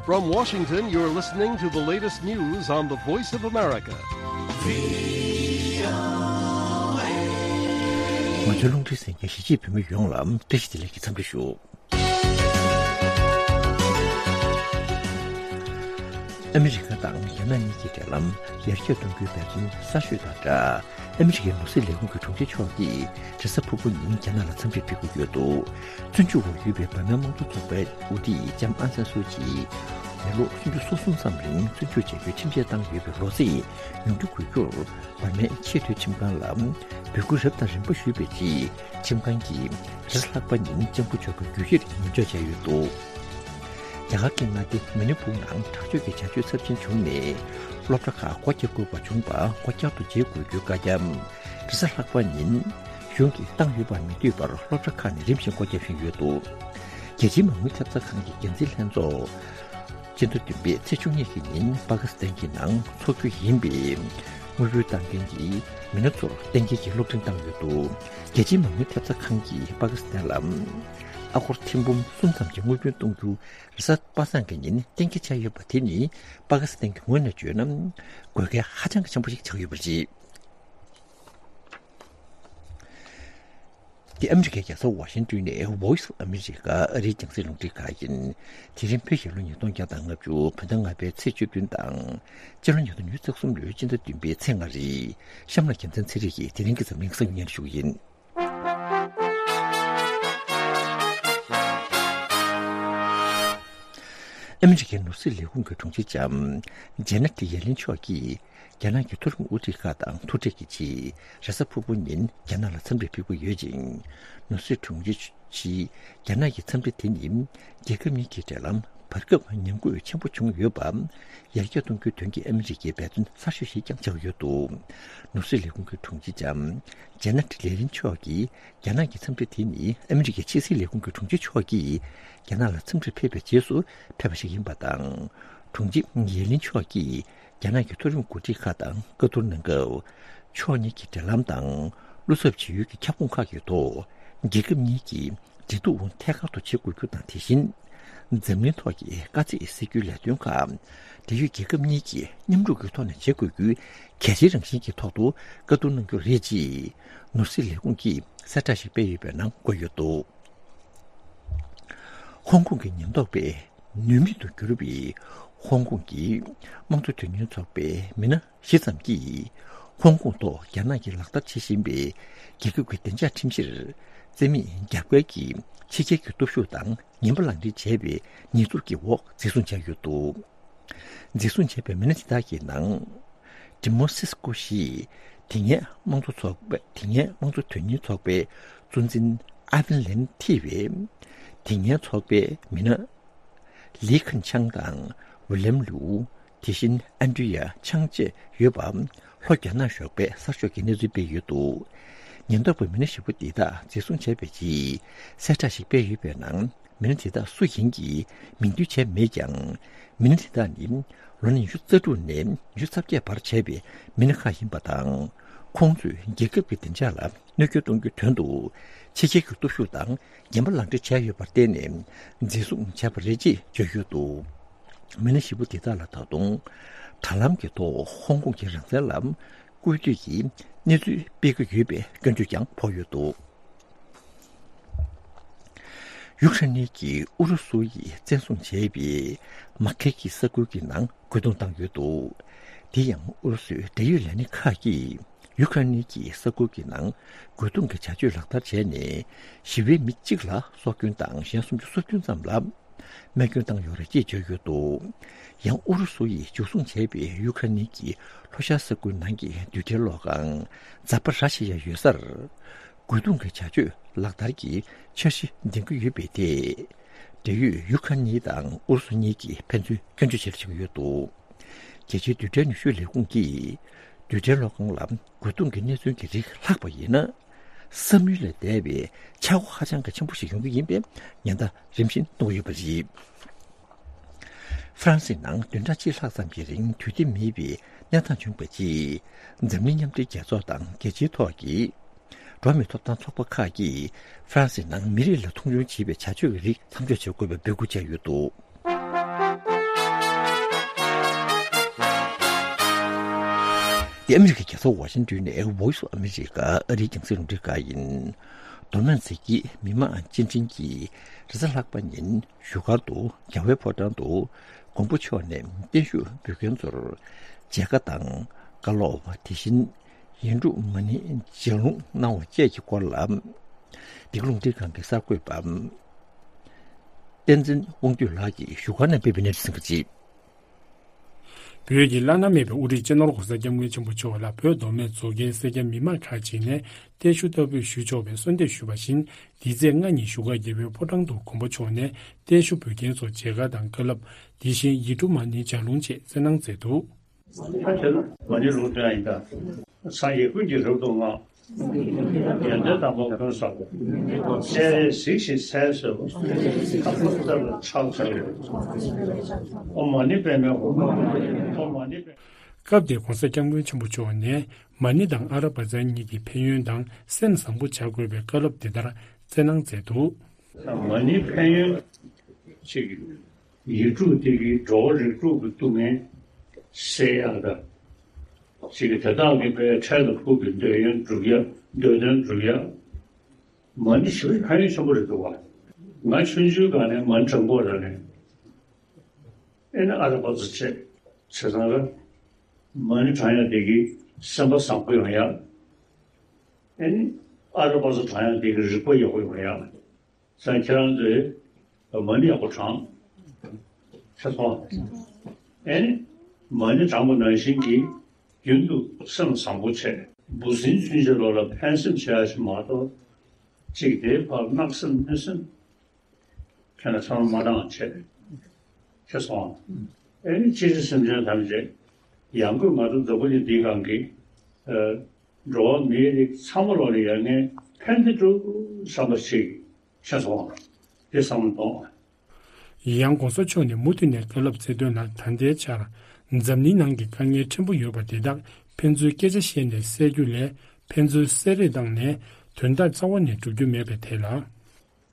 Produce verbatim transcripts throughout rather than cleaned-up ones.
From Washington, you're listening to the latest news on the Voice of America. ང་ཚོའི་རླུང་འཕྲིན་གསན་མཁན་གཞིས་བྱེས་བོད་མི་ཡོངས་ལ་བཀྲ་ཤིས་བདེ་ལེགས་ཀྱི་འཚམས་འདྲི་ཞུ། ཨ་མི་རི་ཀ་དང་རྒྱ་ནག་གཉིས་ཀྱི་འབྲེལ་ལམ་ཡར་རྒྱས་གཏོང་རྒྱུའི་འབད་བརྩོན་གསར་ཤོས་དང་སྦྲགས། ཨ་མི་རི་ཀའི་ནོར་སྲིད་ལས་ཁུངས་ཀྱི་དྲུང་ཆེ་མཆོག་གིས་རེས་གཟའ་ཕུར་བུ་ཉིན་རྒྱ་ནག་ལ་འཚམས་འདྲིར་ཕེབས་ཀྱི་ཡོད་འདུག་བཙོན་འཇུག་འོག་ཡོད་པའི་འབར་མའི་དམངས་གཙོ་ཚོགས་པའི་དབུ་ཁྲིད་ལྕམ་ཨང་སན་སུའུ་ཅི་མི་ལོ་སུམ་ཅུ་སོ་གསུམ་ཙམ་རིང་བཙོན་འཇུག་བྱ་རྒྱུའི་ཁྲིམས་ཆད་བཏང་ཡོད་པའི་ལོ་ཚིགས་ཡོངས་འགྲུབ་དགོས་རྒྱུར། འབར་མའི་ཆེས་མཐོའི་ཁྲིམས་ཁང་ལ་འབོད་སྐུལ་རབ་དང་རིམ་པ་ཞུས་པའི་རྗེས། ཁྲིམས་ཁང་གིས་རེས་གཟའ་ལྷག་པ་ཉིན་ལྕམ་སྐུ་མཆོག་གི་རྒྱུ་གཞིར་ཉེན་འཇོག་བྱས་ཡོད་འདུག་རྒྱ་གར་གྱི་མངའ་སྡེ་མི་ནི་པུར་ནང་དྲག་སྤྱོད་ཀྱི་བྱ་སྤྱོད་ཚབས་ཆེན་བྱུང་ནས། སློབ་གྲྭ་ཁག་སྒོ་རྒྱག་དགོས་པ་བྱུང་བར་སྒོ་བསྐྱར་དུ་འབྱེད་དགོས་རྒྱུའི་བཀའ་རྒྱ། རེས་གཟའ་ལྷག་པ་ཉིན་གཞུང་གིས་བཏང་ཡོད་པར་མི་འདོད་པར་སློབ་གྲྭ་ཁག་ནས་རིམ་བཞིན་སྒོ་བརྒྱབ་བཞིན་ཡོད་འདུག་རྒྱལ་སྤྱིའི་མ་དངུལ་ཐེབས་རྩ་ཁང་གི་འགན་འཛིན་ལྷན་ཚོགས་སྤྱི་ཟླ་བདུན་པའི་ཚེས་བཅུ་གཉིས་ཀྱི་ཉིན་པ་ཀི་སི་ཐན་གྱི་ནང་འཚོགས་རྒྱུ་ཡིན་པའི་དངུལ་འབུལ་བཏང་མཁན་གྱི་མི་སྣ་ཚོར་གཏན་འཁེལ་གྱི་གློག་འཕྲིན་བཏང་ཡོད་འདུག་རྒྱལ་སྤྱིའི་མ་དངུལ་ཐེབས་རྩ་ཁང་གིས་པ་ཀི་སི་ཐན་ལ་ཨ་སྒོར་ཐེར་འབུམ་གསུམ་ཙམ་གྱི་དངུལ་བུན་གཏོང་རྒྱུ་རེས་གཟའ་པ་སངས་ཀྱི་ཉིན་གཏན་འཁེལ་བྱས་ཡོད་པ་དེ་ནི་པ་ཀི་སི་ཐན་གྱི་ངོས་ནས་བརྗོད་ན་དགོས་གལ་ཧ་ཅང་གི་ཆེན་པོ་ཞིག་ཆགས་ཡོད་པ་རེད། འདི་ཨ་མི་རི་ཀའི་རྒྱལ་ས་ཝ་ཤིང་ཏོན་ནས་Voice of America ཨ་རིའི་རྒྱང་སྲིང་རླུང་འཕྲིན་ཁང་ཡིན། དེ་རིང་བོད་རྒྱལ་ལོ་ཉིས་སྟོང་བརྒྱ་དང་ལྔ་བཅུ་བོད་ཟླ་ལྔ་པའི་ཚེས་བཅུ་བདུན་དང་། སྤྱི་ལོ་ཉིས་སྟོང་ཉི་ཤུ་རྩ་གསུམ་ལོའི་སྤྱི་ཟླ་བདུན་པའི་ཚེས་ལྔ་རེད། གཤམ་ལ་རྒྱལ་མཚན་ཚེ་རིང་གིས་དེ་རིང་གི་འཛམ་གླིང་གསར་འགྱུར་སྙན་སྒྲོན་ཞུ་གི་ཡིན། ཨ་མི་རི་ཀའི་ནོར་སྲིད་ལས་ཁུངས་ཀྱི་དྲུང་ཆེ་ལྕམ་ཇེ་ནེ་ཊི་ཡེ་ལིན་མཆོག་གིས་རྒྱ་ནག་གི་མཐོ་རིམ་དབུ་ཁྲིད་ཁག་དང་ཐུག་འཕྲད་ཀྱི་ཆེད་རེས་གཟའ་ཕུར་བུ་ཉིན་རྒྱ་ནག་ལ་འཚམས་འདྲིར་ཕེབས་ཀྱི་ཡོད་ཅིང་། ནོར་སྲིད་དྲུང་ཆེ་ཆེས་རྒྱ་ནག་གི་འཚམས་འདྲི་དེ་ནི་རྒྱལ་ཁབ་གཉིས་ཀྱི་འབྲེལ་ལམ་བར་སྐབས་ཉམས་རྒུད་ཆེན་པོ་བྱུང་ཡོད་པ་ཡར་རྒྱས་གཏོང་རྒྱུའི་དོན་གྱི་ཨ་མི་རི་ཀའི་འབད་བརྩོན་གསར་ཤོས་ཤིག་ཀྱང་ཆགས་ཡོད་འདུག་ནོར་སྲིད་ལས་ཁུངས་ཀྱི་དྲུང་ཆེ་ལྕམ་ཇེ་ནེ་ཊི་ལེ་རིན་མཆོག་གིས་རྒྱ་ནག་གི་འཚམས་འདྲི་དེ་ནི་ཨ་མི་རི་ཀའི་ཕྱི་སྲིད་ལས་ཁུངས་ཀྱི་དྲུང་ཆེ་མཆོག་གིས་རྒྱ་ནག་ལ་འཚམས་འདྲིར་ཕེབས་པའི་རྗེས་སུ་ཕེབས་པ་ཞིག་ཡིན་པ་དང་། དྲུང་ཆེ་ཡེ་ལིན་མཆོག་གིས་རྒྱ་ནག་གི་མཐོ་རིམ་འགོ་ཁྲིད་ཁག་དང་བཀའ་བསྡུར་གནང་སྐབས། ཕྱོགས་གཉིས་ཀྱི་འབྲེལ་ལམ་དང་བློ་འཚབ་བྱེད་ཡུལ་གྱི་ཁྱབ་ཁོངས་ཁག་གི་ཐོག་རྒྱལ་ཁབ་གཉིས་ཀྱི་འབྲེལ་གཏུག་ཐད་ཀར་དུ་བྱེད་དགོས་རྒྱུ་དང་། དེ་བཞིན་འཛམ་གླིང་ཐོག་གི་དཀའ་ཚེགས་སེལ་རྒྱུའི་ལས་དོན་ཁག་འབྲེལ་ཡོད་རྒྱལ་ཁབ་གཉིས་ཀྱིས་མཉམ་རུབ་ཀྱི་ཐོག་ནས་བྱེད་དགོས་རྒྱུའི་གལ་ཆེའི་རང་བཞིན་གྱི་ཐོག་ཏུ་བཀའ་བསྡུར་གནང་རྒྱུ་རེད་ཅེས་ནོར་སྲིད་ལས་ཁུངས་ཀྱིས་གསལ་བསྒྲགས་ཤིག་སྤེལ་ཡོད་པའི་ནང་འཁོད་ཡོད་འདུག་ཧོང་ཀོང་གི་ཉེན་རྟོག་པས་ནུས་མེད་དུ་གྱུར་བའི་ཧོང་ཀོང་གི་དམངས་གཙོ་དོན་གཉེར་ཚོགས་པའི་མི་སྣ་བཞི་ཙམ་གྱིས་ཧོང་ཀོང་ཐོག་རྒྱ་ནག་གིས་ལག་བསྟར་བྱེད་བཞིན་པའི་རྒྱལ་ཁབ་ཀྱི་བདེ་འཇགས་ཁྲིམས་གཞིར་རྩིས་མེད་རྒྱབ་འགལ་གྱིས་ཕྱི་རྒྱལ་གྱི་སྟོབས་ཤུགས་དང་ངན་པ་ལག་འབྲེལ་བྱས་པའི་ཉེས་འཛུགས་ཀྱི་འོག་འཛིན་བཟུང་བྱས་ཡོད་འདུག་འཛིན་བཟུང་བྱས་པའི་མི་སྣ་དེ་དག་གི་ནང་། ཏི་མོ་སིས་ཀོ་ཞེས་དེ་སྔའི་དམངས་གཙོ་ཚོགས་པ། དེ་སྔའི་དམངས་གཙོ་དོན་གཉེར་ཚོགས་པའི་གཙོ་འཛིན་ཨ་ཝིན་ལན་ཐི་བས། དེ་སྔའི་ཚོགས་པའི་མི་སྣ་ལི་ཁན་ཆང་དང་ཝི་ལེམ་ལུའུ། དེ་བཞིན་ཨན་ཌྲི་ཡ་ཆང་བཅས་ཡོད་པ། ལྷོ་རྒྱ་ནག་ཞོགས་པའི་གསར་ཤོག་གིས་གནས་ཚུལ་སྤེལ་ཡོད་འདུག་ཉེན་རྟོག་པས་མི་སྣ་བཞི་པོ་འདི་དག་འཛིན་བཟུང་བྱས་པའི་རྗེས་གསལ་བསྒྲགས་ཤིག་སྤེལ་ཡོད་པའི་ནང་། མི་སྣ་དེ་དག་སུ་ཡིན་གྱི་མིང་འདོན་བྱས་མེད་ཀྱང་། མི་སྣ་དེ་དག་ནི་ལོ་ན་ཉི་ཤུ་རྩ་དྲུག་ནས་ཉི་ཤུ་རྩ་བརྒྱད་བར་བྱས་པའི་མི་སྣ་ཁག་ཡིན་པ་དང་། ཁོང་ཚོས་རྒྱལ་ཁབ་ཀྱི་བདེ་འཇགས་ལ་གནོད་སྐྱོན་གཏོང་རྒྱུའི་དོན་དུ་ཕྱི་རྒྱལ་གྱི་སྟོབས་ཤུགས་དང་ངན་པ་ལག་འབྲེལ་བྱས་ཡོད་པར་བརྟེན་ནས་འཛིན་བཟུང་བྱས་པ་རེད་ཅེས་བརྗོད་ཡོད་འདུག་མི་སྣ་བཞི་པོ་དེ་དག་ལ་ད་དུང་དྲ་ལམ་གྱི་ཐོག་ཧོང་ཀོང་གི་རང་བཙན་ལ་སྐུལ་འདེད་ཀྱི་གནས་ཚུལ་སྤེལ་གྱི་ཡོད་པའི་སྐྱོན་བརྗོད་ཀྱང་ཕོག་ཡོད་འདུག་ཡུཀ་རེན་གྱིས་ཨུ་རུ་སུ་ཡིས་བཙན་བཟུང་བྱས་པའི་མ་ཁེ་གི་ས་ཁུལ་གྱི་ནང་རྒོལ་རྡུང་བཏང་ཡོད་འདུག་དེ་ཡང་ཨུ་རུ་སུའི་འབྲེལ་ཡོད་ལས་སྣེ་ཁག་གིས་ཡུཀ་རེན་གྱི་ས་ཁུལ་གྱི་ནང་རྒོལ་རྡུང་གི་བྱ་སྤྱོད་ལག་བསྟར་བྱས་ནས། ཞི་བའི་མི་གཅིག་ལ་སྲོག་སྐྱོན་དང་གཞན་སུམ་ཅུ་སོ་བདུན་ཙམ་ལ་རྨས་སྐྱོན་བཏང་ཡོད་རེད་ཅེས་བརྗོད་ཡོད་འདུག་ཡང་ཨུ་རུ་སུ་ཡིས་འཇུ་བཟུང་བྱས་པའི་ཡུཀ་རེན་གྱི་ལྷོ་ཤར་ས་ཁུལ་ནང་གི་རྡུལ་ཕྲན་གློག་ཁང་ཛ་པ་ར་ཤི་ཡ་ཡོད་སར། རྒོལ་རྡུང་གི་བྱ་སྤྱོད་ལག་བསྟར་གྱི་འཆར་གཞི་འདིང་གི་ཡོད་པའི་ཐད། འབྲེལ་ཡོད་ཡུ་ཁ་ནི་དང་ཨུ་རུ་སུ་གཉིས་ཀྱིས་ཕན་ཚུན་སྐྱོན་བརྗོད་བྱེད་བཞིན་ཡོད་འདུག་རྒྱལ་སྤྱིའི་རྡུལ་ཕྲན་ནུས་ཤུགས་ལས་ཁུངས་ཀྱིས་རྡུལ་ཕྲན་གློག་ཁང་ལ་རྒོལ་རྡུང་གི་གནས་ཚུལ་གྱི་རིགས་ལྷག་པ་ཡིན་ན། བསམ་ཡུལ་ལས་འདས་པའི་ཆག་སྒོ་ཧ་ཅང་གི་ཆེན་པོ་ཞིག་ཡོང་གི་ཡིན་པའི་ཉེན་བརྡ་རིམ་བཞིན་གཏོང་གི་ཡོད་པ་རེད། ཧྥ་རན་སིའི་ནང་བདུན་ཕྲག་གཅིག་ལྷག་ཙམ་གྱི་རིང་དུས་དེབ་མེད་པའི་གནས་སྟངས་བྱུང་བའི་རྗེས། འཛམ་གླིང་མཉམ་འབྲེལ་རྒྱལ་ཚོགས་དང་རྒྱལ་སྤྱིའི་ཐོག་གི་འགྲོ་བ་མིའི་ཐོབ་ཐང་ཚོགས་པ་ཁག་གིས་ཧྥ་རན་སིའི་ནང་མི་རིགས་ལ་མཐོང་ཆུང་བྱེད་པའི་བྱ་སྤྱོད་ཀྱི་རིགས་མཚམས་འཇོག་བྱེད་དགོས་པའི་འབོད་སྐུལ་བྱས་ཡོད་འདུག་འདི་ཨ་མི་རི་ཀའི་རྒྱལ་ས་ཝ་ཤིང་ཏོན་ནས་Voice of America ཨ་རིའི་རྒྱང་སྲིང་རླུང་འཕྲིན་ཁང་ཡིན། མདོ་སྨད་མཛེས་དཀྱིལ་མི་དམངས་སྤྱི་འཕྲིན་གྱིས་རེས་གཟའ་ལྷག་པ་ཉིན་བཞུགས་སྒར་དུ་རྒྱལ་བའི་ཕོ་བྲང་དུ་མགོན་པོ་མཆོག་ནས་བརྟན་བཞུགས་འབུལ་མཁན་ཚོར་མཇལ་ཁ་དང་བཀའ་སློབ། དེ་བཞིན་ཡིག་འབྲུ་མ་ཎི་ལྗགས་ལུང་གནང་བ་བཅས་ཀྱི་སྐོར་ལ། འདི་ག་རླུང་འཕྲིན་ཁང་གི་གསར་འགོད་པ་བསྟན་འཛིན་དབང་འདུས་ལགས་ཀྱིས་བཞུགས་སྒར་ནས་སྤེལ་བའི་གནས་ཚུལ་ཟིན་པ་རེད། བོད་ཀྱི་བླ་ན་མེད་པའི་དབུ་ཁྲིད་སྤྱི་ནོར་༸གོང་ས་༸སྐྱབས་མགོན་ཆེན་པོ་མཆོག་ལ་བོད་མདོ་སྨད་མཛོ་རྒན་སེར་སྐྱ་མི་མང་ཁག་ཅིག་ནས་བརྟན་བཞུགས་བསྟར་འབུལ་ཞུ་ཆོག་པའི་གསོལ་འདེབས་ཞུས་པ་བཞིན། འདི་ཚེས་ལྔ་ཉིན་བཞུགས་སྒར་རྒྱལ་བའི་ཕོ་བྲང་དུ་མགོན་པོ་མཆོག་ནས་བརྟན་བཞུགས་འབུལ་མཁན་ཚོར་མཇལ་ཁ་དང་བཀའ་སློབ། དེ་བཞིན་ཡིག་འབྲུ་མ་ཎི་ལྗགས་ལུང་བཅས་སྩལ་གནང་མཛད་འདུག། ད་དེ་ལ་མ་ཎི་ལུང་སྟོན་ཡིན་ད། སངས་རྒྱས་ཀུན་གྱི་རབ་ཏུ་བསྔགས། ཡོན་ཏན་དམ་པ་ཀུན་བསགས་པ། སྤྱན་རས་གཟིགས་ཞེས་མཚན་གསོལ་བ། ཐབས་མཁས་ལ་ཕྱག་འཚལ་ལོ། ཨོཾ་མ་ཎི་པདྨེ་ཧཱུྃ། ཨོཾ་མ་ཎི་པདྨེ། སྐབས་དེར་༸གོང་ས་༸སྐྱབས་མགོན་ཆེན་པོ་མཆོག་ནས་མ་ཎི་དང་ཨ་ར་བ་ཙ་གཉིས་ཀྱི་ཕན་ཡོན་དང་སེམས་བཟང་པོ་བྱ་དགོས་པའི་བཀའ་སློབ་འདི་ལྟར་སྩལ་གནང་མཛད་འདུག། མ་ཎིའི་ཕན་ཡོན་ཅིག་ཡིག་དྲུག་དེ་གིས་འགྲོ་བ་རིགས་དྲུག་གི་སྡུག་བསྔལ་སེལ་ཡག་དང་། ཅིག་དེ་དག་གི་དཔེ་འཕྲལ་དུ་ཕུགས་པའི་འདོད་ཡོན་སྒྲུབ་ཡག་འདོད་དོན་སྒྲུབ་ཡག། མ་ཎི་ཞེ་པོ་ཕན་ཡོན་ཆེན་པོ་རེད་འདུག་བ། ང་ཆུང་ཆུང་སྒང་ནས་མ་ཎི་བགྲང་པོ་ར་ནས། ཨེ་ནི་ཨ་ར་པ་ཙ་བྱས་བྱས་ཙང་ར། མ་ཎི་བགྲང་ཡག་དེ་གིས་སེམས་པ་བཟང་པོ་ཡོང་ཡག། ཨེ་ནི་ཨ་ར་པ་ཙ་བགྲང་ཡག་དེ་གིས་རིག་པ་ཡག་པོ་ཡོང་ཡག། ས་ཁྱེད་རང་ཚོས་མ་ཎི་ཡག་པོ་བགྲང་། ཤེས་སོང་། ཨེ་ནི་མ་ཎི་བགྲང་པ་ནང་བཞིན་གྱིས་རྒྱུན་དུ་སེམས་བཟང་པོ་བྱས། འབུ་སྲིན་ཚུན་ཆད་ལོག་ལ་ཕན་སེམས་བྱེད་ཡག་ཞིག་མ་གཏོགས། གཅིག་དེའི་བར་བརྣག་སེམས་གནོད་སེམས་ཁྱེད་ལ་ཚང་མ་མ་བཏང་བྱས། ཤེས་སོང་། ཨེ་ནི་སྤྱིར་སེམས་ཅན་ཐམས་ཅད་ཡང་སྒོས་ང་ཚོ་འཛམ་བུ་གླིང་འདིའི་སྒང་གི་འགྲོ་བ་མིའི་རིགས་ཚང་མ་ལོག་ལ་ཡ་ངས་ཕན་བདེ་སྒྲུབ་བསམ་པ་ཞིག་ཤེས་སོང་། དེ་བསམ་བློ་གཏོང་། ཡང་༸གོང་ས་མཆོག་ནས་མུ་མཐུད་ནས་བཀའ་སློབ་སྩལ་དོན་ལ། ད་ལྟའི་ཆར་འཛམ་གླིང་ནང་གི་དཀའ་ངལ་ཕྲན་བུ་ཡོད་པ་དེ་དག་ཕན་ཚུན་སྐད་ཆ་བཤད་ནས་སེལ་རྒྱུ་ལས། ཕན་ཚུན་བསད་རེས་བཏང་ནས་དོན་དག་རྩ་བ་ནས་སྒྲུབ་རྒྱུ་མེད་པའི་ཐད་ལ།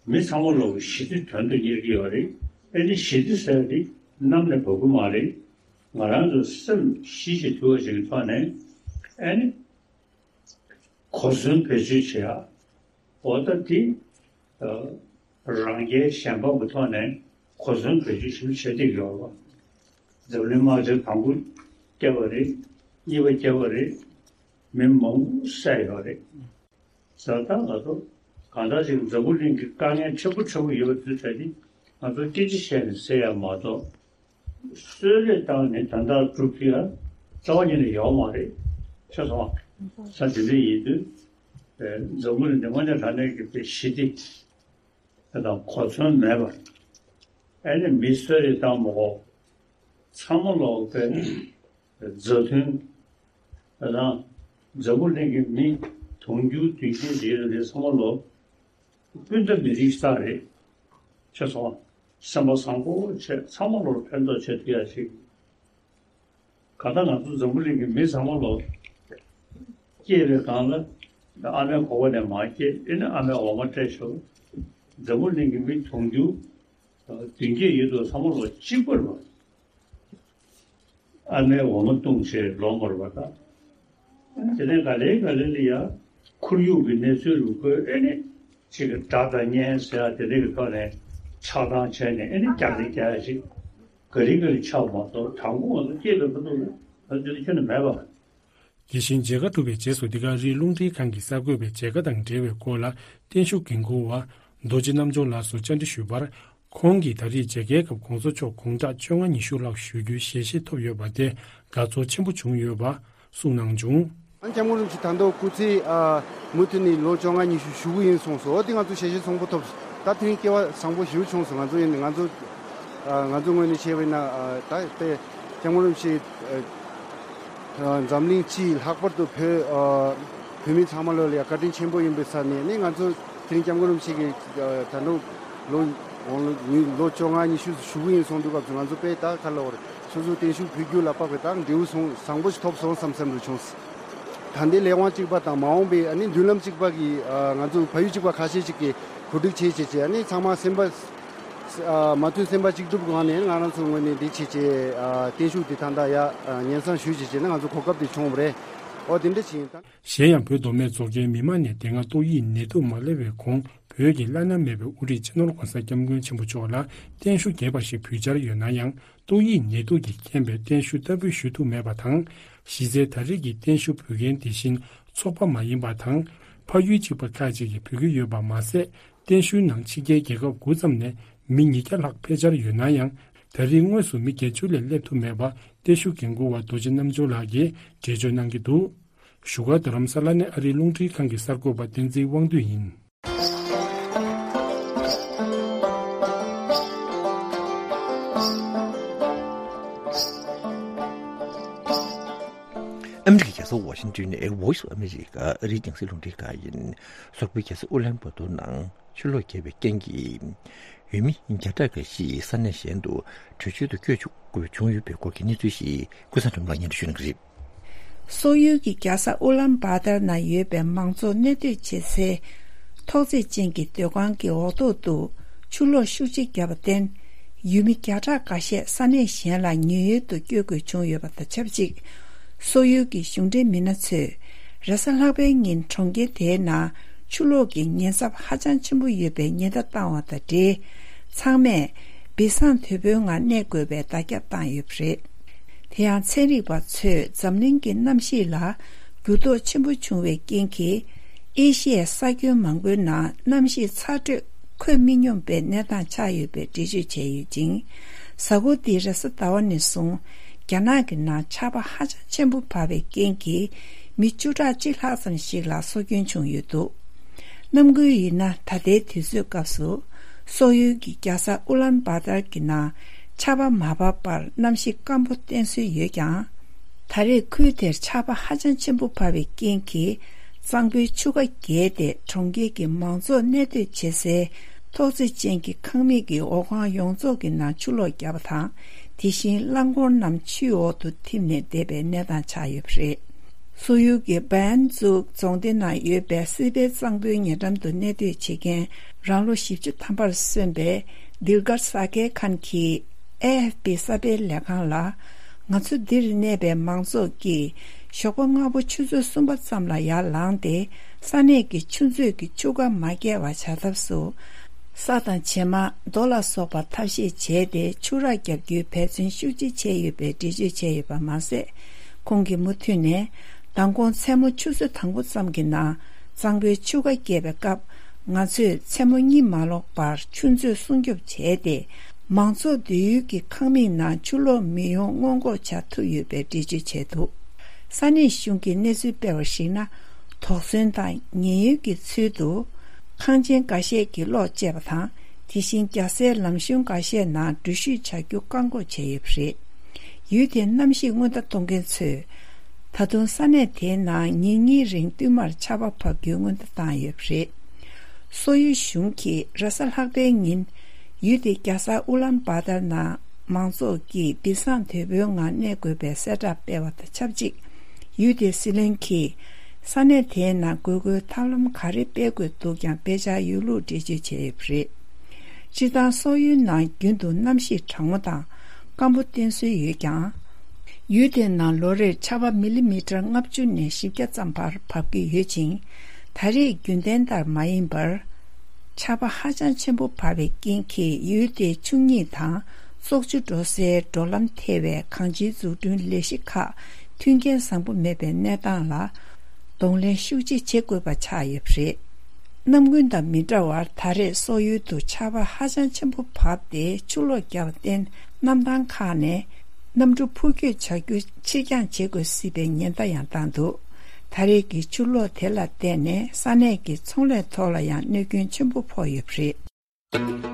མི་ཚང་མ་ལོག་གི་ཞི་བདེ་དོན་དུ་གཉེར་གྱི་ཡོད་རེད། ཨེ་ནི་ཞི་བདེ་ཟེར་དེ་གནམ་ནས་བབས་ཀྱི་མ་རེད། ང་རང་ཚོ་སེམས་ཞི་ཞིང་དུལ་བ་ཞིག་གི་ཐོག་ནས་ཨེ་ནི་གོ་མཚོན་བེད་སྤྱོད་བྱེད་ཡ། འོ་ད་དེ་རང་རྒྱལ་གཞན་ཕམ་གྱི་ཐོག་ནས་གོ་མཚོན་བེད་སྤྱོད་ཞིབ་བྱེད་བསྡད་ཡོད་རེད་བ། འཛམ་གླིང་དམག་ཆེན་དང་པོ་བརྒྱབ་པ་རེད། གཉིས་པ་བརྒྱབ་པ་རེད། མི་མང་པོ་བསད་ཡོད་རེད། ཟེར་ད་ང་ཚོ་གང་ལྟར་ཞིག་འཛམ་བུ་གླིང་གི་དཀའ་ངལ་ཕྲན་བུ་ཕྲན་བུ་ཡོད་པ་དེ་ཚོ་དེ་ང་ཚོ་སྐད་ཆ་བཤད་ནས་སེལ་ཡ་མ་གཏོགས། གསོལ་རས་བཏང་ནས་དོན་དག་སྒྲུབ་ཐུབ་ཡ་རྩ་བ་ཉིད་ནས་ཡོད་མ་རེད། ཤེས་སོང་། ས་དེ་འདྲ་ཡིན་དུས་འཛམ་བུ་གླིང་འདི་དངོས་གནས་དྲང་གནས་ཀྱི་དཔེ་ཞི་བདེ་དང་གོ་མཚོན་མེད་པ། ཨ་ནི་མི་གསོད་རེས་བཏང་མ་གོ། ཚང་མ་ལོག་པའི་མཛའ་མཐུན། ད་ལྟ་འཛམ་བུ་གླིང་གི་མི་དུང་ཕྱུར་བདུན་བརྒྱད་ཡོད་རེད། ཚང་མ་ལོག་སྤུན་ཟླ་མི་རིགས་ཤིག་རེད། ཤེས་སོང་། སེམས་པ་བཟང་པོ་བྱས་ཚང་མ་ལོག་ཕན་ཐོགས་བྱེད་ཐུབ་ཡ་ཞིག་གང་ལྟར་ང་ཚོ་འཛམ་བུ་གླིང་གི་མི་ཚང་མ་ལོག་སྐྱེས་པའི་སྒང་ལ་ཨ་མའི་གོ་བ་ནས་མར་སྐྱེས། ཨེ་ནི་ཨ་མའི་འོ་མ་སྤྲད་ཞོར་འཛམ་བུ་གླིང་གི་མི་དུང་ཕྱུར་བདུན་བརྒྱད་ཡོད་དུས་ཚང་མ་ལོག་གཅིག་པ་རེད་བ། ཨ་མའི་འོ་མ་བཏུང་བྱས་ལོག་མ་རེད་བ་ད། དེ་ནས་ག་ལེ་ག་ལེ་ལ་ཡ་ཁོར་ཡུག་གི་གནས་ཚུལ་རུ་ཁོས་ཨེ་ནི་ཅིག་གི་དགྲ་དང་གཉེན་ཟེར་ཡ་དེ་འདྲ་གི་ཐོག་ནས་ཆགས་སྡང་བྱས་ནས་ཨེ་ནི་རྒྱག་རེས་རྒྱག་ཡ་ཞིག་ག་ལེ་ག་ལེ་ཆགས་མ་གཏོགས་དང་པོ་ང་ཚོ་སྐྱེས་པའི་ཁ་ཐུག་ལ་ང་ཚོ་ཁྱོན་ནས་མེད་པ། དེ་བཞིན་མཇལ་ཁ་གྲུབ་པའི་རྗེས་སུ་འདི་ག་རི་རླུང་འཕྲིན་ཁང་གི་གསར་འགོད་པས་མཇལ་ཁ་དང་འབྲེལ་བའི་སྐོར་ལ་བརྟན་བཞུགས་འགན་འཁུར་བ་རྡོ་རྗེ་རྣམ་འབྱོར་ལགས་སུ་བཅར་འདྲི་ཞུས་པར། ཁོང་གིས་ད་རེས་མཇལ་ཁའི་སྐབས་༸གོང་ས་མཆོག་དགུང་གྲངས་བཅོ་ལྔ་ཉི་ཤུ་ལྷག་བཞུགས་རྒྱུའི་ཞལ་བཞེས་ཐོབ་ཡོད་པ་དེ་དགའ་ཚོར་ཆེན་པོ་བྱུང་ཡོད་པ་གསུངས་གནང་བྱུང་། ཨ་ནི་སྐྱབས་མགོན་རིན་པོ་ཆེ་ད་དུང་སྐུ་ཚེ་ཨ་མུ་མཐུད་ནས་ལོ་བཅོ་ལྔ་ཉི་ཤུ་བཞུགས་ཀྱི་ཡིན་གསུངས་སོང་། འོ་དེ་ང་ཚོ་ཞལ་བཞེས་བཟང་པོ་ཐོབ། ད་དེ་རིང་སྐལ་བ་བཟང་པོ་ཞིག་བྱུང་སོང་། ང་ཚོ་ཡིན་ང་ཚོ་ཨ་ང་ཚོ་ངོས་ནས་བཤད་པ་ཡིན་ན་ཨ་ད་དེ་སྐྱབས་མགོན་རིན་པོ་ཆེ་ཨ་འཛམ་གླིང་སྤྱིའི་ལྷག་པར་དུ་བོད་ཨ་བོད་མི་ཚང་མ་ལོ་ལ་ཡ་བཀའ་དྲིན་ཆེན་པོ་ཡིན་པའི་ས་ནས་ནི་ང་ཚོ་དེ་རིང་སྐྱབས་མགོན་རིན་པོ་ཆེ་གི་ཨ་ད་དུང་ལོ་ལོ་བཅོ་ལྔ་ཉི་ཤུ་བཞུགས་ཀྱི་ཡིན་གསུངས་དུས་སྐབས་སུ་ང་ཚོ་དཔེ་ད་ག་ལ་བར་སོ་སོ་བརྟན་བཞུགས་ཕུལ་རྒྱུ་ལ་དཔག་པའི་ད་འབྲས་བུ་སོང་བཟང་པོ་ཞིག་ཐོབ་སོང་བསམ་བསམ་རུ་བྱུང་། ད་ལྟའི་ལས་དབང་གཅིག་པ་དང་མ་འོངས་པའི་ཨ་ནི་མདུན་ལམ་གཅིག་པ་གི་ཨ་ང་ཚོ་བལ་ཡུལ་གཅིག་པ་ཁ་ཤས་ཤིག་གིས་གོ་སྒྲིག་བྱས་བྱས་བྱས་ཨ་ནི་ཚང་མ་སེམས་པ་ཨ་མ་མཐུན་སེམས་པ་གཅིག་སྒྲིལ་སྒང་ནས་ང་རང་ཚོ་ངོས་ནས་འདི་བྱས་བྱས་ཨ་བརྟན་བཞུགས་འདི་ད་ལྟ་ཡ་ཨ་ཉན་སང་ཞུས་བྱས་བྱས་ན་ང་ཚོ་གོ་སྐབས་དེ་བྱུང་བ་རེད། ཨོ་དེ་འདྲ་བྱས་ཡིན་ད། གཞན་ཡང་བོད་མདོ་སྨད་རྫོང་ཁྱོན་མི་མང་ནས་དེ་སྔ་ཏོག་དབྱིབས་ནད་དུག་མ་སླེབས་པའི་གོང་བོད་ཀྱི་བླ་ན་མེད་པའི་དབུ་ཁྲིད་སྤྱི་ནོར་༧གོང་ས་༧སྐྱབས་མགོན་ཆེན་པོ་མཆོག་ལ་བརྟན་བཞུགས་རྒྱས་པ་ཞིག་ཕུལ་འཆར་ཡོད་ན་ཡང་ཏོག་དབྱིབས་ནད་དུག་གིས་རྐྱེན་པས་བརྟན་བཞུགས་བསྟར་འབུལ་ཞུ་ཐུབ་མེད་པ་དང་། གཞི་རྩའི་ད་རེས་ཀྱི་བརྟན་བཞུགས་ཕུལ་མཁན་དེ་བཞིན་ཚོགས་པ་མ་ཡིན་པ་དང་། ཕ་ཡུལ་གཅིག་པ་ཁག་ཅིག་གིས་ཕུལ་གྱི་ཡོད་པ་མ་ཟད། བརྟན་བཞུགས་ནང་ཕྱི་རྒྱལ་རྒྱལ་ཁབ་དགུ་ཙམ་ནས་མི་ཉིས་བརྒྱ་ལྷག་ཕེབས་འཆར་ཡོད་ན་ཡང་། ད་རེས་དངོས་སུ་མི་བརྒྱད་ཅུ་ལས་སླེབས་ཐུབ་མེད་པ་བརྟན་བཞུགས་འགན་འཁུར་བ་རྡོ་རྗེ་རྣམ་འབྱོར་ལགས་ཀྱིས་འགྲེལ་བརྗོད་གནང་གི་འདུག་བཞུགས་སྒར་རྡ་རམ་ས་ལ་ནས་ཨ་རིའི་རླུང་འཕྲིན་ཁང་གི་གསར་འགོད་པ་བསྟན་འཛིན་དབང་འདུས་ཡིན། ཨ་མི་རི་ཀའི་རྒྱལ་ས་ཝ་ཤིང་ཏོན་ནས་Voice of America ཨ་རིའི་རྒྱང་སྲིང་རླུང་འཕྲིན་ཁང་ཡིན། སོག་པོའི་རྒྱལ་ས་ཨུ་ལན་བ་ཏོར་ནང་ཆུ་ལོག་བརྒྱབ་པའི་རྐྱེན་གྱིས། ཡུལ་མི་བརྒྱ་ཕྲག་འགའ་ཞིག་ས་གནས་གཞན་དུ་བྲོས་བྱོལ་དུ་བསྐྱོད་ཆོག་དགོས་བྱུང་ཡོད་པའི་སྐོར་གྱི་གནས་ཚུལ་ཞིག་ཀུན་བཟང་སྒྲོལ་མ་ལགས་སྙན་སྒྲོན་ཞུ་གནང་གི་རེད། སོག་ཡུལ་གྱི་རྒྱལ་ས་ཨུ་ལན་བྷ་ཏར་ན་ཡོད་པའི་མང་ཚོགས་གནས་སྡོད་བྱེད་སའི་ཐོག་བརྩེགས་ཅན་གྱི་སྡོད་ཁང་གི་འོག་ཐོག་ཏུ་ཆུ་ལོག་ཤུགས་ཆེ་བརྒྱབ་པར་བརྟེན། ཡུལ་མི་བརྒྱ་ཕྲག་འགའ་ཤས་ས་གནས་གཞན་ལ་ཉེན་གཡོལ་དུ་བསྐྱོད་དགོས་བྱུང་ཡོད་པ་དང་ཆབས་ཅིག་སོག་ཡུལ་གྱི་གཞུང་འབྲེལ་མི་སྣ་ཚོས་རེས་གཟའ་ལྷག་པའི་ཉིན་གྲོང་ཁྱེར་དེའི་ནང་ཆུ་ལོག་གི་ཉེན་ཚབས་ཧ་ཅང་ཆེན་པོ་ཡོད་པའི་ཉེན་བརྡ་བཏང་བ་དང་འབྲེལ། ཚང་མས་བི་སང་དོད་པོའི་ངང་གནས་དགོས་པའི་བརྡ་ཁྱབ་བཏང་ཡོད་པ་རེད། དེ་ཡང་ཚན་རིག་པ་ཚོས་འཛམ་གླིང་གི་གནམ་གཤིས་ལ་འགྱུར་ལྡོག་ཆེན་པོ་བྱུང་བའི་རྐྱེན་གྱིས། ཨེ་ཤི་ཡའི་ས་ཁྱོན་མང་པོའི་ནང་གནམ་གཤིས་ཚ་དྲོད་འཁོད་མི་སྙོམས་པའི་གནས་སྟངས་ཆགས་ཡོད་པའི་འགྲེལ་བརྗོད་བྱས་ཡོད་ཅིང་། གཟའ་འཁོར་འདིའི་རེས་གཟའ་ཟླ་བ་ནས་བཟུང་རྒྱ་ནག་གི་ནང་ཆར་པ་ཧ་ཅང་ཆེན་པོ་བབས་པའི་རྐྱེན་གྱིས་མི་བཅུ་ཕྲག་གཅིག་ལྷག་ཙམ་ཞིག་ལ་སྲོག་སྐྱོན་བྱུང་ཡོད་འདུག་གནམ་སྒོས་ཡིན་ན་ད་ལྟའི་དུས་ཚོད་སྐབས་སུ་སོག་ཡུལ་གྱི་རྒྱལ་ས་ཨུ་ལན་བྷ་ཏར་གྱི་ནང་ཆར་པ་མ་བབས་པར་གནམ་གཤིས་སྐམ་པོ་བསྟན་སྲོལ་ཡོད་ཀྱང་། ད་རེས་ཁུལ་དེར་ཆར་པ་ཧ་ཅང་ཆེན་པོ་བབས་པའི་རྐྱེན་གྱིས་གཙང་པོའི་ཆུ་ཁ་བརྒལ་ཏེ་གྲོང་ཁྱེར་གྱི་མང་ཚོགས་གནས་སྡོད་བྱེད་སའི་ཐོག་བརྩེགས་ཅན་གྱི་ཁང་མིག་གི་འོག་ཁང་ཡོངས་རྫོགས་ཀྱི་ནང་ཆུ་ལོག་བརྒྱབ་པ་དང་། དེ་བཞིན་རླངས་འཁོར་རྣམས་ཆུའི་འོག་ཏུ་ཐིམ་ནས་འདེད་པའི་གནས་སྟངས་ཆགས་ཡོད་པ་རེད། སོག་ཡུལ་གྱི་བན་ཛུག་རྫོང་སྡེ་ནང་ཡོད་པའི་སི་པེ་གཙང་པོའི་ཉེ་འགྲམ་དུ་གནས་སྡོད་བྱེད་མཁན་རང་ལོ་བཞི་བཅུ་ཐམ་པར་སོན་པའི་དིལ་གར་ས་ཀེ་ཁན་གྱིས་ཨེ་ཨེཕ་པི་གསར་སྤེལ་ལས་ཁང་ལ། ང་ཚོ་འདིར་གནས་པའི་མང་ཚོགས་ཀྱིས་ཞོགས་པ་སྔ་པོ་ཆུ་ཚོད་གསུམ་པ་ཙམ་ལ་ཡར་ལངས་ཏེ། ས་གནས་ཀྱི་ཆུ་མཛོད་ཀྱི་ཆུ་ཁ་མ་བརྒལ་བ་བྱ་ཐབས་སུ། ས་དང་བྱེ་མ། རྡོ་ལ་སོགས་པ་ཐབས་ཤེས་བྱས་ཏེ་ཆུ་རགས་བརྒྱབ་རྒྱུའི་འབད་བརྩོན་ཤུགས་ཆེ་བྱས་ཡོད་པའི་འགྲེལ་བརྗོད་བྱས་ཡོད་པ་མ་ཟད། ཁོང་གིས་མུ་མཐུད་ནས། མདང་དགོང་མཚན་མོ་ཆུ་ཚོད་དང་པོ་ཙམ་གྱི་ནང་གཙང་པོའི་ཆུ་ཁ་བརྒལ་བའི་སྐབས། ང་ཚོས་མཚན་མོ་གཉིད་མ་ལོག་པར་ཆུ་མཛོད་སྲུང་སྐྱོབ་བྱས་ཏེ། མང་ཚོགས་སྡོད་ཡུལ་གྱི་ཁང་མིག་ནང་ཆུ་ལོག་མི་ཡོང་སྔོན་འགོག་བྱ་ཐུབ་ཡོད་པའི་འགྲེལ་བརྗོད་བྱས་འདུག་ས་གནས་གཞུང་གིས་གནས་ཚུལ་སྤེལ་བར་གཞིགས་ན། དོགས་ཟོན་དང་ཉེན་གཡོལ་གྱི་ཚུལ་དུ། ཁང་ཆེན་འགའ་ཤས་ཀྱི་གློག་བཅད་པ་དང་། དེ་བཞིན་རྒྱལ་སའི་ལམ་གཞུང་འགའ་ཤས་ནང་འགྲུལ་བཞུད་བྱ་རྒྱུ་བཀག་འགོག་བྱས་ཡོད་པ་རེད། ཡུལ་དེའི་གནམ་གཤིས་སྔོན་བརྡ་གཏོང་མཁན་ཚོས། ད་དུང་ས་གནས་དེའི་ནང་ཉིན་གཉིས་རིང་བསྟུད་མར་ཆར་པ་བབས་རྒྱུའི་སྔོན་བརྡ་བཏང་ཡོད་པ་རེད། སོག་ཡུལ་གཞུང་གིས་རེས་གཟའ་ལྷག་པའི་ཉིན། ཡུལ་དེའི་རྒྱལ་ས་ཨུ་ལན་བྷ་ཏར་ནང་མང་ཚོགས་ཀྱིས་བི་སང་དོད་པོའི་ངང་གནས་དགོས་པའི་གསལ་བསྒྲགས་སྤེལ་བ་དང་ཆབས་ཅིག་ཡུལ་དེའི་སྲིད་བློན་གྱིས། ས་གནས་དེའི་ནང་དགོས་མཁོའི་ཐབས་ལམ་ག་རེ་སྤེལ་དགོས་འདུག་ཀྱང་སྤེལ་འཆར་ཡོད་ལུགས་འགྲེལ་བརྗོད་བྱས་ཡོད་པ་རེད། སྤྱིར་བཏང་སོག་ཡུལ་ནང་རྒྱུན་དུ་གནམ་གཤིས་གྲང་མོ་དང་སྐམ་པོ་བསྟན་སྲོལ་ཡོད་ཀྱང་། ཡུལ་དེའི་ནང་ལོ་རེར་ཆར་པ་མི་ལི་མི་ཊར་ལྔ་བཅུ་ནས་བཞི་བརྒྱ་ཙམ་བར་བབས་ཀྱི་ཡོད་ཅིང་། ད་རེས་རྒྱུན་ལྡན་ལྟར་མ་ཡིན་པར། ཆར་པ་ཧ་ཅང་ཆེན་པོ་བབས་པའི་རྐྱེན་གྱིས་ཡུལ་དེའི་ཆུ་གཉིས་དང་བཙོག་ཆུ་འགྲོ་སའི་འགྲོ་ལམ་ཐེ་བའི་གངས་ཅན་འཛུགས་སྐྲུན་ལས་གཞི་ཁག་མཐུན་རྐྱེན་བཟང་པོ་མེད་པའི་གནས་སྟངས་ལ་གདོང་ལེན་ཤུགས་ཆེ་བྱེད་དགོས་པ་ཆགས་ཡོད་པ་རེད། གནམ་དགུན་དང་མི་འདྲ་བར་ད་རེས་སོག་ཡུལ་དུ་ཆར་པ་ཧ་ཅང་ཆེན་པོ་བབས་ཏེ་ཆུ་ལོག་བརྒྱབ་པར་བརྟེན་གནམ་ཐང་ཁག་ནས་གནམ་གྲུ་འཕུར་སྐྱོད་བྱ་རྒྱུ་ཕྱིར་འགྱངས་བྱེད་དགོས་སྲིད་པའི་ཉེན་བརྡ་ཡང་བཏང་འདུག་ད་རེས་ཀྱི་ཆུ་ལོག་དེ་ལ་བརྟེན་ནས་ས་གནས་ཀྱི་ཚོང་ལས་ཐོག་ལ་ཡང་གནོད་སྐྱོན་ཆེན་པོ་ཕོག་ཡོད་པ་རེད།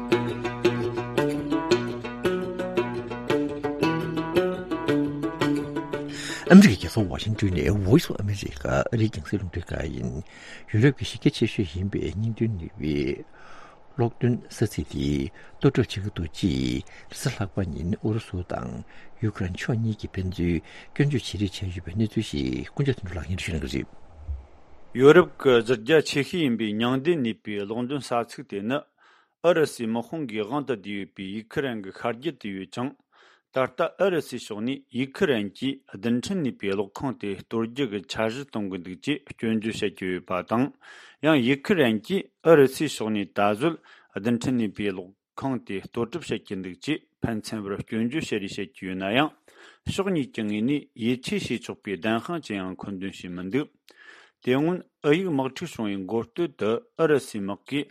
ཨ་མི་རི་ཀའི་རྒྱལ་ས་ཝ་ཤིང་ཏོན་ནས་Voice of America ཨ་རིའི་རྒྱང་སྲིང་རླུང་འཕྲིན་ཁང་ཡིན། ཡུ་རོབ་ཀྱི་གཞི་རྒྱ་ཆེ་ཤོས་ཡིན་པའི་སྙིང་དོན་ནུས་པའི་གློག་འདོན་ས་ཚིགས་དེ་གཏོར་སྐྱོན་བྱེད་ཀྱི་འདུག་ཅེས་རེས་གཟའ་ལྷག་པ་ཉིན་ཨུ་རུ་སུ་དང་ཡུ་ཀེ་རེན་ཕྱོགས་གཉིས་ཀྱིས་ཕན་ཚུན་སྐྱོན་བརྗོད་བྱེད་རེས་བྱས་ཡོད་པའི་གནས་ཚུལ་ཞིག་ཀུན་ཁྱབ་དོན་གྲུབ་ལགས་སྙན་སྒྲོན་ཞུ་གནང་གི་རེད། ཡོ་རོབ་ཀྱི་གཞི་རྒྱ་ཆེ་ཤོས་ཡིན་པའི་མྱང་འདས་ནུས་པའི་གློག་འདོན་ས་ཚིགས་དེ་ནི་ཨུ་རུ་སུའི་དམག་དཔུང་གིས་དབང་དུ་བསྡུས་ཡོད་པའི་ཡུ་ཁི་རན་གྱི་ཤར་རྒྱུད་དུ་ཡོད་ཅིང་། ད་ ད་ལྟ་ཨུ་རུ་སུའི་ཕྱོགས་ནས་ཡུ་ཁི་རན་གྱིས་རྡུལ་ཕྲན་གནས་པའི་གློག་ཁང་དེ་གཏོར་རྒྱུ་གི་འཆར་གཞི་གཏོང་གི་འདུག་ཅེས་སྐྱོན་བརྗོད་བྱེད་ཀྱི་ཡོད་པ་དང་། ཡང་ཡུ་ཁི་རན་གྱིས་ཨུ་རུ་སུའི་ཕྱོགས་ནས་ད་གཟོད་རྡུལ་ཕྲན་གནས་པའི་གློག་ཁང་དེ་གཏོར་གྲབས་བྱེད་ཀྱི་འདུག་ཅེས་ཕན་ཚུན་བར་སྐྱོན་བརྗོད་བྱེད་རེས་བྱེད་ཀྱི་ཡོད་ན་ཡང་། ཕྱོགས་གཉིས་ཀྱི་ངོས་ནས་ཡིད་ཆེས་བྱེད་ཆོག་པའི་བདེན་དཔང་ཅི་ཡང་མཁོ་འདོན་བྱས་མི་འདུག་དེ་སྔོན་ཨུ་ཡིག་དམག་འཁྲུག་བྱུང་བའི་འགོ་སྟོད་དུ་ཨུ་རུ་སུའི་དམག་གིས་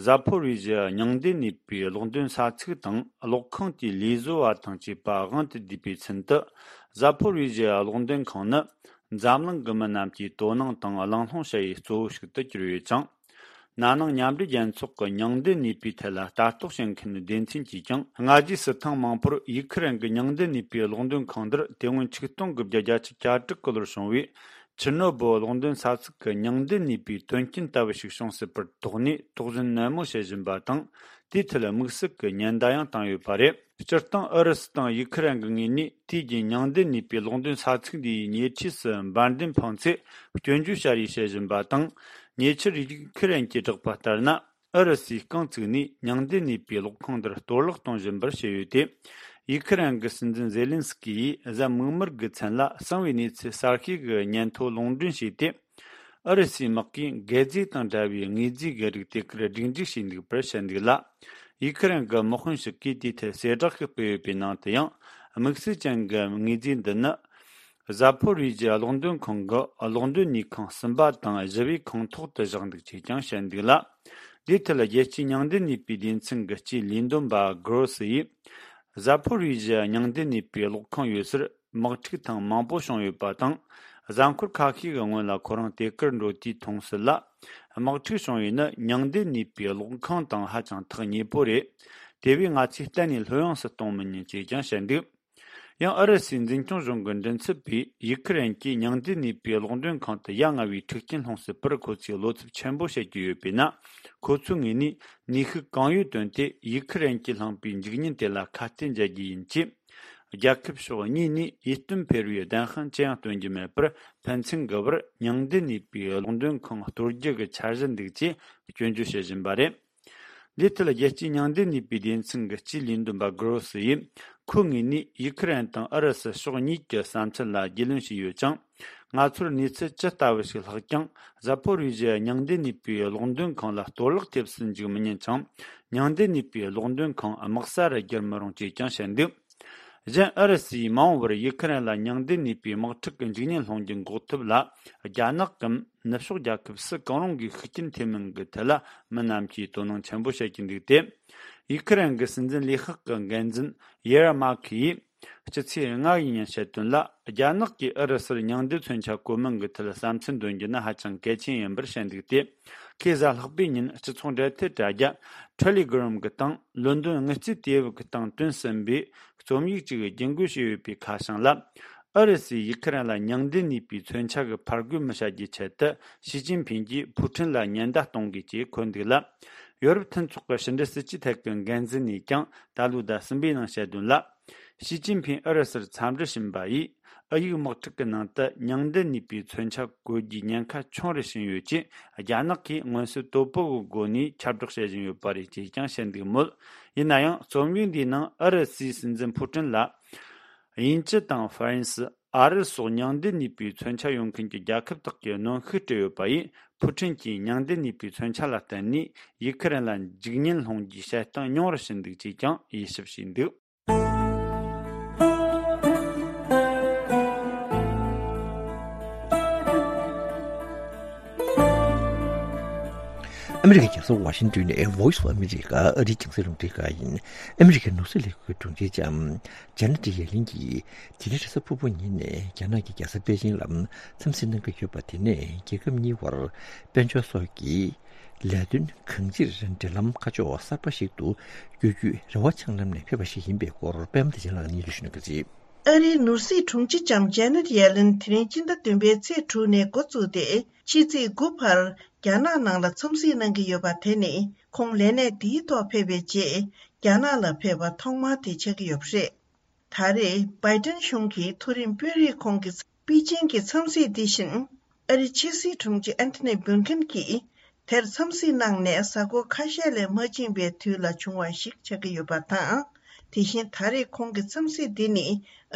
ཟ་ཕོ་རི་ཞི་ཡ་མྱང་འདེབས་ནུས་པའི་གློག་འདོན་ས་ཚིགས་དང་གློག་ཁང་དེའི་ལས་བཟོ་བ་དང་བཅས་པ་དབང་དུ་བསྡུས་པའི་ཚུན་དུ། ཟ་ཕོ་རི་ཞི་ཡ་གློག་འདོན་ཁང་ནི་འཛམ་གླིང་གི་མི་རྣམས་ཀྱིས་དོ་སྣང་དང་གླེང་སློང་བྱ་ཡུལ་གཙོ་བོ་ཞིག་ཏུ་གྱུར་ཡོད་ཅིང་། ན་ནིང་མཉམ་འབྲེལ་རྒྱལ་ཚོགས་ཀྱི་མྱང་འདེབས་ནུས་པའི་ཐད་ལ་ལྟ་རྟོག་བྱེད་མཁན་སྡེ་ཚན་གྱིས་ཀྱང་། སྔ་རྗེས་སུ་ཐེངས་མང་པོར་ཡུ་ཁི་རན་གྱི་མྱང་འདེབས་ནུས་པའི་གློག་འདོན་ཁང་འདིར་དེ་སྔོན་ཆིག་སྟོང་དགུ་བརྒྱ་བརྒྱད་ཅུ་གྱ་དྲུག་གི་ལོར་བྱུང་བའི་ཆེར་ནོ་སྦེལ་གློག་འདོན་ས་ཚིགས་ཀྱི་མྱང་འདེབས་ནུས་པའི་དོན་རྐྱེན་ལྟ་བུ་ཞིག་བྱུང་སྲིད་པར་དོགས་ནས་དོགས་ཟོན་ནན་མོ་བྱེད་བཞིན་པ་དང་། དེའི་ཐད་དམིགས་བསལ་གྱི་ཉེན་བརྡ་ཡང་བཏང་ཡོད་པ་རེད། སྤྱིར་བཏང་ཨུ་རུ་སུ་དང་ཡུ་ཁི་རན་གྱི་ངོས་ནས་དུས་རྒྱུན་མྱང་འདེབས་ནུས་པའི་གློག་འདོན་ས་ཚིགས་འདིའི་ཉེ་འཁྲིས་སུ་འབར་མདེལ་འཕངས་ཚེ་སྐྱོན་བརྗོད་བྱ་རེས་བྱེད་བཞིན་པ་དང་། ཉེ་ཆར་ཡུ་ཁི་རན་གྱིས་བསྒྲགས་པ་ལྟར་ན། ཨུ་རུ་སུས་རྐང་བཙུགས་ནས་མྱང་འདེབས་ནུས་པའི་གློག་ཁང་འདིར་གཏོར་བརླག་གཏོང་བཞིན་པར་བཤད་ཡོད་དེ། ཡུ་ཁི་རན་གྱི་སྲིད་འཛིན་ཛེ་ལིན་སི་ཀི་ཡིས་གཟའ་མིག་དམར་གྱི་མཚན་ལ་གསང་བའི་གནས་ཚུལ་གསར་ཤོས་ཀྱི་སྙན་ཐོ་ལུང་འདྲེན་བྱས་ཏེ། ཨུ་རུ་སུའི་དམག་གིས་འགད་རྫས་དང་འདྲ་བའི་དངོས་རྫས་ཀྱི་རིགས་དེ་གར་སྒྲིག་འཇུག་བྱས་འདུག་པར་བཤད་འདུག་ལ། ཡུ་ཁི་རན་གྱི་དམག་དཔོན་ཞིག་གིས་དེའི་ཐད་གསལ་བསྒྲགས་ཤིག་སྤེལ་ཡོད་པའི་ནང་དུ་ཡང་། དམིགས་བསལ་ཅན་གྱི་དངོས་རྫས་འདི་ནི། ཟ་ཕོ་རི་ཇི་གློག་འདོན་ཁང་གི་གློག་འདོན་ནུས་ཁང་གསུམ་པ་དང་བཞི་པའི་ཁང་ཐོག་ཏུ་བཞག་འདུག་ཅེས་ཀྱང་བཤད་འདུག་ལ། དེའི་ཐད་རྒྱལ་སྤྱིའི་མྱང་འདེབས་ནུས་པའི་སྡེ་ཚན་གྱི་སྤྱིའི་ལས་དོན་པ་གྷ་རོ་སི་ཡིས། ཟ་ཕོ་རི་ཇི་མྱང་འདེབས་ནུས་པའི་གློག་ཁང་ཡོད་སར་དམག་འཁྲུག་ཐེངས་མང་པོ་བྱུང་ཡོད་པ་དང་། གཟའ་འཁོར་ཁ་ཤས་ཀྱི་སྔོན་ལ་ཁོ་རང་དེ་གར་འགྲོ་དུས་མཐོང་སྲིད་ལ། དམག་འཁྲུག་བྱུང་བས་ནི་མྱང་འདེབས་ནུས་པའི་གློག་ཁང་དང་ཧ་ཅང་ཐག་ཉེ་པོ་རེད། དེ་བས་ང་ཚོས་གཏན་ནས་ལྷོད་ཡངས་སུ་གཏོང་མི་ཉན་ཅེས་ཀྱང་བཤད་འདུག་ཡང་ཨུ་རུ་སུའི་འཛིན་སྐྱོང་གཞུང་གི་མགྲིན་ཚབ་པས་ཡུ་ཁི་རན་གྱིས་མྱང་འདེབས་ནུས་པའི་གློག་འདོན་ཁང་དུ་ཡ་ང་བའི་འཁྲུག་རྐྱེན་སློང་སྲིད་པར་ཁོ་ཚོས་བློ་འཚབ་ཆེན་པོ་བྱེད་ཀྱི་ཡོད་པས་ན། ཁོ་ཚོའི་ངོས་ནས་ནུས་ཤུགས་གང་ཡོད་བཏོན་ཏེ་ཡུ་ཁི་རན་གྱིས་བསླངས་པའི་འཇིགས་ཉེན་དེ་ལ་ཁ་གཏད་འཇལ་རྒྱུ་ཡིན་ཅེས། རྒྱལ་ཁབ་ཕྱོགས་གཉིས་ནས་ཡིད་རྟོན་འཕེར་བའི་བདེན་དཔང་ཅི་ཡང་སྟོན་རྒྱུ་མེད་པར་ཕན་ཚུན་གྱི་བར་མྱང་འདེབས་ནུས་པའི་གློག་འདོན་ཁང་གཏོར་རྒྱུ་གི་འཆར་གཞི་འདུག་ཅེས་སྐྱོན་བརྗོད་བྱེད་བཞིན་པ་རེད། འདིའི་ཐད་རྒྱལ་སྤྱིའི་མྱང་འདེབས་ནུས་པའི་སྡེ་ཚན་གྱི་སྤྱིའི་ལས་དོན་པ་གྷ་རོ་སི་ཡིས། ཁོའི་ངོས་ནས་ཡུ་ཁི་རན་དང་ཨུ་རུ་སུ་ཕྱོགས་གཉིས་ཀྱི་བསམ་ཚུལ་ལ་རྒྱུས་ལོན་བྱས་ཡོད་ཅིང་། ང་ཚོར་གནས་ཚུལ་ཇི་ལྟ་བུ་ཞིག་ལྷགས་ཀྱང་། ཟ་ཕོ་རི་ཞི་མྱང་འདེབས་ནུས་པའི་གློག་འདོན་ཁང་ལ་གཏོར་བརླག་ཐེབས་སུ་འཇུག་མི་ཉན་ཅིང་། མྱང་འདེབས་ནུས་པའི་གློག་འདོན་ཁང་དམག་ས་རུ་བསྒྱུར་མི་རུང་ཅེས་ཀྱང་བཤད་འདུག་གཞན་ཨུ་རུ་སུས་མ་འོངས་པར་ཡུ་ཁི་རན་ལ་མྱང་འདེབས་ནུས་པའི་དམག་འཁྲུག་གི་འཇིགས་ཉེན་སློང་རྒྱུ་འགོག་ཐབས་ལ། རྒྱ་ནག་གམ་ནུབ་ཕྱོགས་རྒྱལ་ཁབ་སུ་གང་རུང་གིས་ཤུགས་རྐྱེན་ཐེབས་མིན་གྱི་ཐད་ལ་མི་རྣམས་ཀྱིས་དོ་སྣང་ཆེན་པོ་བྱེད་ཀྱི་འདུག་སྟེ། ཡུ་ཁི་རན་གྱི་སྲིད་འཛིན་ལས་ཁག་གི་འགན་འཛིན་ཡེ་ར་མ་ཁི་ཡིས། སྤྱི་ཚེས་ལྔ་ཡི་ཉིན་བཤད་དོན་ལ། རྒྱ་ནག་གིས་ཨུ་རུ་སུར་མྱང་འདེབས་མཚོན་ཆ་བཀོལ་མིན་གྱི་ཐད་བསམ་ཚུལ་འདོན་རྒྱུ་ནི་ཧ་ཅང་གལ་ཆེན་ཡིན་པར་བཤད་འདུག་སྟེ། ཁོས་གཟའ་ལྷག་པའི་ཉིན་སྤྱི་ཚོགས་འབྲེལ་མཐུད་དྲ་རྒྱ་Telegram་གི་སྟེང་ལོན་ཌོན་དངུལ་རྩིས་དེབ་ཀྱི་སྟེང་བཏོན་ཟིན་པའི་རྩོམ་ཡིག་ཅིག་རྒྱུན་འཁྱོངས་བྱས་ཡོད་པའི་ཁ་བྱང་ལ། ཨུ་རུ་སུས་ཡུ་ཁི་རན་ལ་མྱང་འདེབས་ནུས་པའི་མཚོན་ཆ་གི་ཕར་རྒོལ་མི་བྱ་རྒྱུའི་ཆེད་དུ་ཞི་ཅིན་ཕིང་གིས་ཕུའུ་ཁྲིན་ལ་ཉེན་བརྡ་གཏོང་དགོས་ཅེས་འཁོད་འདུག་ལ། ཡོ་རོབ་མཐུན་ཚོགས་ཀྱི་ཕྱི་འབྲེལ་སྲིད་ཇུས་ཐད་ཀྱི་འགན་འཛིན་ནས་ཀྱང་ད་ལོའི་ཟླ་གསུམ་པའི་ནང་བཤད་དོན་ལ། ཞི་ཅིན་ཕིང་ཨུ་རུ་སུར་འཚམས་འདྲི་ཕྱིན་པ་ཡིས། ཨུ་ཡིག་དམག་འཁྲུག་གི་ནང་དུ་མྱང་འདེབས་ནུས་པའི་མཚོན་ཆ་བཀོལ་རྒྱུའི་ཉེན་ཁ་ཆུང་རུ་ཕྱིན་ཡོད་ཅེས། རྒྱ་ནག་གིས་མངོན་གསལ་དོད་པོ་གི་སྒོ་ནས་ཁྱབ་བསྒྲགས་བྱེད་བཞིན་ཡོད་པ་རེད་ཅེས་ཀྱང་བཤད་འདུག་མོད། ཡིན་ན་ཡང་རྩོམ་ཡིག་འདིའི་ནང་ཨུ་རུ་སུའི་སྲིད་འཛིན་ཕུའུ་ཁྲིན་ལ། དབྱིན་ཇི་དང་ཧྥ་རན་སི། ཨ་རི་སོགས་མྱང་འདེབས་ནུས་པའི་མཚོན་ཆ་ཡོད་མཁན་གྱི་རྒྱལ་ཁབ་དག་གིས་གནོན་ཤུགས་སྤྲད་ཡོད་པ་ཡིས། ཕུའུ་ཁྲིན་གྱིས་མྱང་འདེབས་ནུས་པའི་མཚོན་ཆ་ལ་བརྟེན་ནས་ཡུ་ཁི་རན་ལ་འཇིགས་ཉེན་སློང་རྒྱུའི་བྱེད་སྟངས་ཉུང་རུ་ཕྱིན་འདུག་ཅེས་ཀྱང་དབྱེ་ཞིབ་བྱས་འདུག་ཨ་མི་རི་ཀའི་རྒྱལ་ས་ཝ་ཤིང་ཏོན་ནས་Voice of America ཨ་རིའི་རྒྱང་སྲིང་རླུང་འཕྲིན་ཁང་ཡིན། ཨ་མི་རི་ཀའི་ནོར་སྲིད་ལས་ཁུངས་དྲུང་ཆེ་ལྕམ་ཇེ་ནེ་ཊི་ཡེ་ལིན་གྱིས་དེ་རིང་རེས་གཟའ་ཕུར་བུ་ཉིན་ནས་རྒྱ་ནག་གི་རྒྱལ་ས་པེ་ཅིང་ལ་འཚམས་གཟིགས་གནང་གི་ཡོད་པ། དེ་ནས་རྒྱལ་ཁབ་གཉིས་བར་དཔལ་འབྱོར་སོགས་ཀྱི་ལས་དོན་གང་ཅིར་འབྲེལ་ལམ་ཁ་ཕྱོགས་གསར་པ་ཞིག་ཏུ་བསྒྱུར་རྒྱུའི་རེ་བ་འཆང་ལམ་ནས་ཕེབས་པ་ཞིག་ཡིན་པའི་སྐོར་པད་མ་བདེ་ཆེན་ལགས་ནས་སྙན་སྒྲོན་ཞུ་གནང་གི་རེད། ཨ་རིའི་ནོར་སྲིད་དྲུང་ཆེ་ལྕམ་ཇེ་ནེ་ཊི་ཡེ་ལིན་དེ་རིང་སྤྱི་ཟླ་བདུན་པའི་ཚེས་དྲུག་ནས་འགོ་བཙུགས་ཏེ་ཕྱི་ཚེས་དགུ་བར་རྒྱ་ནག་ནང་ལ་འཚམས་གཟིགས་གནང་གི་ཡོད་པ། དེ་ནི་ཁོང་ལས་གནས་འདིའི་ཐོག་ཕེབས་པའི་རྗེས་རྒྱ་ནག་ལ་ཕེབས་པ་ཐོག་མ་དེ་ཆགས་ཀྱི་ཡོད་པ་རེད། ད་རེས་བྷའི་ཏན་གཞུང་གི་མཐོ་རིམ་དཔོན་རིགས་ཁོང་གི་པེ་ཅིང་གི་འཚམས་གཟིགས་འདི་བཞིན། ཨ་རིའི་ཕྱི་སྲིད་དྲུང་ཆེ་ཨན་ཐོ་ནི་བྷིལ་ཁིན་གྱིས་དེར་འཚམས་གཟིགས་གནང་ནས་གཟའ་འཁོར་ཁ་ཤས་ལས་མ་ཕྱིན་པའི་དུས་ལ་བྱུང་བ་ཞིག་ཆགས་ཀྱི་ཡོད་པ་དང་། དེ་བཞིན་ད་རེས་ཁོང་གི་འཚམས་གཟིགས་འདི་ནི་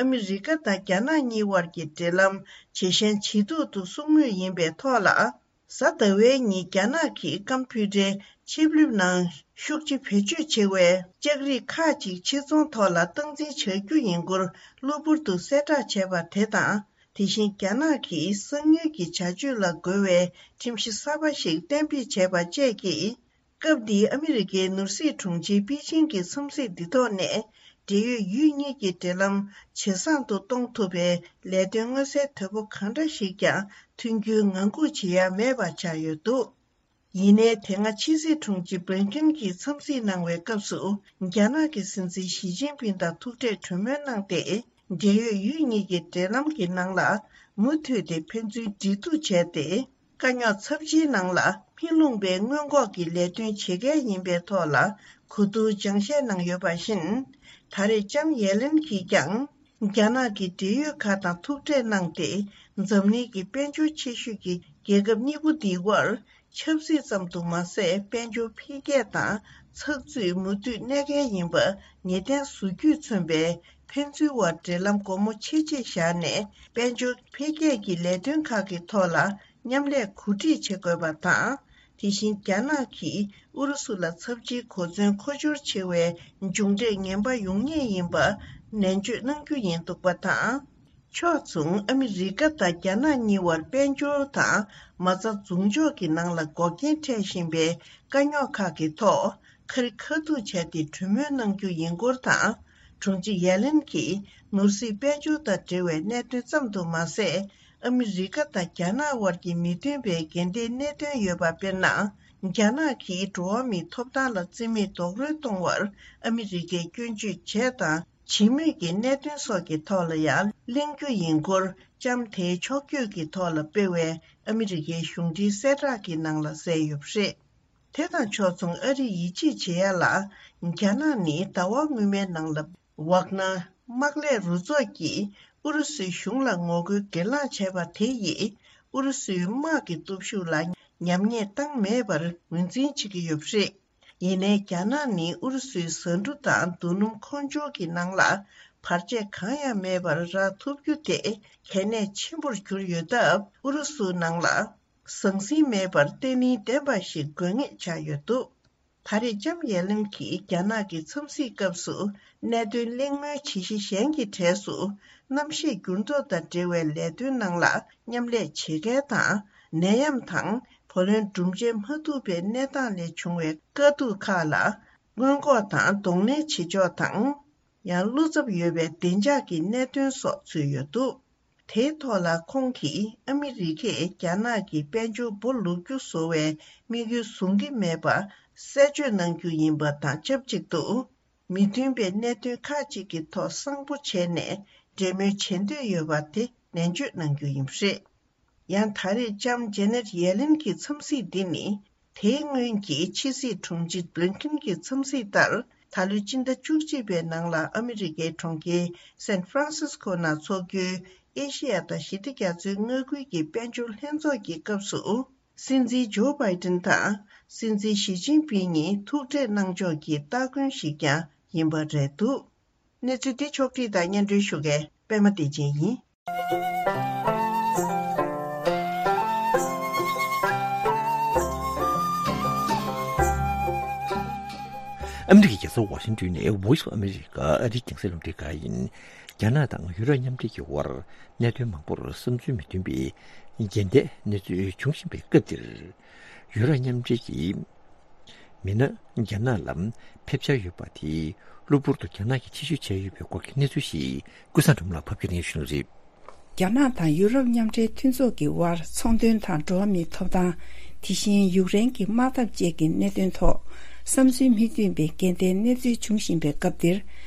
ཨ་མི་རི་ཀ་དང་རྒྱ་ནག་གཉིས་དབར་གྱི་འབྲེལ་ལམ་ཇེ་ཞན་ཇེ་སྡུག་ཏུ་སོང་མུས་ཡིན་པའི་ཐོག་ལ། གཟའ་ཟླ་བའི་ཉིན་རྒྱ་ནག་གིས་ཀམ་ཕུ་ཏྲའི་ཆིབས་ལེབ་ནང་ཤུགས་ཆེ་བེད་སྤྱོད་ཆེ་བའི་ལྕགས་རིགས་ཁག་ཅིག་ཕྱིར་ཚོང་ཐོག་ལ་སྟངས་འཛིན་བྱ་རྒྱུ་ཡིན་སྐོར་གློ་བུར་དུ་གསལ་བསྒྲགས་བྱས་པ་དེ་དང་། དེ་བཞིན་རྒྱ་ནག་གིས་གསང་མྱུལ་གྱི་བྱ་སྤྱོད་ལ་རྒོལ་བའི་ཁྲིམས་གཞི་གསར་པ་ཞིག་གཏན་འབེབས་བྱས་པ་བཅས་ཀྱིས། སྐབས་འདིའི་ཨ་མི་རི་ཀའི་ནོར་སྲིད་དྲུང་ཆེ་པེ་ཅིང་གི་འཚམས་གཟིགས་འདི་ཐོག་ནས། འབྲེལ་ཡོད་ཡུལ་གཉིས་ཀྱི་འབྲེལ་ལམ་ཇེ་བཟང་དུ་གཏོང་ཐུབ་པའི་ལས་དོན་མངོན་གསལ་དོད་པོ་གང་འདྲ་ཞིག་ཀྱང་ཐོན་རྒྱུའི་ངང་སྒུག་བྱེད་ཡ་མེད་པ་ཆགས་ཡོད་འདུག་ཡིན་ནའི་དེ་སྔ་ཕྱི་སྲིད་དྲུང་ཆེ་བྷིན་ཀིན་གྱིས་འཚམས་གཟིགས་གནང་བའི་སྐབས་སུ། རྒྱ་ནག་གི་སྲིད་འཛིན་ཞི་ཅིན་ཕིང་དང་ཐུག་འཕྲད་གྲོས་མོལ་གནང་སྟེ། འབྲེལ་ཡོད་ཡུལ་གཉིས་ཀྱི་འབྲེལ་ལམ་གྱི་ནང་ལ་མུ་མཐུད་དེ་ཕན་ཚུན་འབྲེལ་གཏུག་བྱས་ཏེ། དཀའ་རྙོག་ཚབས་ཆེའི་ནང་ལ་མི་ལྷུང་པའི་སྔོན་འགོག་གི་ལས་དོན་བྱེད་གལ་ཡིན་པའི་ཐོག་ལ་གོ་བསྡུར་སྦྱང་བཤད་གནང་ཡོད་པ་བཞིན། ད་རེས་ལྕམ་ཡེ་ལེན་གྱིས་ཀྱང་རྒྱ་ནག་གི་འབྲེལ་ཡོད་ཁག་དང་ཐུག་འཕྲད་གནང་སྟེ། འཛམ་གླིང་གི་དཔལ་འབྱོར་ཆེ་ཤོས་ཀྱི་རྒྱལ་ཁབ་གཉིས་པོ་འདིའི་དབར་ཆབ་སྲིད་ཙམ་དུ་མ་ཟད། དཔལ་འབྱོར་འཕེལ་རྒྱས་དང་ཚགས་ཚུད་མུ་མཐུད་གནས་གལ་ཡིན་པ་ངེས་གཏན་བཟོ་རྒྱུས་མཚོན་པའི་ཕན་ཚུན་དབར་འབྲེལ་ལམ་སྒོ་མོ་ཕྱེ་ཆེད་བཞག་ནས། དཔལ་འབྱོར་འཕེལ་རྒྱས་ཀྱི་ལས་དོན་ཁག་གི་ཐོག་ལ་མཉམ་ལས་གོ་སྒྲིག་བྱེད་དགོས་པ་དང་། དེ་བཞིན་རྒྱ་ནག་གིས་ཨུ་རུ་སུ་ལ་ཚབས་ཆེའི་གོ་མཚོན་མཁོ་སྦྱོར་ཆེ་བའི་མཇུག་འབྲས་ངན་པ་ཡོང་ངེས་ཡིན་པ་ནན་བརྗོད་གནང་རྒྱུ་ཡིན་འདུག་པ་དང་། ཕྱོགས་མཚུངས་ཨ་མི་རི་ཀ་དང་རྒྱ་ནག་གཉིས་དབར་དཔལ་འབྱོར་དང་མ་རྩ་མཛུབ་འཇོག་གི་ནང་ལ་འགོག་རྐྱེན་འཕྲད་བཞིན་པའི་དཀའ་རྙོག་ཁག་གི་ཐོག་ཁ་རི་ཁ་ཐུག་བྱས་ཏེ་གྲོས་མོལ་གནང་རྒྱུ་ཡིན་སྐོར་དང་། དྲུང་ཆེ་ཡ་ལིན་གྱིས་ནོར་སྲིད་དཔལ་འབྱོར་དང་འབྲེལ་བའི་གནད་དོན་ཙམ་དུ་མ་ཟད། ཨ་མི་རི་ཀ་དང་རྒྱ་ནག་དབར་གྱི་མི་མཐུན་པའི་འགལ་ཟླའི་གནད་དོན་ཡོད་པ། དཔེར་ན། རྒྱ་ནག་གིས་འགྲོ་བ་མིའི་ཐོབ་ཐང་ལ་བརྩི་མེད་རྡོག་རོལ་གཏོང་བར་ཨ་མི་རི་ཀས་སྐྱོན་བརྗོད་བྱས་དང་བྱེད་མུས་ཀྱི་གནད་དོན་སོགས་ཀྱི་ཐོག་ལ་ཡང་གླེང་རྒྱུ་ཡིན་སྐོར། ལྕམ་དེའི་ཕྱོགས་བསྐྱོད་ཀྱི་ཐོག་ལ་སྤེལ་བའི་ཨ་མི་རི་ཀའི་གཞུང་འབྲེལ་གསལ་བསྒྲགས་ཀྱི་ནང་ལ་གསལ་ཡོད་པ་རེད། དེ་དང་ཕྱོགས་མཚུངས་ཨ་རིས་ཡིད་ཆེས་བྱེད་ཡ་ལ། རྒྱ་ནག་ནི་ཟླ་བ་སྔོན་མའི་ནང་ལ་ཝག་ནར་དམག་ལས་རུ་ཚོགས་ཀྱིས་ཨུ་རུ་སུའི་གཞུང་ལ་ངོ་རྒོལ་སྒེར་ལངས་བྱས་པ་དེ་ཡིས་ཨུ་རུ་སུའི་དམག་གི་སྟོབས་ཤུགས་ལ་ཉམས་ཉེས་བཏང་མེད་པར་ངོས་འཛིན་བྱེད་ཀྱི་ཡོད་པ་རེད། ཡིན་ནའི་རྒྱ་ནག་ནི་ཨུ་རུ་སུའི་ཟ་འབྲུ་དང་རྡོ་སྣུམ་མཁོ་སྦྱོར་གྱི་ནང་ལ་བར་ཆད་གང་ཡང་མེད་པར་རག་ཐུབ་རྒྱུ་དེ་གལ་གནད་ཆེན་པོར་གྱུར་ཡོད་སྟབས། ཨུ་རུ་སུའི་ནང་ལ་ཟང་ཟིང་མེད་པར་བརྟན་ལྷིང་ལྡན་པ་ཞིག་དགོས་ངེས་ཆགས་ཡོད་འདུག་ད་རེས་ལྕམ་ཡ་ལིན་གྱིས་རྒྱ་ནག་གི་འཚམས་གཟིགས་སྐབས་སུ་གནད་དོན་གླེང་མོལ་བྱེད་གཞི་གཞན་གྱི་གྲས་སུ། གནམ་གཤིས་འགྱུར་ལྡོག་དང་འབྲེལ་བའི་ལས་དོན་ནང་ལ་མཉམ་ལས་བྱེད་མཁན་དང་། ནད་ཡམས་དང་བུ་ལོན་སྒྲུབ་འཇལ་མ་ཐུབ་པའི་གནས་སྟངས་ལས་བྱུང་བའི་དཀའ་སྡུག་ཁག་ལ་སྔོན་འགོག་དང་གདོང་ལེན་བྱེད་ཕྱོགས་དང་། ཡང་བློ་འཚབ་ཡོད་པའི་བདེ་འཇགས་ཀྱི་གནད་དོན་སོགས་ཚུད་ཡོད་འདུག་དེའི་ཐོག་ལ་ཁོང་གིས་ཨ་མི་རི་ཀས་རྒྱ་ནག་གི་དཔལ་འབྱོར་སྦོ་ལུག་ཁྱུ་བཟོ་བའི་དམིགས་ཡུལ་བཟུང་གི་མེད་པ་གསལ་བརྗོད་གནང་རྒྱུ་ཡིན་པ་དང་ཆབས་ཅིག་ཏུ། མི་མཐུན་པའི་གནད་དོན་ཁག་ཅིག་གི་ཐོག་གསང་པོ་བྱས་ནས་འབྲེལ་མོལ་བྱེད་འདོད་ཡོད་པ་དེ་ནན་བརྗོད་གནང་རྒྱུ་ཡིན་པ་རེད། ཡང་ད་རེས་ལྕམ་ཇེ་ནེད་ཡེ་ལིན་གྱི་འཚམས་གཟིགས་འདི་ནི། དེའི་སྔོན་གྱི་ཕྱི་སྲིད་དྲུང་ཆེ་བྷི་ལིན་ཀིན་གྱི་འཚམས་གཟིགས་ལྟར། ད་ལོའི་སྤྱི་ཟླ་བཅུ་གཅིག་པའི་ནང་ལ་ཨ་མི་རི་ཀའི་གྲོང་ཁྱེར་སན་ཧྥ་རན་སིས་ཀོ་ནང་འཚོགས་རྒྱུའི་ཨེ་ཤེ་ཡ་དང་ཞི་བདེ་རྒྱ་མཚོའི་མངའ་ཁུལ་གྱི་དཔལ་འབྱོར་ལྷན་ཚོགས་ཀྱི་སྐབས་སུ། སྲིད་འཛིན་ཇོ་བྷའི་ཏིན་དང་སྲིད་འཛིན་ཞི་ཅིན་ཕིང་གཉིས་ཐུག་འཕྲད་གནང་ཕྱོགས་ཀྱི་སྟ་གོན་ཞིག་ཀྱང་ཡིན་པ་རེད་འདུག་གནས་ཚུལ་འདི་ཕྱོགས་བསྒྲིགས་དང་སྙན་སྒྲོན་ཞུ་མཁན་པད་མ་བདེ་ཆེན་ཡིན། ཨ་མི་རི་ཀའི་རྒྱལ་ས་ཝ་ཤིང་ཏོན་ནས་Voice of America ཨ་རིའི་རྒྱང་སྲིང་རླུང་འཕྲིན་ཁང་ཡིན། རྒྱ་ནག་དང་ཡུ་རོབ་མཉམ་འབྲེལ་གྱི་དབར་གནད་དོན་མང་པོར་བསམ་ཚུལ་མི་མཐུན་པའི་འགལ་ཟླའི་གནས་ཚུལ་འབྱུང་བཞིན་པའི་སྐབས་འདིར། ཡུ་རོབ་མཉམ་འབྲེལ་གྱི་མི་སྣ་རྒྱ་ནག་ལ་ཕེབས་འཆར་ཡོད་པ་དེས་གློ་བུར་དུ་རྒྱ་ནག་གིས་ཕྱིར་བཤོལ་བྱས་ཡོད་པའི་སྐོར་གྱི་གནས་ཚུལ་ཞིག་ཀུན་བཟང་སྒྲོལ་མ་ལགས་ཕབ་སྒྱུར་གནང་ཞུ་གནང་རེད། རྒྱ་ནག་དང་ཡུ་རོབ་མཉམ་འབྲེལ་མཐུན་ཚོགས་ཀྱི་དབར་ཚོང་དོན་དང་འགྲོ་བ་མིའི་ཐོབ་ཐང་། དེ་བཞིན་ཡུཀ་རེན་གྱི་དམག་འཐབ་བཅས་ཀྱི་གནད་དོན་ཐོག་བསམ་ཚུལ་མི་མཐུན་པའི་འགལ་ཟླའི་གནས་ཚུལ་འབྱུང་བཞིན་པའི་སྐབས་འདིར།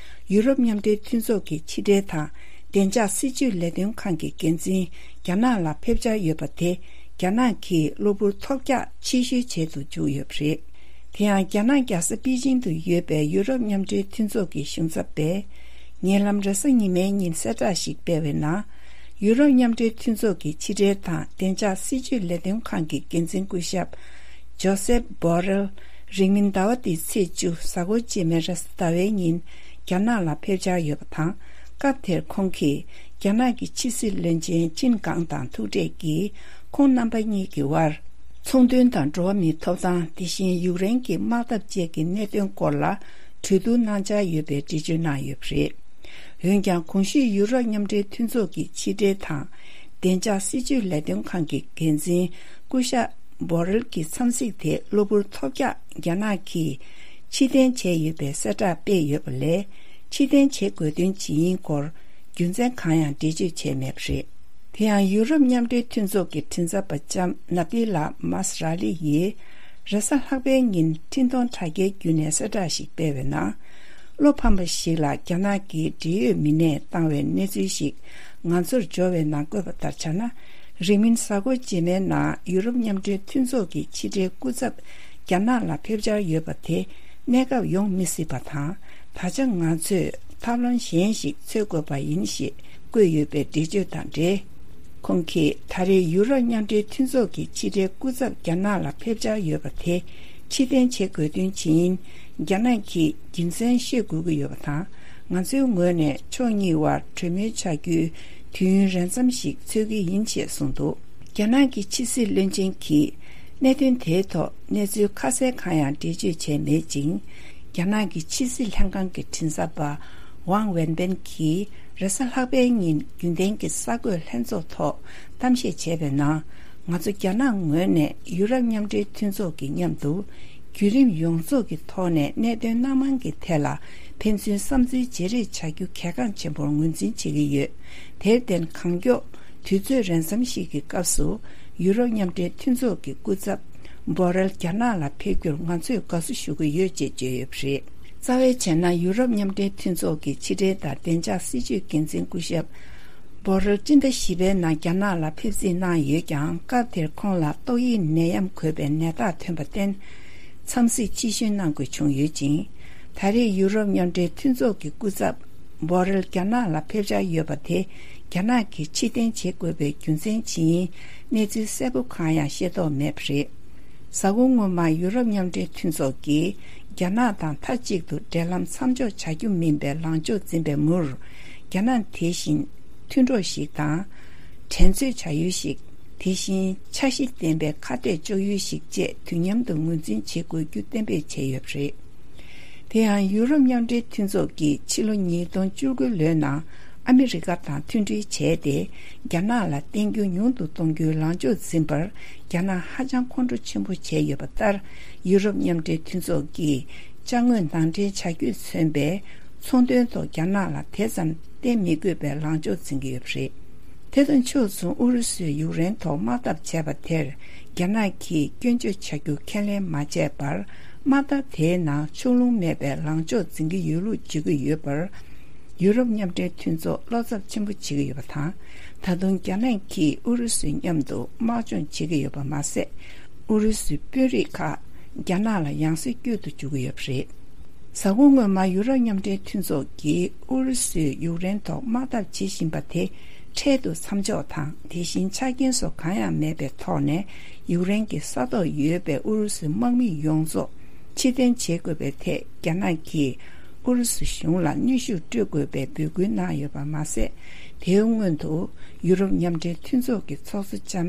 ཡུ་རོབ་མཉམ་འབྲེལ་མཐུན་ཚོགས་ཀྱི་ཕྱི་འབྲེལ་དང་བདེ་འཇགས་སྲིད་ཇུས་ལས་དོན་ཁང་གི་འགན་འཛིན་རྒྱ་ནག་ལ་ཕེབས་འཆར་ཡོད་པ་དེ། རྒྱ་ནག་གིས་གློ་བུར་ཐོལ་རྒྱག་ཕྱིར་བཤོལ་བྱེད་དུ་བཅུག་ཡོད་པ་རེད། དེ་ཡང་རྒྱ་ནག་རྒྱལ་ས་པེ་ཅིང་དུ་ཡོད་པའི་ཡུ་རོབ་མཉམ་འབྲེལ་མཐུན་ཚོགས་ཀྱི་གཞུང་ཚབ་པས། ཉེ་ལམ་རེས་གཟའ་ཉི་མའི་ཉིན་གསལ་བསྒྲགས་ཤིག་སྤེལ་བའི་ནང་། ཡུ་རོབ་མཉམ་འབྲེལ་མཐུན་ཚོགས་ཀྱི་ཕྱི་འབྲེལ་དང་བདེ་འཇགས་སྲིད་ཇུས་ལས་དོན་ཁང་གི་འགན་འཛིན་སྐུ་ཞབས་ཇོ་སེབ་བྷོ་རེལ། རིང་མིན་ཟླ་བ་འདིའི་ཚེས་བཅུ་གཟའ་འཁོར་རྗེས་མའི་རེས་གཟའ་ཟླ་བའི་ཉིན། རྒྱ་ནག་ལ་ཕེབས་འཆར་ཡོད་པ་དང་། སྐབས་དེར་ཁོང་གིས་རྒྱ་ནག་གི་ཕྱི་སྲིད་བློན་ཆེན་ཅིན་ཀང་དང་ཐུག་འཕྲད་ཀྱིས། ཁོང་རྣམ་པ་གཉིས་ཀྱི་དབར་ཚོང་དོན་དང་འགྲོ་བ་མིའི་ཐོབ་ཐང་། དེ་བཞིན་ཡུཀ་རེན་གྱི་དམག་འཐབ་བཅས་ཀྱི་གནད་དོན་སྐོར་ལ་གྲོས་བསྡུར་གནང་འཆར་ཡོད་པའི་འགྲེལ་བརྗོད་གནང་ཡོད་པ་རེད། འོན་ཀྱང་། གོང་ཞུས་ཡུ་རོབ་མཉམ་འབྲེལ་མཐུན་ཚོགས་ཀྱི་ཕྱི་འབྲེལ་དང་བདེ་འཇགས་སྲིད་ཇུས་ལས་དོན་ཁང་གི་འགན་འཛིན་སྐུ་ཞབས་བྷོ་རེལ་གྱི་འཚམས་གཟིགས་དེ་གློ་བུར་ཐོལ་རྒྱག་རྒྱ་ནག་གིས་ཕྱིར་འཐེན་བྱས་ཡོད་པའི་གསལ་བསྒྲགས་སྤེལ་ཡོད་པ་ལས། ཕྱིར་འཐེན་བྱེད་དགོས་དོན་ཇི་ཡིན་སྐོར་རྒྱུ་མཚན་གང་ཡང་འགྲེལ་བརྗོད་བྱས་མེད་པ་རེད། དེ་ཡང་། ཡུ་རོབ་མཉམ་འབྲེལ་མཐུན་ཚོགས་ཀྱི་མགྲིན་ཚབ་པ་ལྕམ་ནཱ་ཏི་ལ་མཱས་ར་ལི་ཡིས། རེས་གཟའ་ལྷག་པའི་ཉིན་འཕྲིན་གཏོང་དྲ་རྒྱའི་བརྒྱུད་ནས་གསལ་བསྒྲགས་ཤིག་སྤེལ་བའི་ནང་། བློ་ཕམ་པ་ཞིག་ལ་རྒྱ་ནག་གིས་འབྲེལ་ཡོད་མི་སྣས་བཏང་བའི་གནས་ཚུལ་ཞིག་ང་ཚོར་འབྱོར་བའི་ནང་བཀོད་པ་ལྟར་ཆ་ན། རིང་མིན་གཟའ་འཁོར་རྗེས་མའི་ནང་ཡུ་རོབ་མཉམ་འབྲེལ་མཐུན་ཚོགས་ཀྱི་ཕྱི་དྲིལ་སྐུ་ཚབ་རྒྱ་ནག་ལ་ཕེབས་འཆར་ཡོད་པ་དེ་གནས་སྐབས་ཡོང་མི་སྲིད་པ་དང་། ད་ཆ་ང་ཚོས་ཐབས་ལམ་གཞན་ཞིག་འཚོལ་དགོས་པ་ཡིན་ཞེས་བཀོད་ཡོད་པའི་འགྲེལ་བརྗོད་དང་འབྲེལ། ཁོང་གིས་ད་རེས་ཡུ་རོབ་མཉམ་འབྲེལ་མཐུན་ཚོགས་ཀྱི་ཕྱི་དྲིལ་སྐུ་ཚབ་རྒྱ་ནག་ལ་ཕེབས་འཆར་ཡོད་པ་དེ་ཕྱིར་འཐེན་བྱེད་དགོས་དོན་ཇི་ཡིན་རྒྱ་ནག་གིས་རྒྱུ་མཚན་ཤེས་དགོས་ཀྱི་ཡོད་པ་དང་། ང་ཚོའི་ངོས་ནས་ཕྱོགས་གཉིས་དབར་གྲོས་མོལ་བྱ་རྒྱུའི་དུས་ཡུན་རན་ཙམ་ཞིག་འཚོལ་གྱི་ཡིན་ཞེས་གསུངས་འདུག་རྒྱ་ནག་གི་ཕྱི་སྲིད་བློན་ཆེན་གྱིས་གནད་དོན་དེའི་ཐོག་གནས་ཚུལ་ཁ་གསལ་གང་ཡང་འགྲེལ་བརྗོད་བྱས་མེད་ཅིང་། རྒྱ་ནག་གི་ཕྱི་སྲིད་ལྷན་ཁང་གི་མགྲིན་ཚབ་པ་ཝང་ཝེན་པེན་གྱིས་རེས་གཟའ་ལྷག་པའི་ཉིན་རྒྱུན་ལྡན་གྱི་གསར་འགོད་ལྷན་ཚོགས་ཐོག་གཏམ་བཤད་བྱས་པའི་ནང་། ང་ཚོ་རྒྱ་ནག་ངོས་ནས་ཡུ་རོབ་མཉམ་འབྲེལ་མཐུན་ཚོགས་ཀྱི་མཉམ་དུ་བརྒྱུད་རིམ་ཡོངས་རྫོགས་ཀྱི་ཐོག་ནས་གནད་དོན་སྣ་མང་གི་ཐད་ལ་ཕན་ཚུན་བསམ་ཚུལ་བརྗེ་རེས་བྱ་རྒྱུ་གལ་འགངས་ཆེན་པོར་ངོས་འཛིན་བྱེད་ཀྱི་ཡོད། དེར་བརྟེན། གང་མགྱོགས་དུས་ཚོད་རན་ཙམ་ཞིག་གི་སྐབས་སུ་ཡུ་རོབ་མཉམ་འབྲེལ་མཐུན་ཚོགས་ཀྱི་སྐུ་ཚབ་བྷོ་རེལ་རྒྱ་ནག་ལ་ཕེབས་རྒྱུར་ང་ཚོས་དགའ་བསུ་ཞུ་གི་ཡོད་ཅེས་བརྗོད་ཡོད་པ་རེད། རྩ་བའི་བྱས་ན། ཡུ་རོབ་མཉམ་འབྲེལ་མཐུན་ཚོགས་ཀྱི་ཕྱི་འབྲེལ་དང་བདེ་འཇགས་སྲིད་ཇུས་འགན་འཛིན་སྐུ་ཞབས་བྷོ་རེལ་སྤྱི་ཟླ་བཞི་པའི་ནང་རྒྱ་ནག་ལ་ཕེབས་གཟིགས་གནང་ཡོད་ཀྱང་། སྐབས་དེར་ཁོང་ལ་ཏོག་དབྱིབས་ནད་ཡམས་འགོས་པའི་ནད་རྟགས་ཐོན་པར་བརྟེན། འཚམས་གཟིགས་ཕྱིར་ཞུ་གནང་དགོས་བྱུང་ཡོད་ཅིང་། ད་རེས་ཡུ་རོབ་མཉམ་འབྲེལ་མཐུན་ཚོགས་ཀྱི་སྐུ་ཚབ་བྷོ་རེལ་རྒྱ་ནག་ལ་ཕེབས་འཆར་ཡོད་པ་དེ་རྒྱ་ནག་གིས་ཕྱིར་འཐེན་བྱེད་དགོས་པའི་རྒྱུ་མཚན་ཇི་ཡིན་གནས་ཚུལ་གསལ་པོ་གང་ཡང་ཤེས་རྟོགས་མེད་པ་རེད། གཟའ་འཁོར་སྔོན་མ་ཡུ་རོབ་མཉམ་འབྲེལ་མཐུན་ཚོགས་ཀྱིས་རྒྱ་ནག་དང་མཐའ་གཅིག་ཏུ་འབྲེལ་ལམ་མཚམས་འཇོག་བྱ་རྒྱུ་མིན་པའི་ལངས་ཕྱོགས་འཛིན་པའི་མུར། རྒྱ་ནག་དེ་བཞིན་མཐུན་གྲོགས་ཤིག་དང་། འགྲན་རྩོད་བྱ་ཡུལ་ཞིག་དེ་བཞིན་འཆར་གཞི་ལྡན་པའི་ཁ་གཏད་གཅོག་ཡུལ་ཞིག་བཅས་དུས་མཉམ་དུ་ངོས་འཛིན་བྱེད་དགོས་རྒྱུ་གཏན་འབེབས་བྱས་ཡོད་པ་རེད། དེ་ཡང་ཡུ་རོབ་མཉམ་འབྲེལ་མཐུན་ཚོགས་ཀྱིས་ཕྱི་ལོ་ཉིས་སྟོང་བཅུ་དགུ་ལོའི་ནང་ཨ་མི་རི་ཀ་དང་མཐུན་སྒྲིལ་བྱས་ཏེ། རྒྱ་ནག་ལ་བརྟེན་རྒྱུ་ཉུང་དུ་གཏོང་རྒྱུའི་ལངས་ཕྱོགས་འཛིན་པར་རྒྱ་ནག་ཧ་ཅང་ཁོང་ཁྲོ་ཆེན་པོ་བྱས་ཡོད་པ་ལྟར། ཡུ་རོབ་མཉམ་འབྲེལ་མཐུན་ཚོགས་ཀྱིས་ཅ་དངོས་ནང་འདྲེན་བྱ་རྒྱུས་མཚོན་པའི་ཚོང་དོན་ཐོག་རྒྱ་ནག་ལ་དེ་ཙམ་བརྟེན་མི་དགོས་པའི་ལངས་ཕྱོགས་འཛིན་གྱི་ཡོད་པ་རེད། དེ་དང་ཕྱོགས་མཚུངས། ཨུ་རུ་སུས་ཡུཀ་རེན་ཐོག་དམག་འཐབ་བྱས་པ་དེར་རྒྱ་ནག་གིས་སྐྱོན་བརྗོད་བྱ་རྒྱུ་ཁས་ལེན་མ་བྱས་པར། དམག་འཐབ་དེའི་ནང་ཕྱོགས་ལྷུང་མེད་པའི་ལངས་ཕྱོགས་འཛིན་གྱི་ཡོད་ལུགས་བརྗོད་ཀྱི་ཡོད་པར། ཡུ་རོབ་མཉམ་འབྲེལ་མཐུན་ཚོགས་བློ་འཚབ་ཆེན་པོ་བྱེད་ཀྱི་ཡོད་པ་དང་། ད་དུང་རྒྱ་ནག་གིས་ཨུ་རུ་སུའི་མཉམ་དུ་དམག་སྦྱོང་བྱེད་ཀྱི་ཡོད་པ་མ་ཟད། ཨུ་རུ་སུའི་དཔོན་རིགས་ཁག་རྒྱ་ནག་ལ་ཡང་སེ་བསྐྱོད་དུ་འཇུག་གི་ཡོད་པ་རེད། གཟའ་འཁོར་སྔོན་མ་ཡུ་རོབ་མཉམ་འབྲེལ་མཐུན་ཚོགས་ཀྱིས་ཨུ་རུ་སུས་ཡུཀ་རེན་ཐོག་དམག་འཐབ་བྱེད་བཞིན་པ་དེ་འཕྲལ་དུ་མཚམས་འཇོག་དང་། དེ་བཞིན་ཆ་རྐྱེན་སོགས་གང་ཡང་མེད་པའི་ཐོག་ནས་ཡུཀ་རེན་གྱི་ས་ཐོག་ཡོད་པའི་ཨུ་རུ་སུའི་དམག་མི་ཡོངས་རྫོགས་ཕྱིར་འཐེན་བྱེད་དགོས་པའི་ཐད་རྒྱ་ནག་གིས་ཨུ་རུ་སུ་གཞུང་ལ་གནོན་ཤུགས་སྤྲོད་དགོས་པའི་འབོད་སྐུལ་གནང་ཡོད་པ་མ་ཟད། དེའི་སྔོན་དུ་ཡུ་རོབ་མཉམ་འབྲེལ་མཐུན་ཚོགས་ཀྱི་ཚོགས་གཙོ་ལྕམ་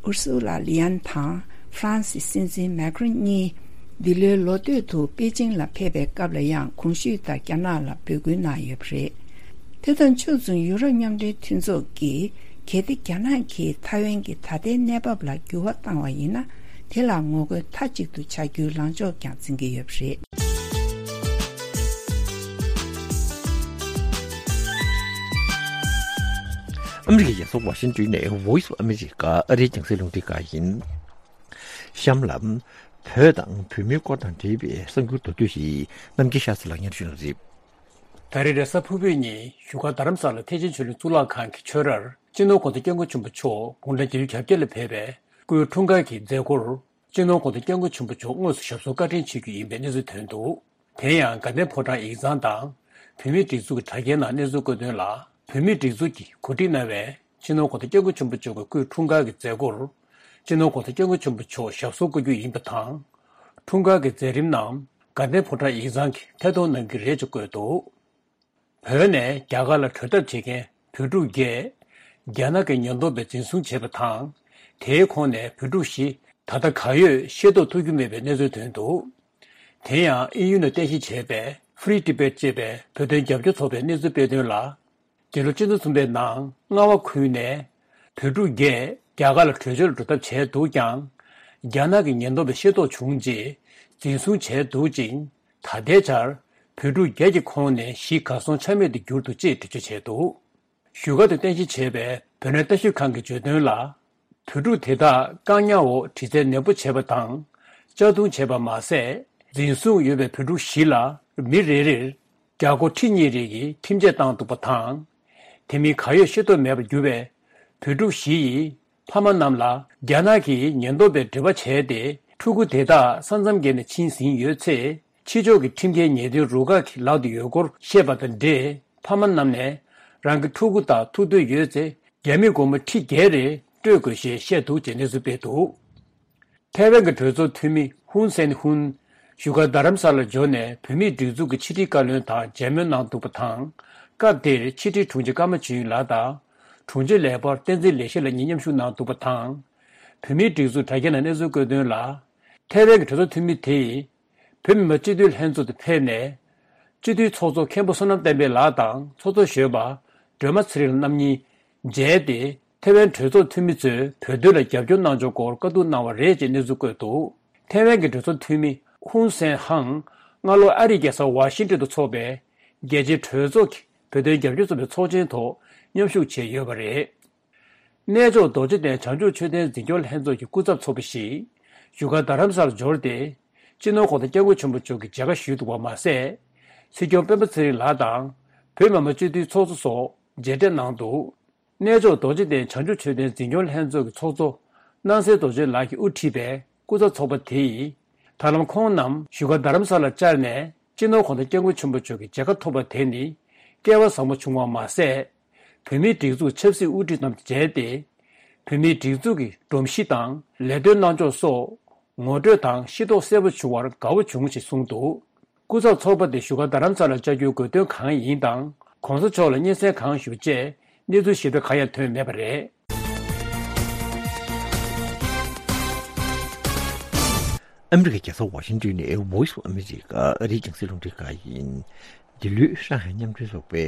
ཨུར་སུ་ལ་ལི་ཡན་དང་ཧྥ་རན་སིའི་སྲིད་འཛིན་མེ་ཀྲོན་གཉིས་འདི་ལོའི་ལོ་སྟོད་དུ་པེ་ཅིང་ལ་ཕེབས་པའི་སྐབས་ལ་ཡང་གོང་ཞུས་ལྟར་རྒྱ་ནག་ལ་འབོད་སྐུལ་གནང་ཡོད་པ་རེད། དེ་དང་ཕྱོགས་མཚུངས། ཡུ་རོབ་མཉམ་འབྲེལ་མཐུན་ཚོགས་ཀྱིས་གལ་ཏེ་རྒྱ་ནག་གིས་ཐའེ་ཝན་གྱི་ད་ལྟའི་གནས་བབ་ལ་འགྱུར་བ་བཏང་བ་ཡིན་ན། དེ་ལ་ངོ་རྒོལ་མཐའ་གཅིག་ཏུ་བྱ་རྒྱུའི་ལངས་ཕྱོགས་ཀྱང་འཛིན་གྱི་ཡོད་པ་རེད། ཨ་མི་རི་ཀའི་རྒྱལ་ས་ཝ་ཤིང་ཏོན་ནས་Voice of America ཨ་རིའི་རྒྱང་སྲིང་རླུང་འཕྲིན་ཁང་ཡིན། གཤམ་ལ། བོད་དང་བོད་མིའི་སྐོར་དང་འབྲེལ་བའི་གསར་འགྱུར་མདོར་བསྡུས་ཤིག་རྣམ་རྒྱལ་ཤཱ་ཚེ་ལགས་སྙན་ཞུ་གནང་རེད། ད་རེས་རེས་གཟའ་ཕུར་བུའི་ཉིན་བཞུགས་སྒར་རྡ་རམ་ས་ལ་ཐེག་ཆེན་ཆོས་གླིང་གཙུག་ལག་ཁང་གི་ཆོས་རར་སྤྱི་ནོར་༧གོང་ས་༧སྐྱབས་མགོན་ཆེན་པོ་མཆོག་དགུང་གྲངས་བརྒྱད་ཅུ་གྱ་བརྒྱད་ལ་ཕེབས་པའི་སྐུའི་འཁྲུངས་སྐར་གྱི་མཛད་སྒོར་སྤྱི་ནོར་༧གོང་ས་༧སྐྱབས་མགོན་ཆེན་པོ་མཆོག་དངོས་སུ་ཞབས་སོར་བཀའ་དྲིན་ཆེ་རྒྱུ་ཡིན་པའི་གནས་ཚུལ་ཐོན་འདུག་དེ་ཡང་དགའ་ལྡན་ཕོ་བྲང་ཡིག་ཚང་དང་བོད་མིའི་སྒྲིག་འཛུགས་ཀྱི་དྲ་རྒྱའི་ནང་གནས་ཚུལ་བཀོད་དོན་ལ། བོད་མིའི་སྒྲིག་འཛུགས་ཀྱིས་གོ་སྒྲིག་གནང་བའི་སྤྱི་ནོར་༧གོང་ས་༧སྐྱབས་མགོན་ཆེན་པོ་མཆོག་གི་སྐུའི་འཁྲུངས་སྐར་གྱི་མཛད་སྒོར་སྤྱི་ནོར་༧གོང་ས་༧སྐྱབས་མགོན་ཆེན་པོ་མཆོག་ཞབས་སོར་བཀོད་རྒྱུ་ཡིན་པ་དང་། འཁྲུངས་སྐར་གྱི་མཛད་རིམ་ནང་ དགའ་ལྡན་ཕོ་བྲང་ཡིག་ཚང་གིས་ཐད་གཏོང་གནང་གི་རེད་ཅེས་བཀོད་འདུག་བོད་ནས་རྒྱ་གར་ལ་བྲོས་ཐབས་བྱེད་མཁན་བོད་ཕྲུག་བརྒྱད། རྒྱ་ནག་གི་ཉེན་རྟོག་པས་འཛིན་བཟུང་བྱས་པ་དང་། དེའི་ཁོངས་ནས་བོད་ཕྲུག་བཞི་ད་ལྟ་གང་ཡོད་ཤེས་རྟོགས་ཐུབ་ཀྱི་མེད་པའི་གནས་ཚུལ་ཐོན་འདུག་དེ་ཡང་དབྱིན་ཡུལ་ནས་རྟེན་གཞི་བྱས་པའི་Free Tibet་ཅེས་པའི་བོད་དོན་རྒྱབ་སྐྱོར་ཚོགས་པས་གནས་ཚུལ་སྤེལ་དོན་ལ། འདི་ལོ་ཕྱི་ཟླ་གསུམ་པའི་ནང་རྔ་བ་ཁུལ་ནས་བོད་ཕྲུག་བརྒྱད་རྒྱ་གར་ལ་བྲོས་བྱོལ་འགྲོ་ཐབས་བྱས་འདུག་ཀྱང་། རྒྱ་ནག་གི་ཉེན་རྟོག་པས་ཤེས་རྟོགས་བྱུང་རྗེས་འཛིན་བཟུང་བྱས་འདུག་ཅིང་། ད་ལྟའི་ཆར་བོད་ཕྲུག་བརྒྱད་ཀྱི་ཁོངས་ནས་བཞི་གར་སོང་ཆ་མེད་དུ་གྱུར་འདུག་ཅེས་འགྲེལ་བརྗོད་བྱས་འདུག་བཞུགས་སྒར་དུ་རྟེན་གཞི་བྱས་པའི་བོད་གནས་ལྟ་ཞིབ་ཁང་གིས་བརྗོད་དོན་ལ། བོད་ཕྲུག་དེ་དག་བཀག་ཉར་འོག་དྲི་རྩད་ནན་པོ་བྱས་པ་དང་། གཅར་རྡུང་བྱས་པ་མ་ཟད། འཛིན་བཟུང་ཡོད་པའི་བོད་ཕྲུག་བཞི་ལ་མི་རེ་རེར་རྒྱ་སྒོར་ཁྲི་གཉིས་རེ་གི་ཁྲིམས་ཆད་བཏང་འདུག་པ་དང་། དེ་མིན་གར་ཡོད་ཤེས་རྟོགས་མེད་པར་གྱུར་བའི་བོད་ཕྲུག་བཞི་ཡི་ཕ་མ་རྣམས་ལ་རྒྱ་ནག་གི་ཉེན་རྟོག་པས་འབྲེལ་བ་བྱས་ཏེ། ཕྲུ་གུ་དེ་དག་ས་མཚམས་བརྒལ་ནས་ཕྱིན་ཟིན་ཡོད་ཚེ། ཕྱི་ཕྱོགས་ཀྱི་ཁྲིམས་འགལ་ཉེས་དོན་རུ་ཁག་གི་ལག་ཏུ་ཡོད་སྐོར་བཤད་པ་དང་འབྲེལ། ཕ་མ་རྣམས་ནས་རང་གི་ཕྲུ་གུ་དང་ཐུག་འདོད་ཡོད་ཚེ། རྒྱ་མི་སྒོར་མོ་ཁྲི་བརྒྱད་རེ་སྤྲོད་དགོས་ཞེས་བཤད་འདུག་ཅེས་གནས་ཚུལ་སྤེལ་འདུག་ཐའེ་ཝན་གྱི་གྲོས་ཚོགས་འཐུས་མི་ཧུན་སན་ཧུན། བཞུགས་སྒར་རྡ་རམ་ས་ལར་འབྱོར་ནས་བོད་མིའི་སྒྲིག་འཛུགས་ཀྱི་ཕྱི་དྲིལ་བཀའ་བློན་དང་མཇལ་མོལ་གནང་འདུག་པ་དང་། སྐབས་དེར་ཕྱི་དྲིལ་དྲུང་ཆེ་ཀརྨ་ཆོས་དབྱིངས་ལགས་དང་། དྲུང་ཆེ་ལས་འཕར་བསྟན་འཛིན་ལེགས་བཤད་ལགས་གཉིས་མཉམ་ཞུགས་གནང་འདུག་པ་དང་། བོད་མིའི་སྒྲིག་འཛུགས་དྲ་རྒྱའི་ནང་གནས་ཚུལ་བཀོད་དོན་ལ། ཐའེ་ཝན་གྱི་གྲོས་ཚོགས་འཐུས་མི་དེས། བོད་མི་མང་སྤྱི་འཐུས་ལྷན་ཚོགས་དུ་ཕེབས་ནས། སྤྱི་འཐུས་ཚོགས་གཙོ་མཁན་པོ་བསོད་ནམས་བསྟན་འཕེལ་ལགས་དང་ཚོགས་གཙོ་གཞོན་པ་སྒྲོལ་མ་ཚེ་རིང་རྣམ་གཉིས་མཇལ་ཏེ། ཐའེ་ཝན་གྲོས་ཚོགས་འཐུས་མི་ཚོས་བོད་དོན་ལ་རྒྱབ་སྐྱོར་གནང་ཕྱོགས་སྐོར་བཀའ་བསྡུར་གནང་བ་རེད་ཅེས་གནས་ཚུལ་བཀོད་འདུག་ཐའེ་ཝན་གྱི་གྲོས་ཚོགས་འཐུས་མི་ཧུན་སན་ཧང་སྔ་ལོ་ཨ་རིའི་རྒྱལ་ས་ཝ་ཤིང་ཏོན་དུ་འཚོགས་པའི་རྒྱལ་སྤྱིའི་གྲོས་ཚོགས་ཀྱི་བོད་དོན་རྒྱབ་སྐྱོར་ཚོགས་པའི་ཚོགས་ཆེན་ཐོག་མཉམ་ཞུགས་བྱས་ཡོད་པ་རེད། གནས་མཆོག་རྡོ་རྗེ་གདན་བྱང་ཆུབ་མཆོད་རྟེན་འཛིན་སྐྱོང་ལྷན་ཚོགས་ཀྱི་སྐུ་ཚབ་ཚོགས་པ་ཞིག་བཞུགས་སྒར་རྡ་རམ་ས་ལར་འབྱོར་ཏེ། སྤྱི་ནོར་གོང་ས་སྐྱབས་མགོན་ཆེན་པོ་མཆོག་གི་མཇལ་ཁ་ཞུས་འདུག་པ་མ་ཟད། སྲིད་སྐྱོང་སྤེན་པ་ཚེ་རིང་ལགས་དང་བོད་མི་མང་སྤྱི་འཐུས་ཚོགས་གཙོ་སོགས་མཇལ་འཕྲད་གནང་འདུག་གནས་མཆོག་རྡོ་རྗེ་གདན་བྱང་ཆུབ་མཆོད་རྟེན་འཛིན་སྐྱོང་ལྷན་ཚོགས་ཀྱི་ཚོགས་གཙོ་སྣང་གསལ་རྡོ་རྗེ་ལགས་ཀྱིས་དབུ་ཁྲིད་པའི་སྐུ་ཚབ་ཚོགས་པ་དེ་ཡིས། ད་ལམ་ཁོང་རྣམས་བཞུགས་སྒར་རྡ་རམ་ས་ལར་བཅར་ནས། སྤྱི་ནོར་གོང་ས་སྐྱབས་མགོན་ཆེན་པོ་མཆོག་གི་མཇལ་ཁ་ཐོབ་པ་དེ་ནི་སྐལ་བ་བཟང་པོ་བྱུང་བ་མ་ཟད། བོད་མིའི་སྒྲིག་འཛུགས་ཆབ་སྲིད་དབུ་ཁྲིད་རྣམས་མཇལ་ཏེ། བོད་མིའི་སྒྲིག་འཛུགས་ཀྱི་སྒྲོམ་གཞི་དང་ལས་དོན་གནང་ཕྱོགས་སོགས་ངོ་སྤྲོད་དང་ཤེས་རྟོགས་གསལ་པོ་བྱུང་བར་དགའ་བོ་བྱུང་ཞེས་གསུངས་འདུག་སྐུ་ཚབ་ཚོགས་པ་དེ་བཞུགས་སྒར་རྡ་རམ་ས་ལར་བཅར་རྒྱུའི་དགོས་དོན་གང་ཡིན་དང་། གོང་ས་མཆོག་ལ་སྙན་སེང་གང་ཞུ་བཅས་གནས་ཚུལ་ཞིབ་ཕྲ་གང་ཡང་ཐོན་མེད་པ་རེད། ཨ་མི་རི་ཀའི་རྒྱལ་ས་ཝ་ཤིང་ཏོན་ནས་Voice of America ཨ་རིའི་རྒྱང་སྲིང་རླུང་འཕྲིན་ཁང་ཡིན། འདི་ལོའི་ཧྲང་ཧའེ་མཉམ་འབྲེལ་ཚོགས་པའི་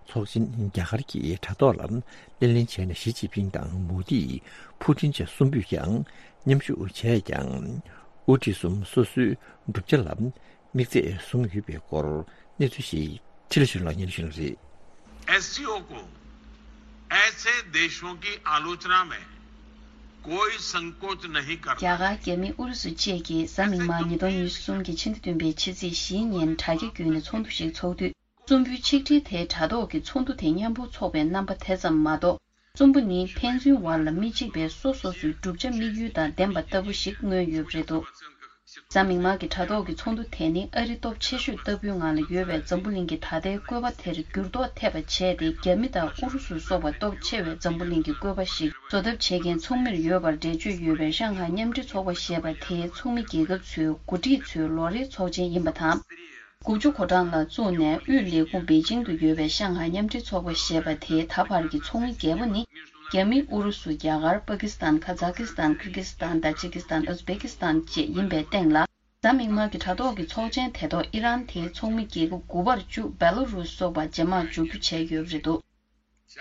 ཚོགས་ཆེན་རྒྱ་གར་གྱི་དྲ་ཐོག་ལ་སྣེ་ལེན་བྱས་ནས། ཞི་ཅིན་ཕིང་དང་མོ་དི། ཕུའུ་ཀྲིན་བཅས་གསུམ་པོས་ཀྱང་མཉམ་ཞུགས་བྱས་ཀྱང་། དབུ་ཁྲིད་གསུམ་སོ་སོའི་བསྒྲུབ་བྱ་ལ་དམིགས་ཚད་བཟུང་ཡོད་པའི་སྐོར་གནས་ཚུལ་ཞིག་ཁྲི་ལ་ཞུ་ལགས་སྙན་ཞུ་རེད། एससीओ को ऐसे देशों की आलोचना में कोई संकोच नहीं करना རྒྱ་གར། རྒྱ་མི། ཨུ་རུ་སུ་བཅས་ཀྱིས་གཟའ་མིག་དམར་ཉིས་སྟོང་ཉི་ཤུ་གསུམ་གྱི་ཕྱི་ཟླ་བདུན་པའི་ཕྱི་ཚེས་བཞིའི་ཉིན་དྲ་རྒྱ་བརྒྱུད་ནས་ཚོགས་འདུ་ཞིག་འཚོགས་དུས། གསུམ་པོའི་ཆིག་སྒྲིལ་དེའི་དྲ་ཐོག་གི་ཚོགས་འདུ་དེ་མཉམ་པོ་འཚོགས་པའི་རྣམ་པ་དེ་ཙམ་མ་གཏོགས། གསུམ་པོ་ནི་ཕན་ཚུན་བར་ལ་མི་གཅིག་པའི་སོ་སོ་སོའི་བསྒྲུབ་བྱ་དམིགས་ཡུལ་དང་ལྡན་པ་ལྟ་བུ་ཞིག་མངོན་ཡོད་པ་རེད་འདུག་གཟའ་མིག་དམར་གྱི་དྲ་ཐོག་གི་ཚོགས་འདུ་དེ་ནི་ཨ་རི་སྟོབས་ཆེ་ཤོས་ལྟ་བུའི་ངང་ལ་ཡོད་པའི་འཛམ་བུ་གླིང་གི་ད་ལྟའི་བཀོད་པ་དེར་འགྱུར་ལྡོག་ཐེབས་པ་བྱས་ཏེ། རྒྱ་མི་དང་ཨུ་རུ་སུ་སོགས་པ་སྟོབས་ཆེ་བའི་འཛམ་བུ་གླིང་གི་བཀོད་པ་ཞིག་བཟོ་ཐབས་བྱེད་མཁན་ཚོགས་མིར་ཡོད་པར་འགྲེལ་བརྗོད་ཡོད་པའི་ཧྲང་ཧའེ་མཉམ་འབྲེལ་ཚོགས་པ་ཞེས་པ་དེའི་ཚོགས་མི་རྒྱལ་ཁབ་ཚོའི་འགོ་ཁྲིད་ཚོའི་ལོ་རེའི་ཚོགས་ཆེན་ཡིན་པ་དང་། དགུ་བཅུ་གོ་གྲངས་ལ་བཙུགས་ནས་དབུས་ལས་ཁུངས་པེ་ཅིང་དུ་ཡོད་པའི་ཧྲང་ཧའེ་མཉམ་འབྲེལ་ཚོགས་པ་ཞེས་པ་དེའི་ད་བར་གྱི་ཚོགས་མི་བརྒྱད་པོ་ནི། རྒྱ་མི། ཨུ་རུ་སུ། རྒྱ་གར། པ་ཀི་སི་ཐན། ཁ་ཛ་ཀི་སི་ཐན། ཀིར་གི་སི་ཐན། ཏཱ་ཇི་ཀི་སི་ཐན། ཨུ་ཛི་བེ་ཀི་སི་ཐན་བཅས་ཡིན་པའི་སྟེང་ལ། གཟའ་མིག་དམར་གྱི་དྲ་ཐོག་གི་ཚོགས་ཆེན་དེ་ཐོག་ཨི་རན་དེའི་ཚོགས་མི་རྒྱལ་ཁབ་དགུ་པར་བཅུ། བེ་ལ་རུས་སོགས་པ་རྗེས་མར་འཇུག་རྒྱུ་བྱས་ཡོད་པ་རེད་འདུག་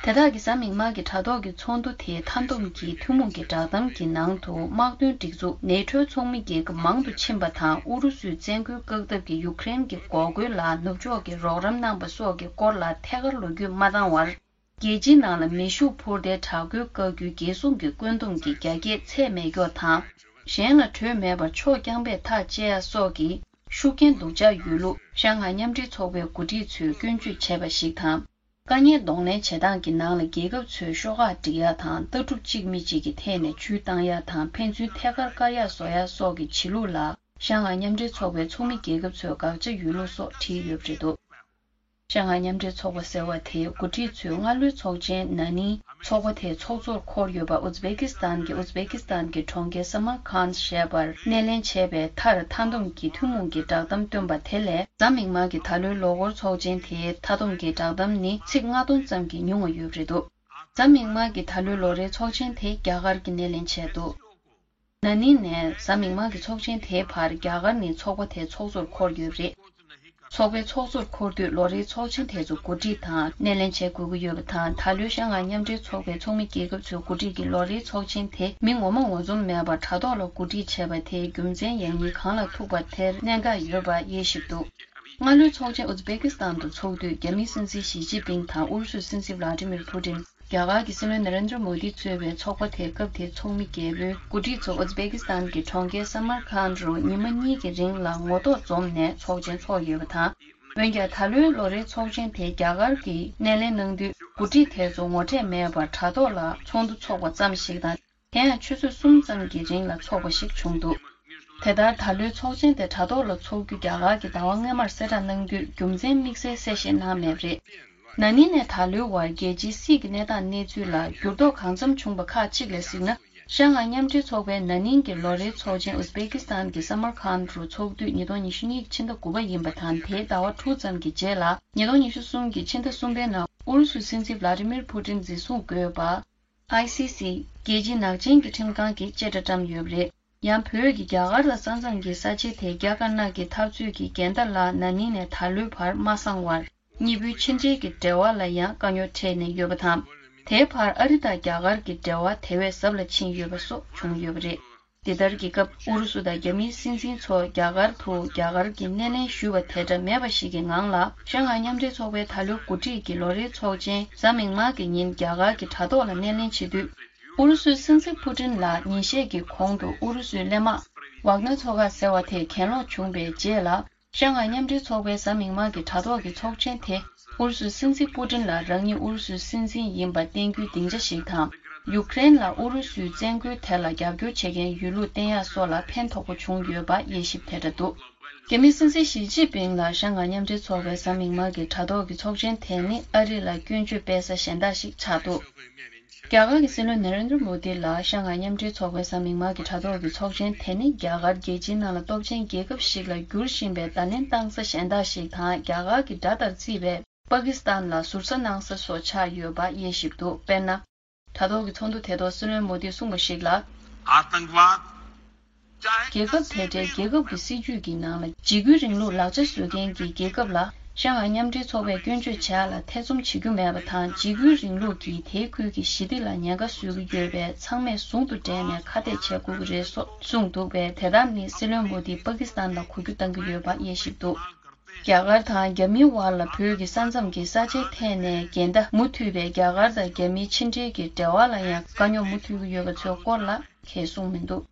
དེ་དག་གི་གཟའ་མིག་དམར་གྱི་དྲ་ཐོག་གི་ཚོགས་འདུ་དེའི་མཐའ་བསྡོམས་ཀྱི་ཐུན་མོང་གི་བསྒྲགས་གཏམ་གྱི་ནང་དུ། དམག་དོན་སྒྲིག་འཛུགས་ནེ་ཊོའི་ཚོགས་མི་རྒྱལ་ཁབ་མང་དུ་ཕྱིན་པ་དང་། ཨུ་རུ་སུའི་བཙན་རྒོལ་བཀག་ཐབས་ཀྱི་ཡུཀ་རེན་གྱི་འགོག་རྒོལ་ལ་ནུབ་ཕྱོགས་ཀྱིས་རོགས་རམ་གནང་པ་སོགས་ཀྱི་སྐོར་ལ་ཐད་ཀར་ལོ་རྒྱུས་མ་བཏང་བར། རྒྱལ་སྤྱིའི་ནང་ལ་མེ་ཤུགས་འཕུར་མདེལ་དྲག་རྒོལ་བཀག་རྒྱུའི་རྒྱལ་སྲུང་གི་བཀོད་འདོམས་ཀྱི་རྒྱ་སྐྱེད་ཚད་མེད་སྐྱོར་དང་། གཞན་ལ་གྲོས་མེད་པར་ཕྱོགས་རྐྱང་པས་ཐག་བཅད་ཡ་སོགས་ཀྱི་ཤུགས་རྐྱེན་སྡུག་ཅག་ཡོད་ལུགས་ཧྲང་ཧའེ་མཉམ་འབྲེལ་ཚོགས་པའི་འགོ་ཁྲིད་ཚོས་སྐྱོན་བརྗོད་བྱས་པ་ཞིག་དང་། དཀའ་ངལ་གདོང་ལེན་བྱེད་སྟངས་ཀྱི་ནང་ལ་རྒྱལ་ཁབ་ཚོས་ཤོག་ཁག་སྒྲིག་ཡ་དང་། ལྟ་གྲུབ་གཅིག་མི་གཅིག་གི་ཐད་ནས་ཇུས་བཏང་ཡ་དང་། ཕན་ཚུན་ཐད་ཀར་བཀར་ཡ་བཟོ་ཡ་སོགས་ཀྱི་བྱེད་ལུགས་ལ་ཧྲང་ཧའེ་མཉམ་འབྲེལ་ཚོགས་པའི་ཚོགས་མི་རྒྱལ་ཁབ་ཚོས་དགག་བྱ་ཡོད་ལུགས་སོགས་བྲིས་ཡོད་པ་རེད་འདུག་ཧྲང་ཧའེ་མཉམ་འབྲེལ་ཚོགས་པ་ཟེར་བ་དེའི་འགོ་ཁྲིད་ཚོས་སྔ་ལོའི་ཚོགས་ཆེན་ན་ནིང་ཚོགས་པ་དེའི་ཚོགས་གཙོར་འཁོར་ཡོད་པ་ཨུ་ཛི་བེ་ཀི་སི་ཐན་གྱི་ཨུ་ཛི་བེ་ཀི་སི་ཐན་གྱི་གྲོང་ཁྱེར་སམ་མར་ཁཱན་ཞེས་པར་སྣེ་ལེན་བྱས་པའི་མཐར་མཐའ་བསྡོམས་ཀྱི་ཐུན་མོང་གི་བསྒྲགས་གཏམ་བཏོན་པ་དེ་ལས་གཟའ་མིག་དམར་གྱི་ད་ལོའི་ལོ་འཁོར་ཚོགས་ཆེན་དེའི་མཐའ་བསྡོམས་ཀྱི་བསྒྲགས་གཏམ་ནི་ཚིག་ལྔ་སྟོང་ཙམ་གྱིས་ཉུང་བ་ཡོད་པ་རེད་འདུག་གཟའ་མིག་དམར་གྱི་ད་ལོའི་ལོ་རེའི་ཚོགས་ཆེན་དེ་རྒྱ་གར་གྱིས་སྣེ་ལེན་བྱས་འདུག་ན་ནིང་ནས་གཟའ་མིག་དམར་གྱི་ཚོགས་ཆེན་དེའི་བར་རྒྱ་གར་ནི་ཚོགས་པ་དེའི་ཚོགས་གཙོར་འཁོར་ཡོད་པ་རེད། ཚོགས་པའི་ཚོགས་གཙོར་འཁོར་དུས་ལོ་རེའི་ཚོགས་ཆེན་དེ་ཚོ་གོ་སྒྲིག་དང་སྣེ་ལེན་བྱེད་དགོས་ཀྱི་ཡོད་པ་དང་། ད་ལོའི་ཤང་ཧའེ་མཉམ་འབྲེལ་ཚོགས་པའི་ཚོགས་མི་རྒྱལ་ཁབ་ཚོས་གོ་སྒྲིག་གིས་ལོ་རེའི་ཚོགས་ཆེན་དེ་མི་ངོ་མ་ངོ་འཛོམས་མེད་པར་དྲ་ཐོག་ལ་གོ་སྒྲིག་བྱས་པ་དེའི་རྒྱུ་མཚན་ཡང་ཉིད་གང་ལ་ཐུག་པ་དེར་གནད་འགག་ཡོད་པ་དབྱེ་ཞིབ་འདུག་སྔ་ལོའི་ཚོགས་ཆེན་ཨུ་ཛི་བེ་ཀི་སི་ཐན་དུ་ཚོགས་དུས་རྒྱ་མིའི་སྲིད་འཛིན་ཞི་ཅིན་ཕིང་དང་ཨུ་རུ་སུའི་སྲིད་འཛིན་ཝ་ལ་ཏི་མིར་ཕུ་ཏིན། རྒྱ་གར་གྱི་སྲིད་བློན་ན་རེན་དྲ་མོ་དི་གཙོས་པའི་ཚོགས་པ་དེའི་སྐབས་དེའི་ཚོགས་མི་རྒྱལ་པོའི་འགོ་ཁྲིད་ཚོ་ཨུ་ཛི་བེ་ཀི་སི་ཐན་གྱི་གྲོང་ཁྱེར་སམ་མར་ཁཱན་རུ་ཉི་མ་གཉིས་ཀྱི་རིང་ལ་ངོ་ཐོག་འཛོམས་ནས་ཚོགས་ཆེན་འཚོགས་ཡོད་པ་དང་། འོན་ཀྱང་ད་ལོའི་ལོ་རེའི་ཚོགས་ཆེན་དེ་རྒྱ་གར་གྱིས་སྣེ་ལེན་གནང་དུས་འགོ་ཁྲིད་དེ་ཚོ་ངོ་འཕྲད་མེད་པར་དྲ་ཐོག་ལ་ཚོགས་འདུ་འཚོགས་པ་ཙམ་ཞིག་དང་། དེ་ཡང་ཆུ་ཚོད་གསུམ་ཙམ་གྱི་རིང་ལ་འཚོགས་པ་ཞིག་བྱུང་འདུག་དེ་ལྟར་ད་ལོའི་ཚོགས་ཆེན་དེ་དྲ་ཐོག་ལ་འཚོགས་རྒྱུ་རྒྱ་གར་གྱིས་ཟླ་བ་སྔོན་མར་གསལ་བསྒྲགས་གནང་དུས་རྒྱུ་མཚན་དམིགས་བསལ་གསལ་བཤད་གནང་མེད་པ་རེད། ན་ནིང་ནས་ད་ལོའི་བར་རྒྱལ་སྤྱིའི་སྲིད་ཀྱི་གནས་སྟངས་གནས་ཚུལ་ལ་འགྱུར་ལྡོག་གང་འཚམ་བྱུང་བ་ཁག་ཅིག་ལ་གཟིགས་ན། ཤང་ཧའེ་མཉམ་འབྲེལ་ཚོགས་པའི་ན་ནིང་གི་ལོ་རེའི་ཚོགས་ཆེན་ཨུ་ཛི་བེ་ཀི་སི་ཐན་གྱི་སམ་མར་ཁཱན་རུ་འཚོགས་དུས་ཉིས་སྟོང་ཉི་ཤུ་གཉིས་ཀྱི་ཕྱི་ཟླ་དགུ་པ་ཡིན་པ་དང་། དེའི་ཟླ་བ་དྲུག་ཙམ་གྱི་རྗེས་ལ་ཉིས་སྟོང་ཉི་ཤུ་གསུམ་གྱི་ཕྱི་ཟླ་གསུམ་པའི་ནང་ཨུ་རུ་སུའི་སྲིད་འཛིན་ཝ་ལ་ཏི་མིར་ཕུ་ཏིན་འཛིན་བཟུང་དགོས་པ། ཨའི་སི་སི། རྒྱལ་སྤྱིའི་ནག་ཅན་གྱི་ཁྲིམས་ཁང་གིས་བཅད་ཁྲ་བཀྲམ་ཡོད་པ་རེད། ཡང་བོད་ཀྱིས་རྒྱ་གར་ལ་ས་མཚམས་ཀྱི་ས་ཆའི་ཐད་རྒྱ་དཀར་ནག་གི་འཐབ་རྩོད་ཀྱི་འགལ་ཟླ་ལ་ན་ནིང་ནས་ད་ལོའི་བར་མ་སངས་བར། གཉིས་པོའི་ཕྱི་འབྲེལ་གྱི་འབྲེལ་བ་ལ་ཡང་དཀའ་རྙོག་འཕྲད་ནས་ཡོད་པ་དང་། དེའི་བར་ཨ་རི་དང་རྒྱ་གར་གྱི་འབྲེལ་བ་དེ་བས་ཟབ་ལ་ཕྱིན་ཡོད་པ་སོགས་བྱུང་ཡོད་པ་རེད། འདི་ལྟར་གྱི་སྐབས་ཨུ་རུ་སུ་དང་རྒྱ་མིའི་སྲིད་འཛིན་ཚོ་རྒྱ་གར་དུ་རྒྱ་གར་གྱི་སྣེ་ལེན་ཞུས་པ་དེ་འདྲ་མེད་པ་ཞིག་གི་ངང་ལ་ཤང་ཧའེ་མཉམ་འབྲེལ་ཚོགས་པའི་ད་ལོའི་འགོ་ཁྲིད་ཀྱི་ལོ་རེའི་ཚོགས་ཆེན་གཟའ་མིག་དམར་གྱི་ཉིན་རྒྱ་གར་གྱི་དྲ་ཐོག་ལ་སྣེ་ལེན་བྱེད་དུས། ཨུ་རུ་སུའི་སྲིད་འཛིན་ཕུ་ཏིན་ལ་ཉིན་ཤས་ཀྱི་གོང་དུ་ཨུ་རུ་སུའི་གླས་དམག་ཝག་ནར་ཚོ་ཁག་ཟེར་བ་དེ་གྱེན་ལོག་བྱུང་བའི་རྗེས་ལ། ཤང་ཧའེ་མཉམ་འབྲེལ་ཚོགས་པའི་གཟའ་མིག་དམར་གྱི་དྲ་ཐོག་གི་ཚོགས་ཆེན་དེ། ཨུ་རུ་སུའི་སྲིད་འཛིན་པུ་ཏིན་ལ་རང་ཉིད་ཨུ་རུ་སུའི་སྲིད་འཛིན་ཡིན་པ་བསྟན་རྒྱུའི་སྡིངས་ཆ་ཞིག་དང་། ཡུཀ་རེན་ལ་ཨུ་རུ་སུའི་བཙན་རྒོལ་དེ་ལ་རྒྱབ་སྐྱོར་བྱེད་མཁན་ཡོད་ལུགས་བསྟན་ཡག་སོགས་ལ་ཕན་ཐོགས་པོ་བྱུང་ཡོད་པ་དབྱེ་ཞིབ་དེ་འདྲ་འདུག་རྒྱ་མིའི་སྲིད་འཛིན་ཞི་ཅིན་ཕིང་ལ་ཤང་ཧའེ་མཉམ་འབྲེལ་ཚོགས་པའི་གཟའ་མིག་དམར་གྱི་དྲ་ཐོག་གི་ཚོགས་ཆེན་དེ་ནི་ཨ་རི་ལ་སྐྱོན་བརྗོད་སྤེལ་ས་གཞན་དག་ཞིག་ཆགས་འདུག་རྒྱ་གར་གྱི་སྲིད་བློན་ན་རེན་དྲ་མོ་དི་ལ་ཤང་ཧའེ་མཉམ་འབྲེལ་ཚོགས་པའི་གཟའ་མིག་དམར་གྱི་དྲ་ཐོག་གི་ཚོགས་ཆེན་དེ་ནི་རྒྱ་གར་རྒྱལ་སྤྱིའི་ནང་ལ་སྟོབས་ཆེན་རྒྱལ་ཁབ་ཞིག་ལ་འགྱུར་བཞིན་པའི་བརྡ་ལན་བཏང་ས་གཞན་དག་ཞིག་དང་། རྒྱ་གར་གྱི་དགྲ་ལྟར་བརྩིས་པའི་པ་ཀི་སི་ཐན་ལ་ཟུར་ཟ་གནང་ས་སོགས་ཆགས་ཡོད་པ་དབྱེ་ཞིབ་འདུག་དཔེར་ན། དྲ་ཐོག་གི་ཚོགས་འདུ་དེ་ཐོག་སྲིད་བློན་མོ་དིས་གསུངས་པ་ཞིག་ལ། आतंकवाद རྒྱལ་ཁབ་དེ་འདྲའི་རྒྱལ་ཁབ་ཀྱི་སྲིད་ཇུས་ཀྱི་ནང་ལ་འཇིགས་སྐུལ་རིང་ལུགས་ལག་ཆ་བཟོ་མཁན་གྱི་རྒྱལ་ཁབ་ལ་ཤང་ཧའེ་མཉམ་འབྲེལ་ཚོགས་པས་སྐྱོན་བརྗོད་བྱས་ལ་ཐེ་ཚོམ་བྱེད་རྒྱུ་མེད་པ་དང་། འཇིགས་སྐུལ་རིང་ལུགས་ཀྱིས་དེའི་ཁུལ་གྱི་ཞི་བདེ་ལ་ཉེན་ཁ་བཟོ་གི་ཡོད་པས་ཚང་མས་ཟུང་དུ་འབྲེལ་ནས་ཁ་གཏད་བྱེད་དགོས་ཀྱི་རེད་སོགས་གསུངས་འདུག་པས། དེ་ལྟར་ནི་སྲིད་བློན་མོ་དིས་པ་ཀི་སི་ཐན་ལ་གུ་གུ་བཏང་གི་ཡོད་པ་དབྱེ་ཞིབ་འདུག་རྒྱ་གར་དང་རྒྱ་མིའི་བར་ལ་བོད་ཀྱི་ས་མཚམས་ཀྱི་ས་ཆའི་ཐད་ནས་འགལ་ཟླ་མུ་མཐུད་པའི་རྒྱ་གར་དང་རྒྱ་མིའི་ཕྱི་འབྲེལ་གྱི་འབྲེལ་བ་ལ་ཡང་དཀའ་རྙོག་མུ་མཐུད་ཀྱི་ཡོད་པ་ཚོའི་སྐོར་ལ་གང་ཡང་གསུངས་མི་འདུག་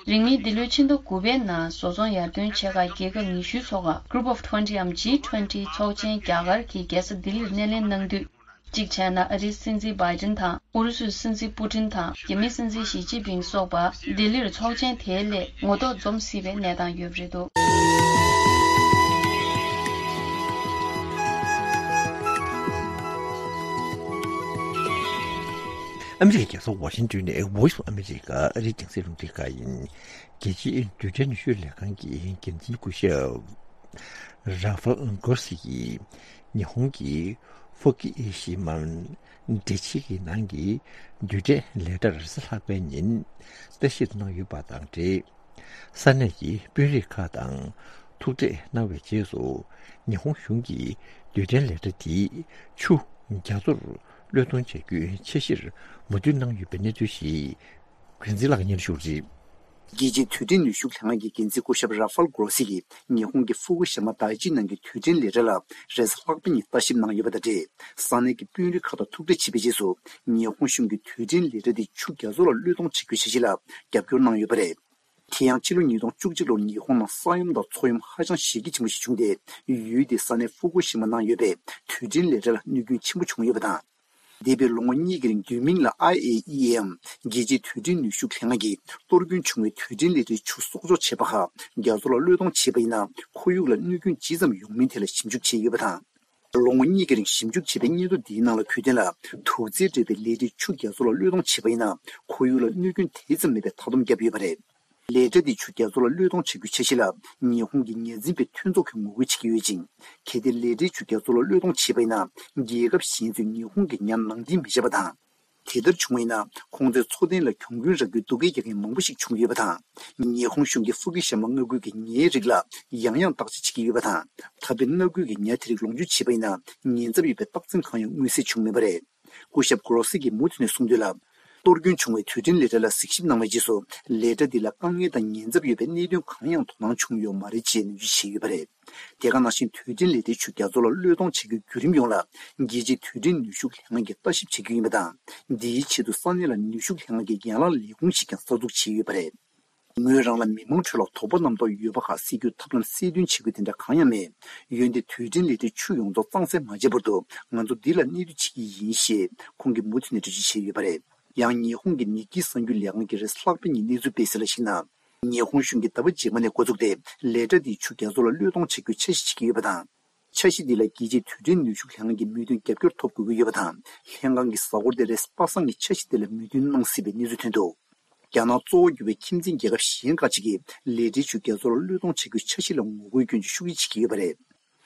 རིང་མིན་འདི་ལོའི་ཕྱི་ཟླ་དགུ་པའི་ནང་བཟོ་ཚོང་ཡར་ཐོན་ཆེ་ཁག་རྒྱལ་ཁབ་ཉི་ཤུའི་ཚོགས་ཁག་Group of Twenty འམ་G twenty ཚོགས་ཆེན་རྒྱ་གར་གྱི་རྒྱལ་ས་ལྡི་ལིར་སྣེ་ལེན་གནང་དུས། གཅིག་བྱས་ན་ཨ་རིའི་སྲིད་འཛིན་བྷའི་ཏིན་དང་ཨུ་རུ་སུའི་སྲིད་འཛིན་པུ་ཏིན་དང་རྒྱ་མིའི་སྲིད་འཛིན་ཞི་ཅིན་ཕིང་སོགས་པ་ལྡི་ལིར་ཚོགས་ཆེན་དེའི་སླད་ངོ་ཐོག་འཛོམས་སྲིད་པའི་གནས་སྟངས་ཡོད་པ་རེད་འདུག་ཨ་མི་རི་ཀའི་རྒྱལ་ས་ཝ་ཤིང་ཏོན་ནས་Voice of America ཨ་རིའི་རྒྱང་སྲིང་རླུང་འཕྲིན་ཁང་ཡིན། རྒྱལ་སྤྱིའི་རྡུལ་ཕྲན་ནུས་ཤུགས་ལས་ཁང་གི་འགན་འཛིན་སྐུ་ཞབས་ར་ཧྥལ་གྷོ་སི་ཡིས་ཉི་ཧོང་གི་ཧྥུ་ཀུ་ཤི་མ་འདྲེ་ཆི་གི་ནང་གི་རྡུལ་ཕྲན་ལས་གྲྭར་རེས་གཟའ་ལྷག་པའི་ཉིན་བརྟག་ཞིབ་གནང་ཡོད་པ་དང་འབྲེལ། ས་གནས་ཀྱི་དཔོན་རིགས་ཁག་དང་ཐུག་འཕྲད་གནང་བའི་རྗེས་སུ། ཉི་ཧོང་གཞུང་གིས་རྡུལ་ཕྲན་ལས་གྲྭ་དེའི་ཆུ་རྒྱ་མཚོར་གློད་གཏོང་བྱ་རྒྱུའི་འཆར་གཞིར་མོས་མཐུན་གནང་ཡོད་པའི་གནས་ཚུལ་ཞིག་འགན་འཛིན་ལགས་སྙན་ཞུ་རེད། རྒྱལ་སྤྱིའི་རྡུལ་ཕྲན་ནུས་ཤུགས་ལྷན་ཁང་གི་འགན་འཛིན་སྐུ་ཞབས་ར་ཧྥལ་གྷོ་སི་ཡིས་ཉི་ཧོང་གི་ཧྥུ་ཀུ་ཤི་མ་དཱ་ཅི་ནང་གི་རྡུལ་ཕྲན་ལས་གྲྭ་ལ་རེས་གཟའ་ལྷག་པའི་ཉིན་བརྟག་ཞིབ་གནང་ཡོད་པ་དང་འབྲེལ། ས་གནས་ཀྱི་དཔོན་རིགས་ཁག་དང་ཐུག་འཕྲད་བྱས་པའི་རྗེས་སུ། ཉི་ཧོང་གཞུང་གིས་རྡུལ་ཕྲན་ལས་གྲྭ་དེ་ཆུ་རྒྱ་མཚོ་ལ་གློད་གཏོང་བྱེད་རྒྱུའི་འཆར་གཞི་ལ་རྒྱབ་སྐྱོར་གནང་ཡོད་པ་རེད། དེ་ཡང་ཕྱི་ལོ་ཉིས་སྟོང་བཅུ་གཅིག་ལོར་ཉི་ཧོང་ནང་ས་ཡོམ་དང་མཚོ་ཡོམ་ཧ་ཅང་གཞི་རྒྱ་ཆེན་པོ་ཞིག་བྱུང་སྟེ། ཡུལ་དེའི་ས་གནས་ཧྥུ་ཀུ་ཤི་མ་ནང་ཡོད་པའི་རྡུལ་ཕྲན་ལས་གྲྭ་ལ་གནོད་སྐྱོན་ཆེན་པོ་བྱུང་ཡོད་པ་དང་། འདས་པའི་ལོ་ངོ་གཉིས་ཀྱི་རིང་བསྡུས་མིང་ལ་ཨའི་ཨེ་ཨི་ཨེ་འམ་རྒྱལ་སྤྱིའི་རྡུལ་ཕྲན་ནུས་ཤུགས་ལྷན་ཁང་གིས་གཏོར་སྐྱོན་བྱུང་བའི་རྡུལ་ཕྲན་ལས་གྲྭའི་ཆུ་གསོག་འཇོག་བྱས་པ་ཁག་རྒྱ་མཚོ་ལ་གློད་གཏོང་བྱས་པ་ཡིན་ན། ཁོར་ཡུག་ལ་གནོད་སྐྱོན་ཇི་ཙམ་ཡོང་མིན་ཐད་ལ་ཞིབ་འཇུག་བྱས་ཡོད་པ་དང་། ལོ་ངོ་གཉིས་ཀྱི་རིང་ཞིབ་འཇུག་བྱས་པའི་སྙན་ཐོ་འདིའི་ནང་ལ་གོ་དོན་ལ། དུག་རྫས་འདྲེས་པའི་ལས་གྲྭའི་ཆུ་རྒྱ་མཚོ་ལ་གློད་གཏོང་བྱས་པ་ཡིན་ན། ཁོར་ཡུག་ལ་གནོད་སྐྱོན་དེ་ཙམ་མེད་པའི་མཐའ་སྡོམ་བརྒྱབ་ཡོད་པ་རེད། ལས་གྲྭ་འདིས་ཆུ་རྒྱ་མཚོ་ལ་གློད་གཏོང་བྱ་རྒྱུའི་འཆར་གཞི་ལ། ཉི་ཧོང་གི་ཉ་འཛིན་པའི་མཐུན་ཚོགས་ཀྱིས་ངོ་རྒོལ་བྱེད་ཀྱི་ཡོད་ཅིང་། གལ་ཏེ་ལས་གྲྭའི་ཆུ་རྒྱ་མཚོ་ལ་གློད་གཏོང་བྱས་པ་ཡིན་ན། རྒྱལ་ཁབ་གཞན་ཚོས་ཉི་ཧོང་གི་ཉ་ནང་འདྲེན་མི་བྱེད་པ་དང་། དེ་ལྟར་བྱུང་བ་ཡིན་ན། ཁོང་ཚོའི་འཚོ་རྟེན་ལ་གྱོང་གུན་རག་རྒྱུའི་སྡུག་སྐད་རྒྱག་མཁན་མང་པོ་ཞིག་བྱུང་ཡོད་པ་དང་། ཉི་ཧོང་གཞུང་གིས་ཧྥུ་ཀུ་ཤི་མ་མངའ་ཁུལ་གྱི་ཉའི་རིགས་ལ་ཡང་ཡང་བརྟག་དཔྱད་བྱེད་ཀྱི་ཡོད་པ་དང་། ད་ཕན་མངའ་ཁུལ་གྱི་ཉ་དེ་རིགས་ལོངས་སྤྱོད་བྱས་པ་ཡིན་ན། ཉེན་ཚབས་ཡོད་པའི་རྟགས་མཚན་གང་ཡང་མངོན་གསལ་བྱུང་མེད་པ་རེད། སྐུ་ཞབས་གྷོ་རོ་སི་གིས་མུ་མཐུད་ནས་གསུངས་དོན་ལ། གཏོར་སྐྱོན་བྱུང་བའི་དུས་དྲན་ལས་གྲྭ་ལ་གཟིགས་ཞིབ་གནང་བའི་རྗེས་སུ། ལས་གྲྭ་འདི་ལ་དཀའ་ངལ་དང་ཉེན་ཚབས་ཡོད་པའི་གནད་དོན་གང་ཡང་དོ་སྣང་བྱུང་ཡོད་མ་རེད་ཅེས་ནན་བརྗོད་བྱས་ཡོད་པ་རེད། དེ་ག་ནང་བཞིན། དུས་དྲན་ལས་གྲྭའི་ཆུ་རྒྱ་མཚོ་ལ་གློད་གཏོང་བྱ་རྒྱུའི་བརྒྱུད་རིམ་ཡོངས་ལ། རྒྱལ་སྤྱིའི་དུས་དྲན་ནུས་ཤུགས་ལྷན་ཁང་གིས་ལྟ་ཞིབ་བྱེད་རྒྱུ་ཡིན་པ་དང་། འདིའི་ཆེད་དུ་ས་གནས་ལ་ནུས་ཤུགས་ལྷན་ཁང་གི་ཡན་ལག་ལས་ཁུངས་ཤིག་ཀྱང་གསར་འཛུགས་བྱས་ཡོད་པ་རེད། ངོས་རང་ལ་མི་མང་ཁྲོད་ལ་དོགས་པ་རྣམ་རྟོག་ཡོད་པ་ཁག་སེལ་རྒྱུའི་ཐབས་ལམ་གསལ་སྟོན་བྱེད་དགོས་དེ་འདྲ་གང་ཡང་མེད། འོན་ཏེ་དུས་དྲན་ལས་གྲྭའི་ཆུ་ཡོངས་རྫོགས་གཙང་སེལ་མ་བྱས་བར་དུ། ང་ཚོ་འདི་ལ་གནས་སྡོད་བྱེད་ཀྱི་ཡིན་ཞེས་ཁོང་གིས་མུ་མཐུད་ནས་འགྲེལ་བརྗོད་བྱས་ཡོད་པ་རེད། ཡང་ཉི་ཧོང་གི་ནིག་ཀི་གསར་འགྱུར་ལས་ཁང་གིས་རེས་གཟའ་ལྷག་པའི་ཉིན་གནས་ཚུལ་སྤེལ་གསལ་ལ་གཞིགས་ན། ཉི་ཧོང་གཞུང་གིས་ཟླ་བ་རྗེས་མ་ནས་འགོ་བཙུགས་ཏེ། ལས་གྲྭ་འདིས་ཆུ་རྒྱ་མཚོ་ལ་གློད་གཏོང་བྱ་རྒྱུའི་འཆར་གཞི་བྱེད་ཀྱི་ཡོད་པ་དང་། འཆར་གཞི་འདི་ལ་རྒྱལ་སྤྱིའི་དུས་དྲན་ནུས་ཤུགས་ལྷན་ཁང་གི་མོས་མཐུན་རྒྱབ་སྐྱོར་ཐོབ་དགོས་ཀྱི་ཡོད་པ་དང་། ལྷན་ཁང་གི་གཟའ་འཁོར་འདིར་རེས་གཟའ་པ་སངས་ཀྱི་འཆར་གཞི་འདི་ལ་མོས་མཐུན་གནང་སྲིད་པའི་གནས་ཚུལ་ཐོན་འདུག་རྒྱ་ནག་གཙོ་བོ་གྱུར་པའི་ཁྱིམ་མཚེས་རྒྱལ་ཁབ་གཞན་ཁག་ཅིག་གིས་ལས་གྲྭའི་ཆུ་རྒྱ་མཚོ་ལ་གློད་གཏོང་བྱ་རྒྱུའི་འཆར་གཞི་ལ་ངོ་རྒོལ་སྐྱོན་གྱི་ཤུགས་རྐྱེན་བྱེད་ཀྱི་ཡོད་པ་རེད།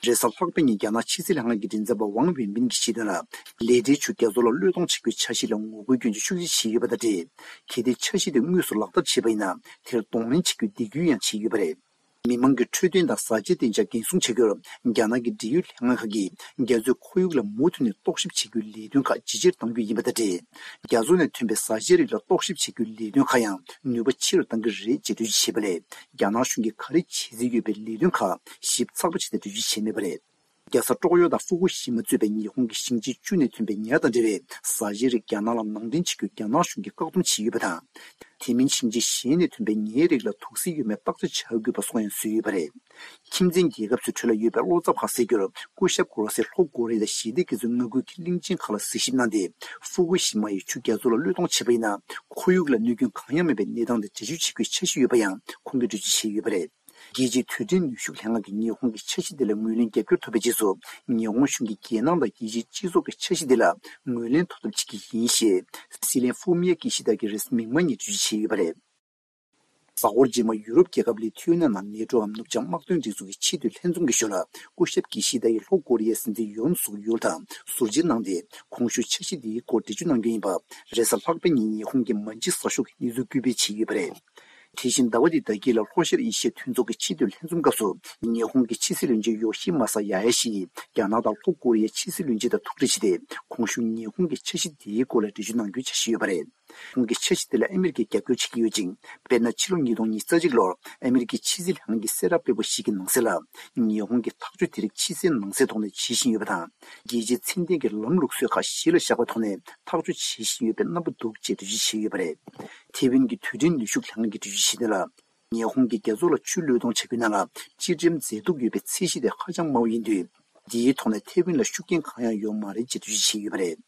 རེས་གཟའ་ལྷག་པའི་ཉིན་རྒྱ་ནག་ཕྱི་སྲིད་ལྷན་ཁང་གི་མགྲིན་ཚབ་པ་ཝང་ཝེན་པིན་གྱིས་བཤད་དོན་ལ། ལས་གྲྭའི་ཆུ་རྒྱ་མཚོ་ལ་གློད་གཏོང་བྱ་རྒྱུའི་འཆར་གཞི་ལ་ངོ་རྒོལ་སྐྱོན་གྱི་ཤུགས་རྐྱེན་བྱས་ཡོད་པ་དང་འབྲེལ། གལ་ཏེ་འཆར་གཞི་དེ་དངོས་སུ་ལག་བསྟར་བྱས་པ་ཡིན་ན། དེར་གདོང་ལེན་བྱེད་རྒྱུའི་འདེད་སྐུལ་ཡང་བྱས་ཡོད་པ་རེད། མི་མང་གི་འཕྲོད་བསྟེན་དང་བཟའ་བཅའི་བདེ་འཇགས་འགན་སྲུང་བྱ་རྒྱུར། རྒྱ་ནག་གི་འབྲེལ་ཡོད་ལྷན་ཁང་ཁག་གིས་རྒྱ་མཚོའི་ཁོར་ཡུག་ལ་མུ་མཐུད་ནས་རྟོག་ཞིབ་བྱེད་རྒྱུའི་ལས་དོན་ཁག་ཇེ་ཆེར་གཏང་རྒྱུ་ཡིན་པ་དང་འབྲེལ། རྒྱ་མཚོ་ནས་ཐོན་པའི་བཟའ་བཅའི་རིགས་ལ་རྟོག་ཞིབ་བྱེད་རྒྱུའི་ལས་དོན་ཁག་ཡང་ནུས་པ་ཆེ་རུ་གཏང་གི་རེད་ཅེས་འགྲེལ་བརྗོད་བྱས་པ་ལས། རྒྱ་ནག་གཞུང་གིས་ག་རེ་བྱེད་རྩིས་ཡོད་པའི་ལས་དོན་ཁག་ཞིབ་ཚགས་པོ་བྱས་ཏེ་འགྲེལ་བརྗོད་བྱས་མེད་པ་རེད། རྒྱལ་ས་ཀྲོག་ཡོ་དང་ཧྥུ་ཀུ་ཤི་མ་གཙོས་པའི་ཉི་ཧོང་གི་ཞིང་ཆེན་བཅུ་ནས་ཐོན་པའི་ཉ་དང་འབྲེལ་བའི་བཟའ་བཅའི་རིགས་རྒྱ་ནག་ལ་ནང་འདྲེན་བྱེད་རྒྱུ་རྒྱ་ནག་གཞུང་གིས་བཀག་སྡོམ་བྱས་ཡོད་པ་དང་། དེ་མིན་ཞིང་ཆེན་གཞན་ནས་ཐོན་པའི་ཉའི་རིགས་ལ་དུག་སེལ་ཡོད་མེད་བརྟག་དཔྱད་བྱ་དགོས་པ་སོགས་ཡང་བཟོས་ཡོད་པ་རེད། ཁྱིམ་མཚེས་རྒྱལ་ཁབ་ཚོའི་ཁྲོད་ལ་ཡོད་པའི་བློ་འཚབ་ཁག་སེལ་རྒྱུར། སྐུ་ཞབས་གོ་རོ་སིས་ལྷོ་ཀོ་རི་ཡ་དང་ཞི་བདེ་དགེ་མཚོའི་མངའ་ཁུལ་གྱི་གླིང་ཆེན་ཁག་ལ་གཟིགས་ཞིབ་གནང་སྟེ། ཧྥུ་ཀུ་ཤི་མ་ཡི་ཆུ་རྒྱ་མཚོ་ལ་གློད་གཏོང་བྱས་པ་ཡིན་ན། ཁོར་ཡུག་ལ་གནོད་སྐྱོན་གང་ཡང་མེད་པའི་གནས་སྟངས་དེ་འགྲེལ་བརྗོད་བྱེད་རྒྱུའི་འཆར་གཞི་ཡོད་པ་ཡང་ཁོང་གིས་འགྲེལ་བརྗོད་བྱས་ཡོད་པ་རེད། རྒྱལ་སྤྱིའི་དུས་དྲན་ནུས་ཤུགས་ལྷན་ཁང་གི་ཉི་ཧོང་གི་འཆར་གཞི་དེ་ལ་ངོས་ལེན་རྒྱབ་སྐྱོར་ཐོབ་པའི་རྗེས་སུ། ཉི་ཧོང་གཞུང་གིས་རྒྱལ་ནང་དང་རྒྱལ་སྤྱིའི་སྤྱི་ཚོགས་ཀྱི་འཆར་གཞི་དེ་ལ་ངོས་ལེན་ཐོབ་ཐབས་བྱེད་ཀྱི་ཡིན་ཞེས། སྲིད་བློན་ཧྥུ་མི་ཡ་ཀི་ཤི་ད་གིས་རེས་གཟའ་མིག་དམར་ཉིན་འགྲེལ་བརྗོད་བྱས་ཡོད་པ་རེད། གཟའ་འཁོར་རྗེས་མ་ཡུ་རོབ་རྒྱལ་ཁབ་ལི་ཐུའུ་ཡ་ན་ནང་ནེ་ཏྲོའམ་ནུབ་བྱང་དམག་དོན་སྒྲིག་འཛུགས་ཀྱི་ཆེས་མཐོའི་ལྷན་འཛོམས་ཀྱི་ཞོར་ལ། སྐུ་ཞབས་ཀི་ཤི་ད་ཡིས་ལྷོ་ཀོ་རི་ཡའི་སྲིད་འཛིན་ཡོན་སུག་ཡོལ་དང་ཟུར་མཇལ་གནང་སྟེ། གོང་ཞུས་འཆར་གཞི་འདིའི་སྐོར་འགྲེལ་བརྗོད་གནང་རྒྱུ་ཡིན་པ། རེས་གཟའ་ལྷག་པའི་ཉིན་ཉི་ཧོང་གི་མན་ཇི་ས་ཤོག་གིས་གནས་ཚུལ་སྐུལ་སྤེལ་བྱས་ཡོད་པ་རེད། དེ་བཞིན་ཟླ་བ་འདིའི་ཟླ་དཀྱིལ་ལ་ལྷོ་ཤར་ཨེ་ཤི་ཡའི་མཐུན་ཚོགས་ཀྱི་ཆེས་མཐོའི་ལྷན་འཛོམས་སྐབས་སུ། ཉི་ཧོང་གི་ཕྱི་སྲིད་བློན་ཆེན་ཡོ་ཤི་མ་ས་ཡ་ཧ་ཤི་ཡིས་རྒྱ་ནག་དང་ལྷོ་ཀོ་རི་ཡའི་ཕྱི་སྲིད་བློན་ཆེན་དང་ཐུག་འཕྲད་བྱས་ཏེ། གོང་ཞུས་ཉི་ཧོང་གི་འཆར་གཞི་དེའི་སྐོར་ལ་འགྲེལ་བརྗོད་གནང་རྒྱུའི་འཆར་གཞི་ཡོད་པ་རེད། ཁོང་གིས་འཆར་གཞི་དེ་ལ་ཨ་མི་རི་ཀས་རྒྱབ་སྐྱོར་བྱེད་ཀྱི་ཡོད་ཅིང་། དཔེར་ན། ཕྱི་ལོ་ཉིས་སྟོང་ཉི་ཤུ་རྩ་གཅིག་ལོར་ཨ་མི་རི་ཀའི་ཕྱི་སྲིད་ལྷན་ཁང་གིས་གསལ་བསྒྲགས་སྤེལ་བ་ཞིག་གི་ནང་གསལ་ལ། ཉི་ཧོང་གིས་ཐག་གཅོད་དེ་རིགས་ཕྱི་གསལ་ནང་གསལ་ཐོག་ནས་བྱེད་བཞིན་ཡོད་པ་དང་། རྒྱལ་སྤྱིའི་ཚད་ལྡན་གྱི་ལམ་ལུགས་སྲོལ་ཁག་གཞི་ལ་བཞག་པའི་ཐོག་ནས་ཐག་གཅོད་བྱེད་བཞིན་ཡོད་པའི་རྣམ་པ་འདུག་ཅེས་འགྲེལ་བརྗོད་བྱས་ཡོད་པ་རེད། ཐེ་ཝན་གྱི་དུས་དྲན་ནུས་ཤུགས་ལྷན་ཁང་གིས་འགྲེལ་བརྗོད་བྱས་དོན་ལ། ཉི་ཧོང་གིས་རྒྱ་མཚོ་ལ་ཆུ་གློད་གཏོང་བྱ་རྒྱུའི་ནང་ལ་སྤྱི་ཁྲིམས་མཛད་སྡུག་ཡོད་པའི་ཚད་གཞི་དེ་ཧ་ཅང་དམའ་བ་ཡིན་དུས། འདིའི་ཐོག་ནས་ཐེ་ཝན་ལ་ཤུགས་རྐྱེན་གང་ཡང་ཡོད་མ་རེད་ཅེས་འགྲེལ་བརྗོད་བྱས་ཡོད་པ་རེད།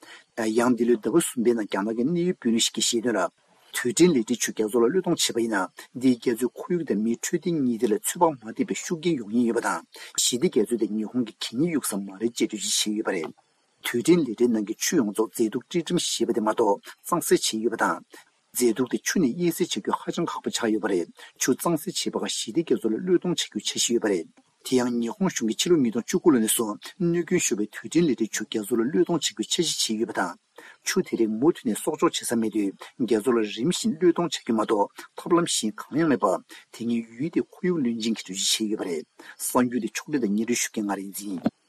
ཡང་འདི་ལོའི་ཟླ་བ་གསུམ་པའི་ནང་རྒྱ་ནག་གི་གནད་ཡོད་དཔོན་རིགས་ཤིག་གིས་བཤད་དོན་ལ། དུས་དྲན་ལས་གྲྭའི་ཆུ་རྒྱ་མཚོ་ལ་གློད་གཏོང་བྱས་པ་ཡིན་ན། འདིས་རྒྱ་མཚོའི་ཁོར་ཡུག་དང་མིའི་འཕྲོད་བསྟེན་གཉིས་ཐད་ལ་ཚོད་དཔག་མ་ཐེབས་པའི་ཤུགས་རྐྱེན་ཡོང་ཉེན་ཡོད་པ་དང་། ཞི་བདེ་རྒྱ་མཚོ་དེ་ཉི་ཧོང་གི་གད་སྙིགས་གཡུག་ས་མ་རེད་ཅེས་འགྲེལ་བརྗོད་བྱས་ཡོད་པ་རེད། དུས་དྲན་ལས་གྲྭའི་ནང་གི་ཆུ་ཡོངས་རྫོགས་མཛེས་སྡུག་སྤྲོད་ཁྲིམས་ཞེས་པ་དེ་མ་གཏོགས་གཙང་སེལ་བྱས་ཡོད་པ་དང་། མཛེས་སྡུག་དེ་ཆུ་ནས་དབྱེ་གསེས་བྱ་རྒྱུ་ཧ་ཅང་ཁག་པོ་ཆགས་ཡོད་པ་རེད། ཆུ་གཙང་སེལ་བྱེད་པ་ཁག་ཞི་བདེ་རྒྱ་མཚོ་ལ་གློད་གཏོང་བྱ་རྒྱུའི་འཆར་གཞི་ཡོད་པ་རེད། དེ་ཡང་ཉི་ཧོང་གཞུང་གིས་ཕྱི་ལོ་ཉིས་སྟོང་བཅུ་དགུ་ལོ་ནས་བཟུང་གནོད་སྐྱོན་ཤོར་བའི་དུས་དྲན་ལས་གྲྭའི་ཆུ་རྒྱ་མཚོ་ལ་གློད་གཏོང་བྱ་རྒྱུའི་འཆར་གཞི་བྱས་ཡོད་པ་དང་། ཆུ་དེ་རིགས་མུ་མཐུད་ནས་གསོག་འཇོག་བྱེད་ས་མེད་དུས། རྒྱ་མཚོ་ལ་རིམ་བཞིན་གློད་གཏོང་བྱ་རྒྱུ་མ་གཏོགས་ཐབས་ལམ་གཞན་གང་ཡང་མེད་པ། དེ་ཉིད་ཡུལ་དེའི་ཁོར་ཡུག་བློན་ཆེན་གྱིས་འགྲེལ་བརྗོད་བྱས་ཡོད་པ་རེད། གསར་འགྱུར་དེ་ཕྱོགས་སྒྲིག་དང་སྙན་སྒྲོན་ཞུ་མཁན་ང་རིག་འཛིན་ཡིན།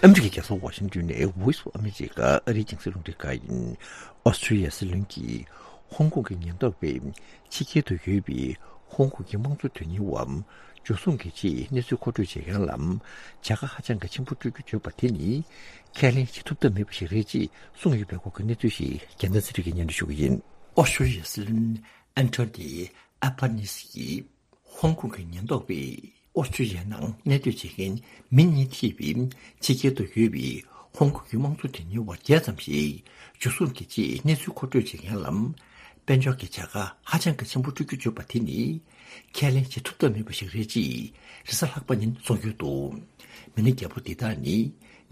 ཨ་མི་རི་ཀའི་རྒྱལ་ས་ཝ་ཤིང་ཏོན་ནས་Voice of America ཨ་རིའི་རྒྱང་སྲིང་རླུང་འཕྲིན་ཁང་ཡིན། ཨོ་སི་ཀྲི་ཡ་སྲིད་བློན་གྱིས་ཧོང་ཀོང་གི་ཉེན་རྟོག་པས་ཕྱི་རྒྱལ་དུ་ཡོད་པའི་ཧོང་ཀོང་གི་དམངས་གཙོ་དོན་གཉེར་བ་འཇུ་བཟུང་གི་ཆེད་གནས་ཚུལ་མཁོ་སྤྲོད་བྱེད་མཁན་ལ་བྱ་དགའ་ཧ་ཅང་གི་ཆེན་པོ་སྤྲོད་རྒྱུ་བརྗོད་པ་དེ་ནི་ཁས་ལེན་བྱེད་ཐུབ་ཐབས་མེད་པ་ཞིག་རེད་ཅེས་གསུངས་ཡོད་པའི་སྐོར་གྱི་གནས་ཚུལ་ཞིག་རྒྱལ་མཚན་ཚེ་རིང་གིས་སྙན་སྒྲོན་ཞུ་གི་ཡིན། ཨོ་སི་ཀྲི་ཡ་སྲིད་བློན་ཨན་ཐོ་ནི་ཨ་པ་ནི་སི་ཡིས། ཧོང་ཀོང་གི་ཉེན་རྟོག་པས་ཨོ་སི་ཀྲི་ཡའི་ནང་གནས་སྡོད་བྱེད་མཁན་མི་གཉིས་ཐེ་བའི་ཕྱི་རྒྱལ་དུ་ཡོད་པའི་ཧོང་ཀོང་གི་དམངས་གཙོ་དོན་གཉེར་བ་བརྒྱད་ཙམ་ཞིག་འཇུ་བཟུང་གི་ཆེད་གནས་ཚུལ་མཁོ་སྤྲོད་བྱེད་མཁན་ལ་ དཔལ་འབྱོར་གྱི་བྱ་དགའ་ཧ་ཅང་གི་ཆེན་པོ་སྤྲོད་རྒྱུ་བརྗོད་པ་དེ་ནི་ཁས་ལེན་བྱེད་ཐུབ་ཐབས་མེད་པ་ཞིག་རེད་ཅེས་རེས་གཟའ་ལྷག་པ་ཉིན་གསུངས་ཡོད་འདུག་མི་སྣ་བརྒྱད་པོ་འདི་དག་ནི་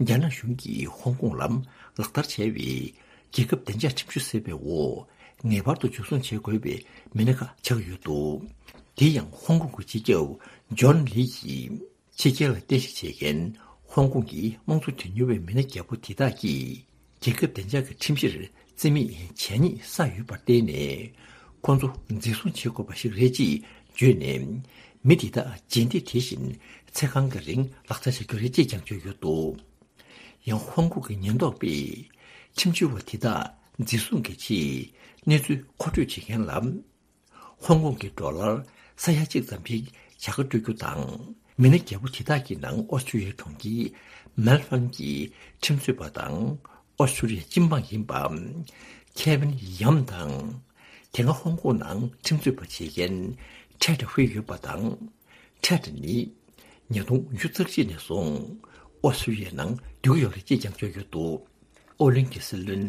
རྒྱ་ནག་གཞུང་གིས་ཧོང་ཀོང་ལ་ལག་བསྟར་བྱས་པའི་རྒྱལ་ཁབ་བདེ་འཇགས་ཁྲིམས་གཞི་ཟེར་བའི་འོག་ངེས་པར་དུ་འཇུ་བཟུང་བྱེད་དགོས་པའི་མི་སྣ་ཁག་ཆགས་ཡོད་འདུག་དེ་ཡང་ཧོང་ཀོང་གི་སྤྱི་ཁྱབ་ཇོན་ལི་ཡིས། ཕྱི་རྒྱལ་ལ་རྟེན་གཞི་བྱེད་མཁན་ཧོང་ཀོང་གི་དམངས་གཙོ་དོན་གཉེར་བའི་མི་སྣ་བརྒྱད་པོ་དེ་དག་གིས་རྒྱལ་ཁབ་བདེ་འཇགས་ཀྱི་ཁྲིམས་གཞིར་བརྩི་མེད་བྱས་ཉེས་བསགས་ཡོད་པར་བརྟེན་ནས་ཁོང་ཚོ་འཛིན་བཟུང་བྱེད་དགོས་པ་ཞིག་རེད་ཅེས་བརྗོད་ནས། མི་དེ་དག་རྗེས་འདེད་དེ་བཞིན་ཚེ་གང་གི་རིང་ལག་བསྟར་བྱ་རྒྱུ་རེད་ཅེས་ཀྱང་བརྗོད་ཡོད་འདུག་ཡང་ཧོང་ཀོང་གི་ཉེན་རྟོག་པས་ཁྲིམས་བྱོལ་བ་དེ་དག་འཛིན་བཟུང་གི་ཆེད་གནས་ཚུལ་མཁོ་སྤྲོད་བྱེད་མཁན་ལ། ཧོང་ཀོང་གི་ཌོ་ལར་ས་ཡ་གཅིག་ཙམ་ཞིག་བྱ་དགའ་སྤྲོད་རྒྱུ་དང་། མི་སྣ་བརྒྱད་པོ་དེ་དག་གི་ནང་ཨོ་སི་ཀྲུ་ལི་ཡའི་གྲོང་ཁྱེར་མེལ་ཧྥན་གྱི་ཁྲིམས་རྩོད་པ་དང་ཨོ་སི་ཀྲུ་ལི་ཡའི་སྤྱི་འབངས་ཡིན་པ་ཁེ་ཝིན་ཡམ་དང་། དེ་སྔ་ཧོང་ཀོང་ནང་ཁྲིམས་རྩོད་པ་བྱེད་མཁན་ཁྲེད་ཧུའེ་ཡོད་པ་དང་། ཁྲེད་ནི་ཉིས་སྟོང་བཅུ་གཅིག་ནས་བཟུང་ཨོ་སི་ཀྲུ་ལི་ཡའི་ནང་སྡོད་ཀྱི་ཡོད་རེད་ཅེས་ཀྱང་བརྗོད་ཡོད་འདུག་ཨོ་གླིང་གི་སྲིད་བློན་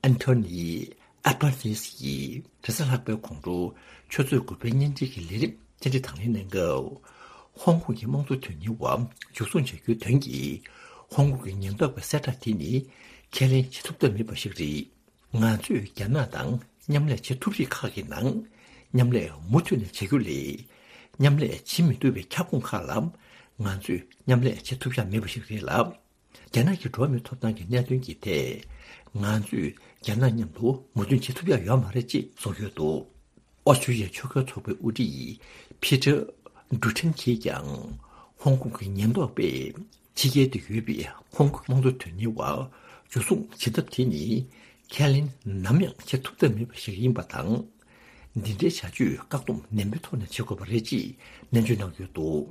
ཨན་ཐོ་ནི་ཨ་པར་ནིས་ཀྱིས་རེས་གཟའ་ལྷག་པའི་དགོང་དྲོ་ཆུ་ཚོད་དགུ་པའི་བརྙན་འཕྲིན་གྱི་ལས་རིམ་བཅར་འདྲི་དང་ལེན་གནང་སྐབས། ཧོང་ཀོང་གི་དམངས་གཙོ་དོན་གཉེར་བ་འཇུ་བཟུང་བྱ་རྒྱུའི་དོན་གྱིས་ཧོང་ཀོང་གི་ཉེན་རྟོག་པའི་གསལ་བསྒྲགས་དེ་ནི་ཁས་ལེན་བྱེད་ཐུབ་ཐབས་མེད་པ་ཞིག་རེད། ང་ཚོས་རྒྱ་ནག་དང་མཉམ་ལས་བྱེད་ཐུབ་རིགས་ཁག་གི་ནང་མཉམ་ལས་མུ་མཐུད་ནས་བྱེད་རྒྱུ་ལས། མཉམ་ལས་བྱེད་མི་ཐུབ་པའི་ཁྱབ་ཁོངས་ཁག་ལ་ང་ཚོས་མཉམ་ལས་བྱེད་ཐུབ་ཡ་མེད་པ་ཞིག་རེད་ལ། རྒྱ་ནག་གི་འགྲོ་བ་མིའི་ཐོབ་ཐང་གི་གནད་དོན་གྱི་ཐད། ང་ཚོས་རྒྱ་ནག་མཉམ་དུ་མོས་མཐུན་བྱེད་ཐུབ་ཡ་ཡོད་མ་རེད་ཅེས་གསུངས་ཡོད་འདུག་ཨོ་སི་ཀྲུ་ལི་ཡའི་ཆོལ་ཁའི་ཚོགས་པའི་དབུ་ཁྲིད་ཕི་ཏྲ་ཌུ་ཊན་གྱིས་ཀྱང་ཧོང་ཀོང་གི་ཉེན་རྟོག་པས་ཕྱི་རྒྱལ་དུ་ཡོད་པའི་ཧོང་ཀོང་དམངས་གཙོ་དོན་གཉེར་བ་འཇུ་བཟུང་བྱེད་ཐབས་དེ་ནི་ཁས་ལེན་ནམ་ཡང་བྱེད་ཐུབ་ཐབས་མེད་པ་ཞིག་ཡིན་པ་དང་། འདི་འདྲའི་བྱ་སྤྱོད་བཀག་སྡོམ་ནན་པོའི་ཐོག་ནས་བྱེད་དགོས་པ་རེད་ཅེས་ནན་བརྗོད་གནང་ཡོད་འདུག་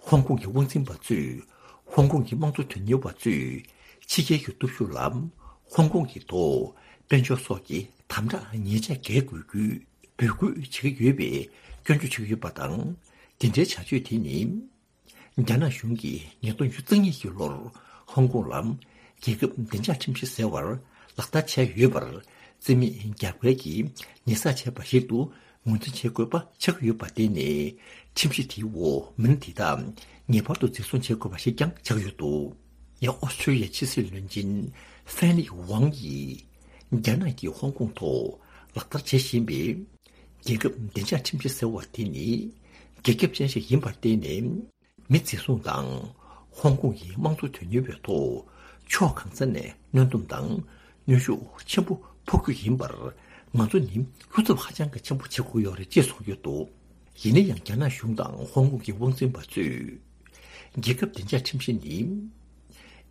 ཧོང་ཀོང་གི་དབང་འཛིན་པ་ཚོས་ཧོང་ཀོང་གི་དམངས་གཙོ་དོན་གཉེར་བ་ཚོས་ཕྱི་རྒྱལ་གྱི་སྟོབས་ཤུགས་ལ་ཧོང་ཀོང་གི་ཐོག་དཔལ་འབྱོར་སོགས་ཀྱི་དམ་དྲག་ཉེས་ཆད་འགེལ་དགོས་རྒྱུའི་འབོད་སྐུལ་བྱེད་ཀྱི་ཡོད་པའི་སྐྱོན་བརྗོད་བྱེད་ཀྱི་ཡོད་པ་དང་། དེ་འདྲའི་བྱ་སྤྱོད་དེ་ནི། རྒྱ་ནག་གཞུང་གིས་ཉིས་སྟོང་བཅུ་གཉིས་ཀྱི་ལོར་ཧོང་ཀོང་ལ་རྒྱལ་ཁབ་བདེ་འཇགས་ཁྲིམས་གཞི་ཟེར་བར་ལག་བསྟར་བྱས་ཡོད་པར། བརྩི་མེད་རྒྱབ་འགལ་གྱིས་ཉེས་བསགས་བྱས་པ་ཞིག་ཏུ་ངོས་འཛིན་བྱེད་དགོས་པ་ཆགས་ཀྱི་ཡོད་པར་བརྟེན་ནས། ཁྲིམས་གཞི་དེའི་འོག་མི་སྣ་དེ་དག་ངེས་པར་དུ་འཛིན་བཟུང་བྱེད་དགོས་པ་ཞིག་ཀྱང་ཆགས་ཡོད་འདུག་ཡང་ཨོ་སི་ཀྲུ་ལི་ཡའི་ཕྱི་སྲིད་བློན་ཆེན་ཧྥན་ལི་ཝང་གིས། རྒྱ་ནག་གིས་ཧོང་ཀོང་ཐོག་ལག་བསྟར་བྱེད་བཞིན་པའི་རྒྱལ་ཁབ་བདེ་འཇགས་ཁྲིམས་གཞི་ཟེར་བ་དེ་ནི་རྒྱ་ཁྱབ་ཅན་ཞིག་ཡིན་པར་བརྟེན་ནས། མི་འཛིན་བཟུང་དང་ཧོང་ཀོང་གི་དམངས་གཙོ་དོན་གཉེར་བའི་ཐོག་ཕྱོགས་གང་ས་ནས་གནོན་སྡོམ་དང་གནོན་ཤུགས་ཆེན་པོ་ཕོག་རྒྱུ་ཡིན་པར། ང་ཚོ་ནི་བློ་འཚབ་ཧ་ཅང་གི་ཆེན་པོ་བྱེད་དགོས་ཡོད་རེད་ཅེས་གསུངས་ཡོད་འདུག་ཡིན་ན་ཡང་རྒྱ་ནག་གཞུང་དང་ཧོང་ཀོང་གི་དབང་འཛིན་པ་ཚོས་རྒྱལ་ཁབ་བདེ་འཇགས་ཁྲིམས་གཞི་ནི་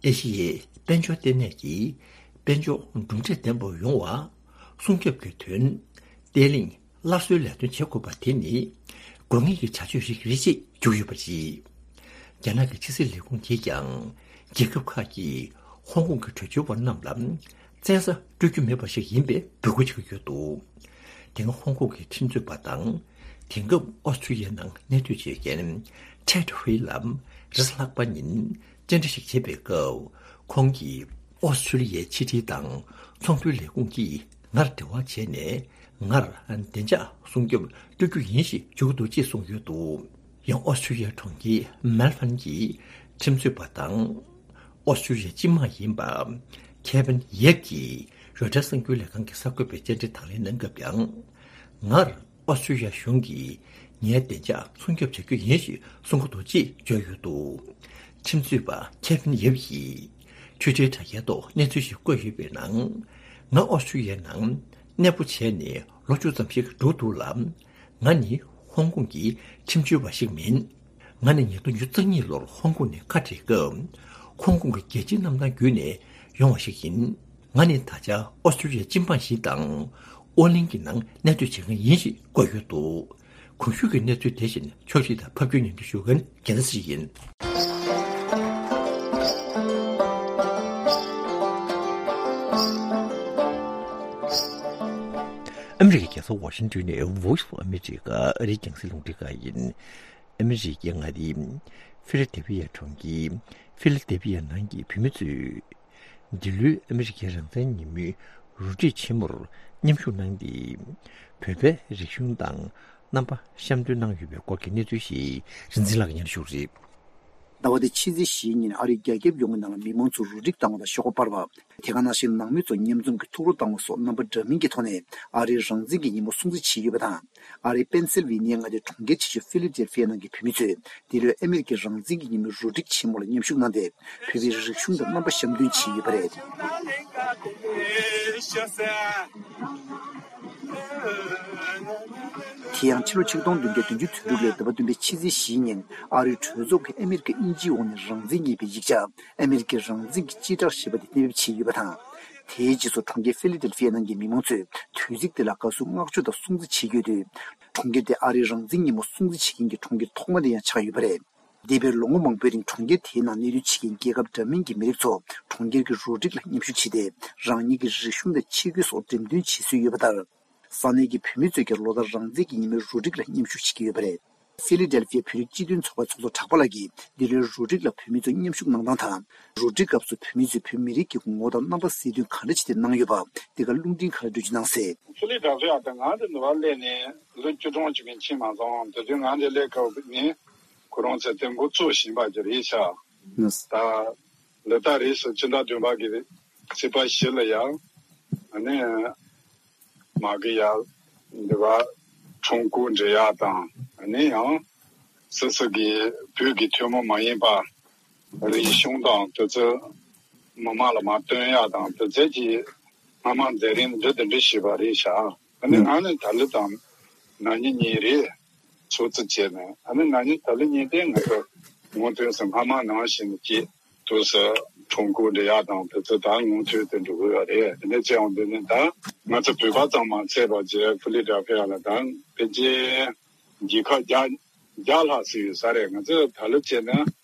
ཨེ་ཤི་ཡའི་དཔལ་འབྱོར་ལྟེ་གནས་ཀྱི་དཔལ་འབྱོར་གྲུབ་འབྲས་ལྡན་པ་ཡོང་བ་སྲུང་སྐྱོབ་ཀྱི་དོན་བརྟན་ལྷིང་སླར་གསོའི་ལས་དོན་བྱེད་དགོས་པ་དེ་ནི་དགོས་ངེས་ཀྱི་བྱ་སྤྱོད་ཞིག་རེད་ཅེས་བརྗོད་ཡོད་པ་རེད། རྒྱ་ནག་གི་ཕྱི་སྲིད་ལས་ཁུངས་ཀྱིས་ཀྱང་རྒྱལ་ཁབ་ཁག་གིས་ཧོང་ཀོང་གི་བྲོས་བྱོལ་བ་རྣམས་ལ་བཙན་ས་སྤྲོད་རྒྱུ་མེད་པ་ཞིག་ཡིན་པའི་འབོད་སྐུལ་བྱེད་ཀྱི་ཡོད་འདུག་དེ་སྔ་ཧོང་ཀོང་གི་ཁྲིམས་རྩོད་པ་དང་དེང་སྐབས་ཨོ་སི་ཀྲུ་ལི་ཡའི་ནང་གནས་སྡོད་བྱེད་མཁན་ཁྲེད་ཧུའེ་ལ་རེས་གཟའ་ལྷག་པ་ཉིན་བཅར་འདྲི་ཞིག་བྱེད་པའི་སྐབས་ཁོང་གིས། ཨོ་སི་ཀྲུ་ལི་ཡའི་ཕྱི་དྲིལ་དང་ཚོང་དོན་ལས་ཁུངས་ཀྱིས་ངར་འབྲེལ་བ་བྱས་ནས་ངར་བདེ་འཇགས་སྲུང་སྐྱོབ་སྤྲོད་རྒྱུ་ཡིན་ཞེས་བརྗོད་ཀྱི་འདུག་ཅེས་གསུངས་ཡོད་འདུག་ཡང་ཨོ་སི་ཀྲུ་ལི་ཡའི་གྲོང་ཁྱེར་མེལ་ཧྥན་གྱི་ཁྲིམས་རྩོད་པ་དང་ཨོ་སི་ཀྲུ་ལི་ཡའི་སྤྱི་དམངས་ཡིན་པ་ཁེ་ཝིན་ཡེབ་ཀྱིས་རོའི་ཊར་གསར་འགྱུར་ལས་ཁང་གི་གསར་འགོད་པའི་བཅར་འདྲི་དང་ལེན་གནང་སྐབས་ཀྱང་ངར། ཨོ་སི་ཀྲུ་ལི་ཡ་གཞུང་གིས་ངའི་བདེ་འཇགས་སྲུང་སྐྱོབ་བྱ་རྒྱུ་ཡིན་ཞེས་གསུང་གི་འདུག་ཅེས་བརྗོད་ཡོད་འདུག་ཁྲིམས་རྩོད་པ་ཁེ་ཝིན་ཡེབ་ཡིས་ཊུའི་ཊར་དྲ་རྒྱའི་ཐོག་གནས་ཚུལ་ཞིག་བཀོད་ཡོད་པའི་ནང་། ང་ཨོ་སི་ཀྲུ་ལི་ཡའི་ནང་གནས་སྤོ་བྱས་ནས་ལོ་བཅུ་ཙམ་ཞིག་འགྲོ་འདུག་ལ། ང་ནི་ཧོང་ཀོང་གི་ཁྲིམས་བྱོལ་བ་ཞིག་མིན། ང་ནི་ཉིས་སྟོང་བཅུ་གཉིས་ལོར་ཧོང་ཀོང་ནས་ཁ་བྲལ་སྐབས། ཧོང་ཀོང་གི་རྒྱལ་སྤྱིའི་གནམ་ཐང་བརྒྱུད་ནས་ཡོང་བ་ཞིག་ཡིན། ང་ནི་ད་ཆ་ཨོ་སི་ཀྲུ་ལི་ཡའི་སྤྱི་འབངས་ཤིག་དང་། ཨོ་གླིང་གི་ནང་གནས་སྡོད་བྱེད་མཁན་ཡིན་ཞེས་བཀོད་ཡོད་འདུག་གོང་ཞུས་ཀྱི་གནས་ཚུལ་དེ་བཞིན་ཕྱོགས་སྒྲིག་དང་ཕབ་སྒྱུར་སྙན་སྒྲོན་ཞུ་མཁན་རྒྱལ་མཚན་ཡིན། ཨ་མི་རི་ཀའི་རྒྱལ་ས་ཝ་ཤིང་ཏོན་ནས་Voice of America ཨ་རིའི་རྒྱང་སྲིང་རླུང་འཕྲིན་ཁང་ཡིན། ཨ་མི་རི་ཀའི་མངའ་སྡེ་ཕི་ལ་དེ་བི་ཡ་གྲོང་ཁྱེར་ཕི་ལ་དེ་བི་ཡ་ནང་གི་བོད་མི་ཚོས། འདི་ལོའི་ཨ་མི་རི་ཀའི་རང་བཙན་ཉིན་མོའི་རུ་སྒྲིག་ཆེན་མོར་ མཉམ་ཞུགས་གནང་སྟེ། བོད་པའི་རིག་གཞུང་དང་རྣམ་པ་གཤམ་སྟོན་གནང་ཡོད་པའི་སྐོར་གྱི་གནས་ཚུལ་ཞིག་རིག་འཛིན་ལགས་ཀྱིས་སྙན་ཞུ་རེད། ཟླ་བ་འདི་ཕྱི་ཚེས་བཞིའི་ཉིན་ཨ་རིའི་རྒྱ་ཁྱབ་ཡོང་སྒོའི་ནང་ལ་མི་མང་ཚོས་རུ་སྒྲིག་བཏང་བ་དང་ཤོག་ཁ་སྤར་བ། དེ་ག་ནང་བཞིན་ནང་མི་ཚོ་མཉམ་འཛོམས་ཀྱིས་ཐུགས་རོགས་བཏང་བ་སོགས་རྣམ་པ་འདྲ་མིན་གྱི་ཐོག་ནས་ཨ་རིའི་རང་བཙན་གྱི་ཉིན་མོ་སྲུང་བརྩི་བྱས་ཡོད་པ་དང་། ཨ་རིའི་པེན་སིལ་ཝེ་ནི་ཡ་མངའ་སྡེའི་གྲོང་ཁྱེར་ཆེ་ཤོས་ཧྥི་ལི་ཌེལ་ཧྥི་ཡ་ནང་གི་བོད་མི་ཚོས་འདི་ལོའི་ཨ་མེ་རི་ཁའི་རང་བཙན་གྱི་ཉིན་མོའི་རུ་སྒྲིག་ཆེན་མོ་ལ་མཉམ་ཞུགས་གནང་སྟེ། བོད་པའི་རིག་གཞུང་དང་རྣམ་པ་གཤམ་སྟོན་བྱས་ཡོད་པ་རེད། དེ་ཡང་ཕྱི་ལོ་ཆིག་སྟོང་བདུན་བརྒྱ་བདུན་ཅུ་དོན་དྲུག་ལོའི་ཟླ་བ་བདུན་པའི་ཕྱི་ཚེས་བཞིའི་ཉིན་ཨ་རིའི་གྲོས་ཚོགས་ཀྱིས་ཨ་མེ་རི་ཁ་དབྱིན་ཇིའི་འོག་ནས་རང་བཙན་རྙེད་པའི་ཡིག་ཆ་ཨ་མེ་རི་ཁའི་རང་བཙན་གྱི་སྤྱི་བསྒྲགས་ཞེས་པ་དེ་གཏན་འབེབས་བྱས་ཡོད་པ་དང་། དེའི་རྗེས་སུ་གྲོང་ཁྱེར་ཧྥི་ལི་ཌེལ་ཧྥི་ཡ་ནང་གི་མི་མང་ཚོས་དུས་ཚིགས་དེ་ལ་དགའ་བསུ་བསྔགས་བརྗོད་དང་སྲུང་བརྩི་བྱེད་ཀྱི་ཡོད་དུས། གྲོང་ཁྱེར་དེ་ཨ་རིའི་རང་བཙན་ཉིན་མོ་སྲུང་བརྩི་བྱེད་མཁན་གྱི་གྲོང་ཁྱེར་ཐོག་མ་དེ་ཡང་ཆགས་ཡོད་པ་རེད། འདས་པའི་ལོ་ངོ་མང་པོའི་རིང་གྲོང་ཁྱེར་དེའི་ནང་གནས་སྡོད་བྱེད་མཁན་རྒྱལ་ཁབ་འདྲ་མིན་གྱི་མི་རིགས་ཚོ་གྲོང་ཁྱེར་གྱི་རུ་སྒྲིག་ལ་མཉམ་ཞུགས་བྱས་ཏེ། རང་ཉིད་ཀྱི་རིག་གཞུང་དང་ཆས་གོས་སོགས་འགྲེམས་སྟོན་བྱེད་སྲོལ་ཡོད་པ་ལྟར། ས་གནས་ཀྱི་བོད་མི་ཚོས་ཀྱང་ལོ་ལྟར་རང་བཙན་གྱི་ཉིན་མོའི་རུ་སྒྲིག་ལ་མཉམ་ཞུགས་བྱེད་ཀྱི་ཡོད་པ་རེད། ཧྥི་ལི་ཌེལ་ཧྥི་ཡའི་བོད་རིགས་སྤྱི་མཐུན་ཚོགས་པའི་ཚོགས་གཙོ་གྲགས་པ་ལགས་ཀྱིས་འདི་ལོའི་རུ་སྒྲིག་ལ་བོད་མི་ཚོ་མཉམ་ཞུགས་གནང་སྟངས་དང་། རུ་སྒྲིག་སྐབས་སུ་བོད་མི་ཚོས་བོད་མི་རིགས་ཀྱི་ངོ་བོ་དང་རྣམ་པ་གསལ་སྟོན་ག་འདྲ་བྱས་ཏེ་གནང་ཡོད་པ། འདི་ག་རླུང་འཕྲིན་ཁ་ལ་འགྲེལ་བརྗོད་གནང་གསལ། ཧྥི་ལི་ཌེལ་ཧྥི་ཡ་དང་ང་དང་འདི་བར་སླེབས་ནས་ལོ་བཅུ་གྲངས་ཅིག་མིན་ཕྱིན་མ་སོང་། དེ་དུས་ང་འདིར་སླེབས་སྐབས་ནས་ཁོ་རང་ཚོས་དེ་འགོ་བཙུགས་བཞིན་པ་ཅིག་རེད་ཤག་ད་ལོ་ལྟར་རེས་སུ་ཕྱི་ཟླ་བདུན་པ་གི་ཚེས་པ་བཞི་ལ་ཡང་ཨ་ནི་མ་གི་ཡར་འདི་བ་ཁྲོམ་སྐོར་འགྲོ་ཡག་དང་། ཨ་ནི་ཡང་སོ་སོ་གི་བོད་ཀྱི་ཐུན་མོང་མ་ཡིན་པ་རིག་གཞུང་དང་དེ་ཚོ་མི་མང་ལ་མར་སྟོན་ཡག་དང་། དེ་ཚོ་གི་སྔ་མ་མཛད་རིམ་འདི་འདི་འདྲ་ཞིག་པ་རེད་ཤག་ཨ་ནི་ང་ནི་ད་ལོ་དང་ན་ནིང་གཉིས་རེད། ཚོགས་གཙོ་བྱས་ནས། ཨ་ནི་ན་ནིང་ད་ལོ་གཉིས་དེ་ང་ཚོ་སྔོན་ཐོན་སུ་སྔ་མ་ནང་བཞིན་གྱི་དུས་སུ་ཁྲོམ་སྐོར་འགྲོ་ཡག་དང་དེ་ཚོ་ད་སྔོན་ཐོན་དུ་འགྲོ་གི་ཡོད་རེད། དེ་འདྲ་བྱས་ཡོང་དུས་ནི་ད་ང་ཚོ་བོད་པ་ཙམ་མ་ཚད་པ་བྱས་ཧྥི་ལི་ཌེལ་ཧྥི་ཡ་ལ་ད་ཕལ་ཆེར་རྒྱལ་ཁབ་བརྒྱ་བརྒྱ་ལྷག་ཙམ་ཡོད་ས་རེད། ང་ཚོ་ད་ལོ་བྱས་ན་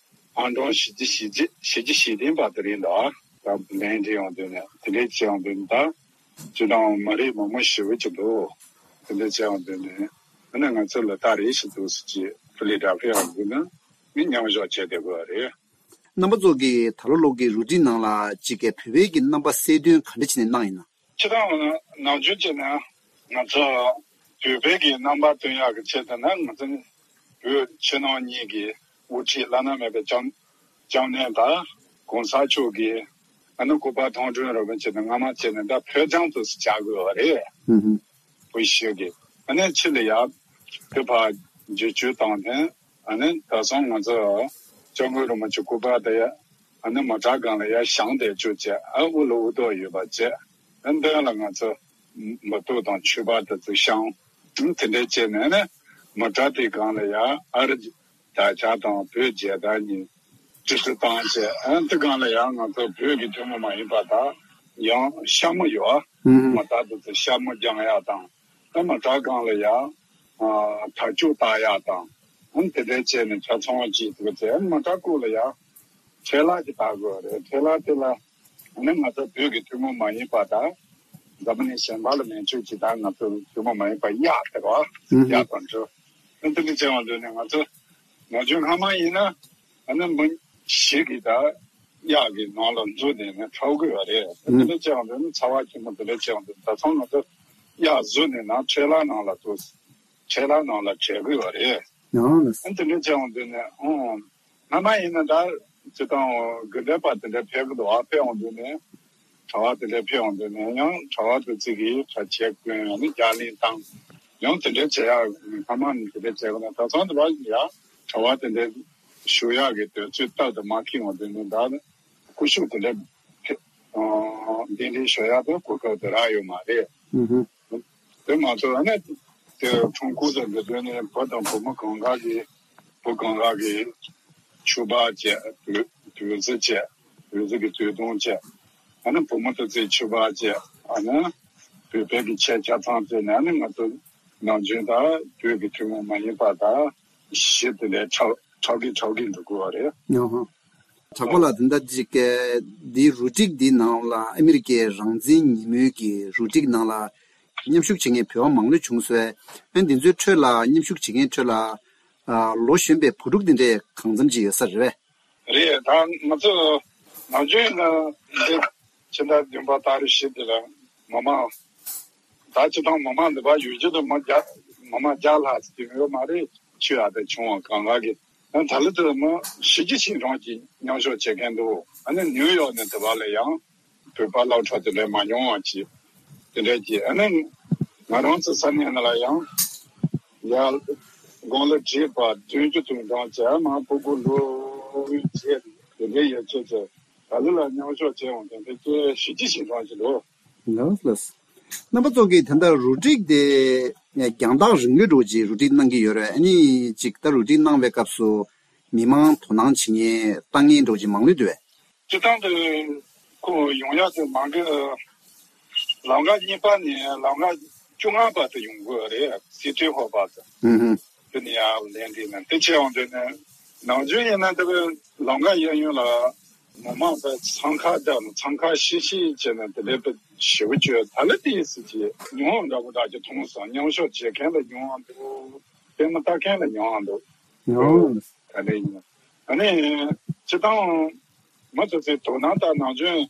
ཨང་གྲངས་བཞི་བཅུ་ཞེ་བརྒྱད་བཞི་བཅུ་ཞེ་བདུན་བར་དུ་རེད་འདུག་ད་ལན་འདྲི་ཡོང་དུས་ནས་དེ་འདྲ་བྱས་ཡོང་དུས་ནི་ད་ཅི་དང་མ་རེད། མང་མང་ཞེ་པོ་ཅིག་འདུག་དེ་འདྲ་བྱས་ཡོང་དུས་ནས་ཨ་ནི་ང་ཚོ་ལ་ད་རེས་ཤིག་འདུག་ཟེར་གྱི་ཧྥི་ལི་ཌེལ་ཧྥི་ཡ་འདི་ན་མི་མཉམ་ཞུགས་བྱས་བསྡད་དགོས་པ་རེད། རྣམ་པ་ཚོ་གིས་ད་ལོ་ལོ་གི་རུ་སྒྲིག་ནང་ལ་གཅིག་གི་བོད་པའི་གི་རྣམ་པ་གསལ་སྟོན་ག་འདྲ་བྱས་ནས་གནང་ཡིན་ན། སྤྱིར་བཏང་ནམ་རྒྱུན་བྱས་ན་ང་ཚོ་བོད་པའི་གི་རྣམ་པ་སྟོན་ཡག་གི་ཆེད་དུ་ན་ང་ཚོ་བོད་ཕྱི་ནང་གཉིས་ཀྱི་དབུ་ཁྲིད་བླ་ན་མེད་པའི་སྐྱབས་སྐྱབས་གནས་དང་གོང་ས་མཆོག་གི་ཨ་ནི་སྐུ་པར་ཐོག་འདྲེན་རོགས་ཕན་བྱས་ནས་སྔ་མ་བྱས་ནས་ད་ཕོ་བྲང་དུ་བཅར་དགོས་པ་རེད། ཧུམ་ཧུམ། བོད་གཞིས་ཀྱི་ཨ་ནི་ཕྱི་ལ་ཡར་དེ་ཕར་བརྒྱུད་སྐྱོད་བཏང་ནས། ཨ་ནི་ད་སང་ང་ཚོ་སྐྱབས་མགོན་རིན་པོ་ཆེ་སྐུ་པར་དེ་ཨ་ནི་མི་དྲག་སྒང་ལ་ཡར་བཞེངས་བསྡད་བཅུག་བྱས། ཨ་དབུ་ལ་དབུ་ཏོག་ཡོད་པ་བྱས། ཨ་མདུན་ལ་ང་ཚོ་འབུལ་གཏོར་དང་མཆོད་པ་དེ་ཚོ་བཤམས། ཨ་དེ་འདྲ་བྱས་ནས་ནི་མི་དྲག་དེའི་སྒང་ལ་ཡར་ཨ་རི་དར་ཆ་དང་བོད་རྒྱལ་དར་གཉིས་དཀྲིས་སུ་བཏང་བྱས། ཨ་དེ་སྒང་ལ་ཡང་ང་ཚོ་བོད་ཀྱི་ཐུན་མོང་མ་ཡིན་པ་དག་ཡང་ཤ་མོ་ཡོད། ཨ་ཧུམ། མི་དྲག་དེ་ཚོ་ཤ་མོ་རྒྱག་ཡག་དང་། ཨ་མི་དྲག་སྒང་ལ་ཡང་ཨ་དར་ལྕོག་བཏགས་ཡག་དང་། ཨ་དེ་འདྲ་བྱས་ནས་ཆ་ཚང་བྱེད་ཐུབ་ཚེ། ཨ་མི་དྲག་སྐོར་ལ་ཡང་ཁྲལ་ལག་ཅིག་བཏགས་དགོས་རེད། ཁྲལ་ལག་དེ་ལ་ཨ་ནི་ང་ཚོ་བོད་ཀྱི་ཐུན་མོང་མ་ཡིན་པ་དང་འཛམ་བུ་གླིང་གཞན་པ་ལ་མན་ཆད་ཅིག་དང་། ང་ཚོ་ཐུན་མོང་མ་ཡིན་པ་གཡག་དེ་རོ། ཨ་ཧུམ། གཡག་དང་འདྲ། ཨ་དེ་འདྲ་བྱས་ཡོང་དུས་ནས་ང་ཚོ་ནམ་རྒྱུན་སྔ་མ་ཡིན་ན་ཨ་ནི་མི་ཞིག་གིས་ད་གཡག་གི་ནང་ལ་འཛུལ་ནས་ནས་འཁྲབ་དགོས་པ་རེད། ཨ་དེ་འདྲ་བྱས་ཡོང་དུས་ནི་ཚ་བ་ཆེན་པོ་དེ་འདྲ་བྱས་ཡོང་དུས་ད་ཚང་ང་ཚོ་གཡག་འཛུལ་ནས་ནང་ཁྲལ་ལག་ནང་ལ་འཛུལ། ཁྲལ་ལག་ནང་ལ་བྲལ་དགོས་པ་རེད། ཡང་ལ། ཨ་དེ་འདྲ་བྱས་ཡོང་དུས་ནས་ཨང་། སྔ་མ་ཡིན་ན་ད་སྤྱིར་བཏང་དགོན་སྡེ་པ་དེ་འདྲ་ཕེབས་ཀྱི་འདུག་ཨ་ཕེབས་ཡོང་དུས་ནས་གྲྭ་པ་དེ་འདྲ་ཕེབས་ཡོང་དུས་ནས་ཡང་གྲྭ་པ་དེ་ཚོ་གིས་གྲྭ་ཆས་གོན། ཡང་ནི་རྒྱ་གླིང་བཏང་། ཡང་དེ་འདྲ་བྱེད་ཡག་སྔ་མ་ནས་དེ་འདྲ་བྱས་པ་ན། ད་ཚང་དུ་བ་ཡ་གྲྭ་པ་དེ་འདྲ་བཞུགས་ཡག་གི་དུས་ཚོད་སྟབས་དེ་མ་འཁེལ་ཡོང་དུས་ནས་ད་སྐུ་ཞབས་དེ་འདྲ་ཕེབས་ཨ་གདན་འདྲེན་ཞུ་ཡག་དེ་གོ་སྐབས་དེ་རག་ཡོད་མ་རེད། ཨུ་ཧུ། དེ་མ་གཏོགས་ཨ་ནི་དེ་ཁྲོམ་སྐོར་དང་འགྲོ་དུས་ནས་བུ་དང་བུ་མོ་གང་ག་གི་བུ་གང་ག་གི་ཕྱུ་པ་བྱས། བོད་བོད་ཟས་བྱས། བོད་ཟས་ཀྱི་སྟོད་ཐུང་བྱས། ཨ་ནི་བུ་མོ་དེ་ཚོས་ཕྱུ་པ་བྱས། ཨ་ནི་བོད་པའི་གི་ཆས་ཆ་ཚང་བྱས་ནས། ཨ་ནི་ང་ཚོ་ནམ་རྒྱུན་ད་བོད་ཀྱི་ཐུན་མོང་མ་ཡིན་པ་ད་གཞས་དེ་ལས་འཁྲབ་འཁྲབ་གི་འཁྲབ་གི་འགྲོ་དགོས་པ་རེད། ཨ་ཧ། གྲགས་པ་ལགས། དེ་འདྲ་ཅིག་གི་འདིའི་རུ་སྒྲིག་འདིའི་ནང་ལ་ཨ་མི་རི་ཀའི་རང་བཙན་ཉིན་མོའི་གི་རུ་སྒྲིག་ནང་ལ་མཉམ་ཞུགས་བྱེད་མཁན་བོད་པ་མང་ལོས་བྱུང་སོང་། ཨ་འདི་ཚོའི་ཁྲོད་ལ་མཉམ་ཞུགས་བྱེད་མཁན་ཁྲོད་ལ་ཨ་ལོ་གཞོན་པའི་བུ་ཕྲུག་འདི་འདྲས་གང་འཚམ་ཅིག་ཡོད་ས་རེད་པས། རེད། ད་ང་ཚོ་ནམ་རྒྱུན་ཡིན་ན་འདི་ཕྱི་ཟླ་བདུན་པ་ཏ་རིག་བཞི་འདི་ལ་མི་མང་ ད་སྤྱིར་བཏང་མི་མང་འདི་བ་ཡུལ་གྱི་དུ་མི་བརྒྱ་མི་མང་བརྒྱ་ལྷག་ཙམ་ཡོད་མ་རེད། ཆོས་ཡག་དེ་བྱུང་བ་གང་ག་གི། ཨ་ད་ལི་དུ་མི་ཞི་རྒྱས་ཞིང་གྲོང་གི་མཉམ་ཞུགས་བྱེད་མཁན་འདུག་ཨ་ནི་ནིའུ་ཡོག་ནས་དུ་བ་ལ་ཡང་བོད་པ་སློབ་གྲྭ་དེ་འདྲ་མ་ཉུང་བ་ཅིག་དེ་འདྲ་གྱིས། ཨ་ནི་ང་རང་ཚོ་ས་གནས་ནང་ལ་ཡང་ཡར་དགུང་ལོ་བགྲེས་པ་བདུན་ཅུ་དོན་གྲངས་བྱས་མ་ཕྲུ་གུ་ལོ་བརྒྱད་དེ་འདྲའི་ཡོད་ཚད་ཀྱི་ད་ལི་ལ་མཉམ་ཞུགས་བྱས་འོང་དེ་འདྲ་ཀྱི་ཞི་རྒྱས་ཞིང་གྲོང་ཅིག་འདུག་ལགས་ལགས། རྣམ་པ་ཚོ་གིས་ད་ལྟ་རུ་སྒྲིག་དེ་རྒྱང་ཐག་རིང་ལོས་འགྲོ་ཅིག་རུ་སྒྲིག་གནང་གི་ཡོད་རེད། ཨ་ནི་ཅིག་ད་རུ་སྒྲིག་གནང་བའི་སྐབས་སུ་མི་མང་དོ་སྣང་བྱེད་མཁན་ལྟ་མཁན་འགྲོ་ཅིག་མང་ལོས་འདུག་བས། སྤྱིར་བཏང་དུ་ཁོ་ཡོང་ཡག་དེ་མང་གི། ལམ་ཁ་གཉིས་པ་ནས་ལམ་ཁ་བཅོ་ལྔ་པ་དུ་ཡོང་དགོས་རེད། སི་ཁྲོན་ཧོ་པ་དུ། ཧུམ་ཧུམ། དེ་ནས་ཡར་ལན་འདི་ནས་དེ་ཆེ་འོང་དུས་ནས་ནམ་རྒྱུན་ཡིན་ན་དེ་བས་ལམ་ཁ་གཡས་གཡོན་ལ་མི་མང་པའི་འཚང་ཁ་བརྒྱབ་ནས་འཚང་ཁ་ཤིག་ཤིག་བྱས་ནས་དེ་འདྲའི་པའི་ཞེ་པོ་བཅོས་ད་ལེ་དེ་ཡིན་སྲིད་ཀྱི་ཉུང་བ་འདྲ་པོ་འདྲ་ཅིག་མཐོང་སོང་། མཉམ་ཞུགས་བྱེད་མཁན་ལ་ཉུང་བ་འདུག་ལྟད་མོ་ལྟ་མཁན་ལ་ཉུང་བ་འདུག་ཉུང་། ད་ལེ་ཡིན། ཨ་ནི་སྤྱིར་བཏང་མི་ཚོ་ཚོའི་དོ་སྣང་དང་ནམ་རྒྱུན་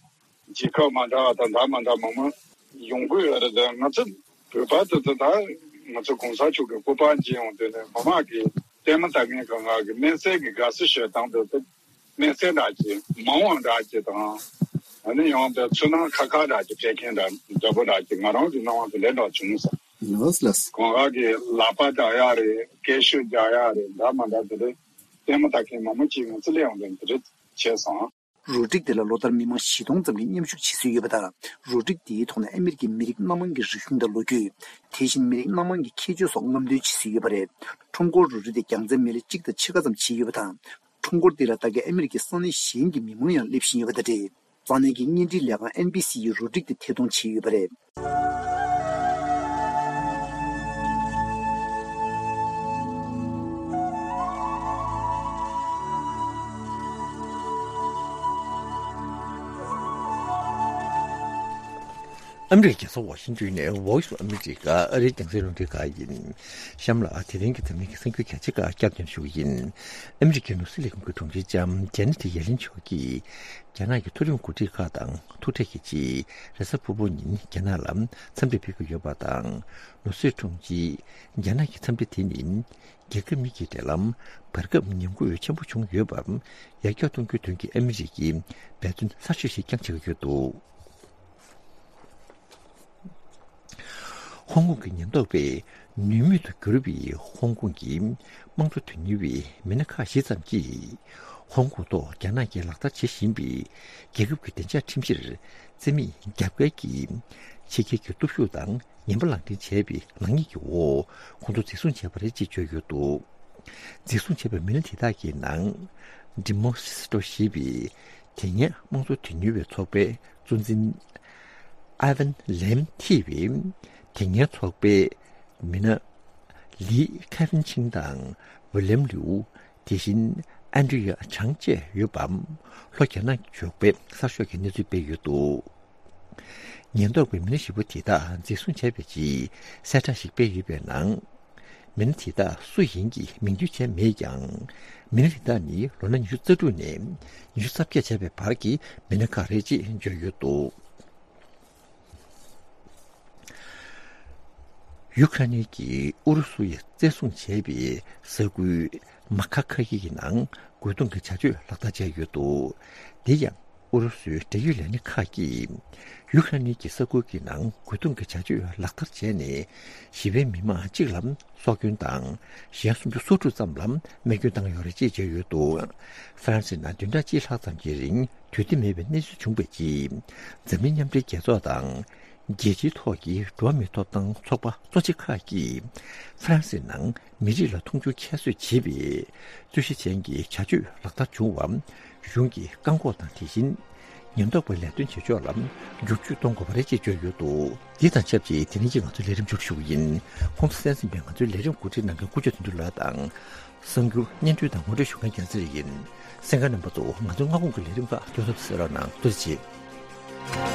རྒྱལ་ཁབ་མ་འདྲ་བ་དང་ད་མ་འདྲ་མང་མང་ཡོང་གི་ཡོད་རེད། དེ་ང་ཚོ་བོད་པ་དེ་ཚོ་ད་ང་ཚོ་གོང་ས་མཆོག་གི་སྐུ་པར་མཇལ་ཡོང་དུས་ནས་མི་མང་གིས་ལྟད་མོ་ལྟ་མཁན་གང་ག་གི་སྨན་སེལ་གྱི་དགའ་བསུ་ཞུ་སྟངས་དེ་ཚོ་སྨན་སེལ་འདྲ་ཅིག་མ་འོངས་འདྲ་ཅིག་དང་ཨ་ནི་ཡང་དེ་ཚོར་སྣང་ཁ་ཁ་འདྲ་ཅིག་སྤྲད་མཁན་འདྲ་འདྲ་པོ་འདྲ་ཅིག་ང་རང་གི་སྣང་བ་དེ་འདྲ་འདྲ་བྱུང་སོང་། ལགས་ལགས། གང་ག་གི་ལག་པ་རྒྱག་ཡག་རེད། སྐད་ཤུགས་རྒྱག་ཡག་རེད། འདྲ་མ་འདྲ་དེ་འདྲ་ལྟད་མོ་ལྟ་མཁན་མང་པོ་ཅིག་ང་ཚོ་སླེབས་ཡོང་དུས་དེ་འདྲ་བྱས་སོང་། རུ་སྒྲིག་དེ་ལ་ལོ་ལྟར་མི་མང་བཞི་སྟོང་ཙམ་གྱིས་མཉམ་ཞུགས་བྱེད་སྲོལ་ཡོད་པ་དང་། རུ་སྒྲིག་དེའི་ཐོག་ནས་ཨ་མི་རི་ཀའི་མི་རིགས་སྣ་མང་གི་རིག་གཞུང་དང་ལོ་རྒྱུས། དེ་བཞིན་མི་རིགས་སྣ་མང་གི་ཁྱད་ཆོས་སོགས་རྔམ་སྟོན་བྱེད་སྲོལ་ཡོད་པ་རེད། ཁྲོམ་སྐོར་རུ་སྒྲིག་དེ་རྒྱལ་རྩེ་མི་ལ་གཅིག་དང་ཕྱེད་ཀ་ཙམ་བྱས་ཡོད་པ་དང་། ཁྲོམ་སྐོར་དེ་ལ་ལྟ་མཁན་ཨ་མི་རི་ཀའི་ས་གནས་གཞན་གྱི་མི་མང་ཡང་སླེབས་བཞིན་ཡོད་པ་དང་འབྲེལ། ས་གནས་ཀྱི་བརྙན་འཕྲིན་ལས་ཁང་ཨེན་བི་སི་ཡིས་རུ་སྒྲིག་དེ་ཐད་གཏོང་བྱས་ཡོད་པ་རེད། ཨ་མི་རི་ཀའི་རྒྱལ་ས་ཝ་ཤིང་ཏོན་ནས་Voice of America ཨ་རིའི་རྒྱང་སྲིང་རླུང་འཕྲིན་ཁང་ཡིན། གཤམ་ལ་དེ་རིང་གི་འཛམ་གླིང་གི་གསར་འགྱུར་གལ་ཆེ་ཁག་བསྐྱར་ཟློས་ཞུ་གི་ཡིན། ཨ་མི་རི་ཀའི་ནོར་སྲིད་ལས་ཁུངས་ཀྱི་དྲུང་ཆེ་ལྕམ་ཇེ་ནེ་ཊི་ཡེ་ལིན་མཆོག་གིས། རྒྱ་ནག་གི་མཐོ་རིམ་འགོ་ཁྲིད་ཁག་དང་ཐུག་འཕྲད་ཀྱི་ཆེད་རེས་གཟའ་ཕུར་བུ་ཉིན་རྒྱ་ནག་ལ་འཚམས་འདྲིར་ཕེབས་ཀྱི་ཡོད་པ་དང་། ནོར་སྲིད་དྲུང་ཆེས་རྒྱ་ནག་གི་འཚམས་འདྲི་དེ་ནི་རྒྱལ་ཁབ་གཉིས་ཀྱི་འབྲེལ་ལམ་བར་སྐབས་ཉམས་རྒུད་ཆེན་པོ་བྱུང་ཡོད་པར་ཡར་རྒྱས་གཏོང་རྒྱུའི་དོན་གྱི་ཨ་མི་རི་ཀའི་འབད་བརྩོན་གསར་ཤོས་ཤིག་ཀྱང་བྱེད་ཀྱི་ཡོད་འདུག་ཧོང་ཀོང་གི་ཉེན་རྟོག་པས་ནུས་མེད་དུ་གྱུར་པའི་ཧོང་ཀོང་གི་དམངས་གཙོ་དོན་གཉེར་བའི་མི་སྣ་ཁག་ཞིག་ཙམ་གྱིས། ཧོང་ཀོང་ཐོག་རྒྱ་ནག་གིས་ལག་བསྟར་བྱེད་བཞིན་པའི་རྒྱལ་ཁབ་ཀྱི་བདེ་འཇགས་ཁྲིམས་གཞིར་བརྩི་མེད་རྒྱབ་འགལ་གྱིས། ཕྱི་རྒྱལ་གྱི་སྟོབས་ཤུགས་དང་ངན་པ་ལག་འདྲེན་བྱས་པའི་ནག་ཉེས་ཀྱི་འོག་ཁོང་ཚོ་འཛིན་བཟུང་བྱས་པ་རེད་ཅེས་བརྗོད་ཡོད་འདུག་འཛིན་བཟུང་བྱས་པའི་མི་སྣ་དེ་དག་གི་ནང་། ཌི་མོ་སི་ཊོ་ཞེས་པའི་དེ་སྔའི་དམངས་གཙོ་དོན་གཉེར་བའི་ཚོགས་པའི་གཙོ་འཛིན། ཨ་ཝན་ལེམ་ཐེ་བའི་དེ་སྔའི་ཚོགས་པའི་མི་སྣ། ལི་ཁེ་ཝིན་ཆིང་དང་ཝི་ལེམ་ལིའུ། དེ་བཞིན་ཨན་ཌི་ཡ་ཆང་བཅས་ཡོད་པ། ལྷོ་རྒྱ་ནག་ཞོགས་པའི་གསར་ཤོག་གིས་གནས་ཚུལ་སྤེལ་ཡོད་འདུག་ཉེན་རྟོག་པས་མི་སྣ་བཞི་པོ་དེ་དག་འཛིན་བཟུང་བྱས་པའི་རྗེས་གསལ་བསྒྲགས་ཤིག་སྤེལ་ཡོད་པའི་ནང་། མི་སྣ་དེ་དག་སུ་ཡིན་གྱི་མིང་བརྗོད་བྱས་མེད་ཀྱང་། མི་སྣ་དེ་དག་ནི་ལོ་ན་ཉི་ཤུ་རྩ་དྲུག་ནས་ཉི་ཤུ་རྩ་བརྒྱད་བྱས་པའི་བར་གྱི་མི་སྣ་ཁག་རེད་ཅེས་བརྗོད་ཡོད་འདུག་ཡུ་ཁ་རེན་གྱིས་ཨུ་རུ་སུ་ཡིས་བཙན་བཟུང་བྱས་པའི་ས་ཁུལ་མ་ཁ་ཁ་ཡི་གི་ནང་རྒོལ་རྡུང་གི་བྱ་སྤྱོད་ལག་བསྟར་བྱས་ཡོད་འདུག་དེ་ཡང་ཨུ་རུ་སུའི་འབྲེལ་ཡོད་ལས་སྣེ་ཁག་གིས་ཡུ་ཁ་རེན་གྱི་ས་ཁུལ་གྱི་ནང་རྒོལ་རྡུང་གི་བྱ་སྤྱོད་ལག་བསྟར་བྱས་ནས་ཞི་བའི་མི་མང་གཅིག་ལ་སྲོག་སྐྱོན་དང་གཞན་སུམ་ཅུ་སོ་དྲུག་ཙམ་ལ་རྨས་སྐྱོན་བཏང་ཡོད་རེད་ཅེས་བརྗོད་ཡོད་འདུག་ཧྥ་རན་སིའི་ནང་བདུན་ཕྲག་གཅིག་ལྷག་ཙམ་གྱི་རིང་དུས་བདེ་མེད་པའི་གནས་ཚུལ་བྱུང་བའི་རྗེས། འཛམ་གླིང་མཉམ་འབྲེལ་རྒྱལ་ཚོགས་དང་། རྒྱལ་སྤྱིའི་ཐོག་གི་འགྲོ་བ་མིའི་ཐོབ་ཐང་ཚོགས་པ་གཙོ་ཆེ་ཁག་གིས་ཧྥ་རན་སིའི་ནང་མི་རིགས་ལ་མཐོང་ཆུང་ཁྱད་གསོད་བྱེད་པའི་རྩོད་གཞི་ཅན་གྱི་བྱ་སྤྱོད་ལག་བསྟར་བྱུང་བ་གཞུང་གིས་བཀག་འགོག་དང་དེ་བཞིན་ཉེན་རྟོག་པའི་ལས་དོན་བྱེད་ཕྱོགས་ལ་བསྒྱུར་བཅོས་གཏོང་དགོས་པ་རེད་ཅེས་བརྗོད་ཡོད་འདུག་འདི་དང་ཆབས་ཅིག་དེ་རིང་གི་ང་ཚོའི་ལས་རིམ་མཇུག་སྒྲིལ་ཞུ་གི་ཡིན། ཁོང་ཚོ་གསན་གཟིགས་པའི་ང་ཚོའི་ལས་རིམ་གོ་སྒྲིག་གནང་མཁན་ཀུ་ཅོ་དོན་གྲུབ་ལགས་དང་། གསར་འགྱུར་སྙན་སྒྲོན་དང་ངོ་སྤྲོད་ཞུ་མཁན་རྒྱལ་མཚན་ཡིན། གསན་མཁན་རྣམ་པ་ཚོ་ང་ཚོའི་སྔ་དགོང་གི་ལས་རིམ་ཁག་ཏོག་ཙམ་གསན་རོགས་གནང་། ཐུགས་རྗེ་ཆེ།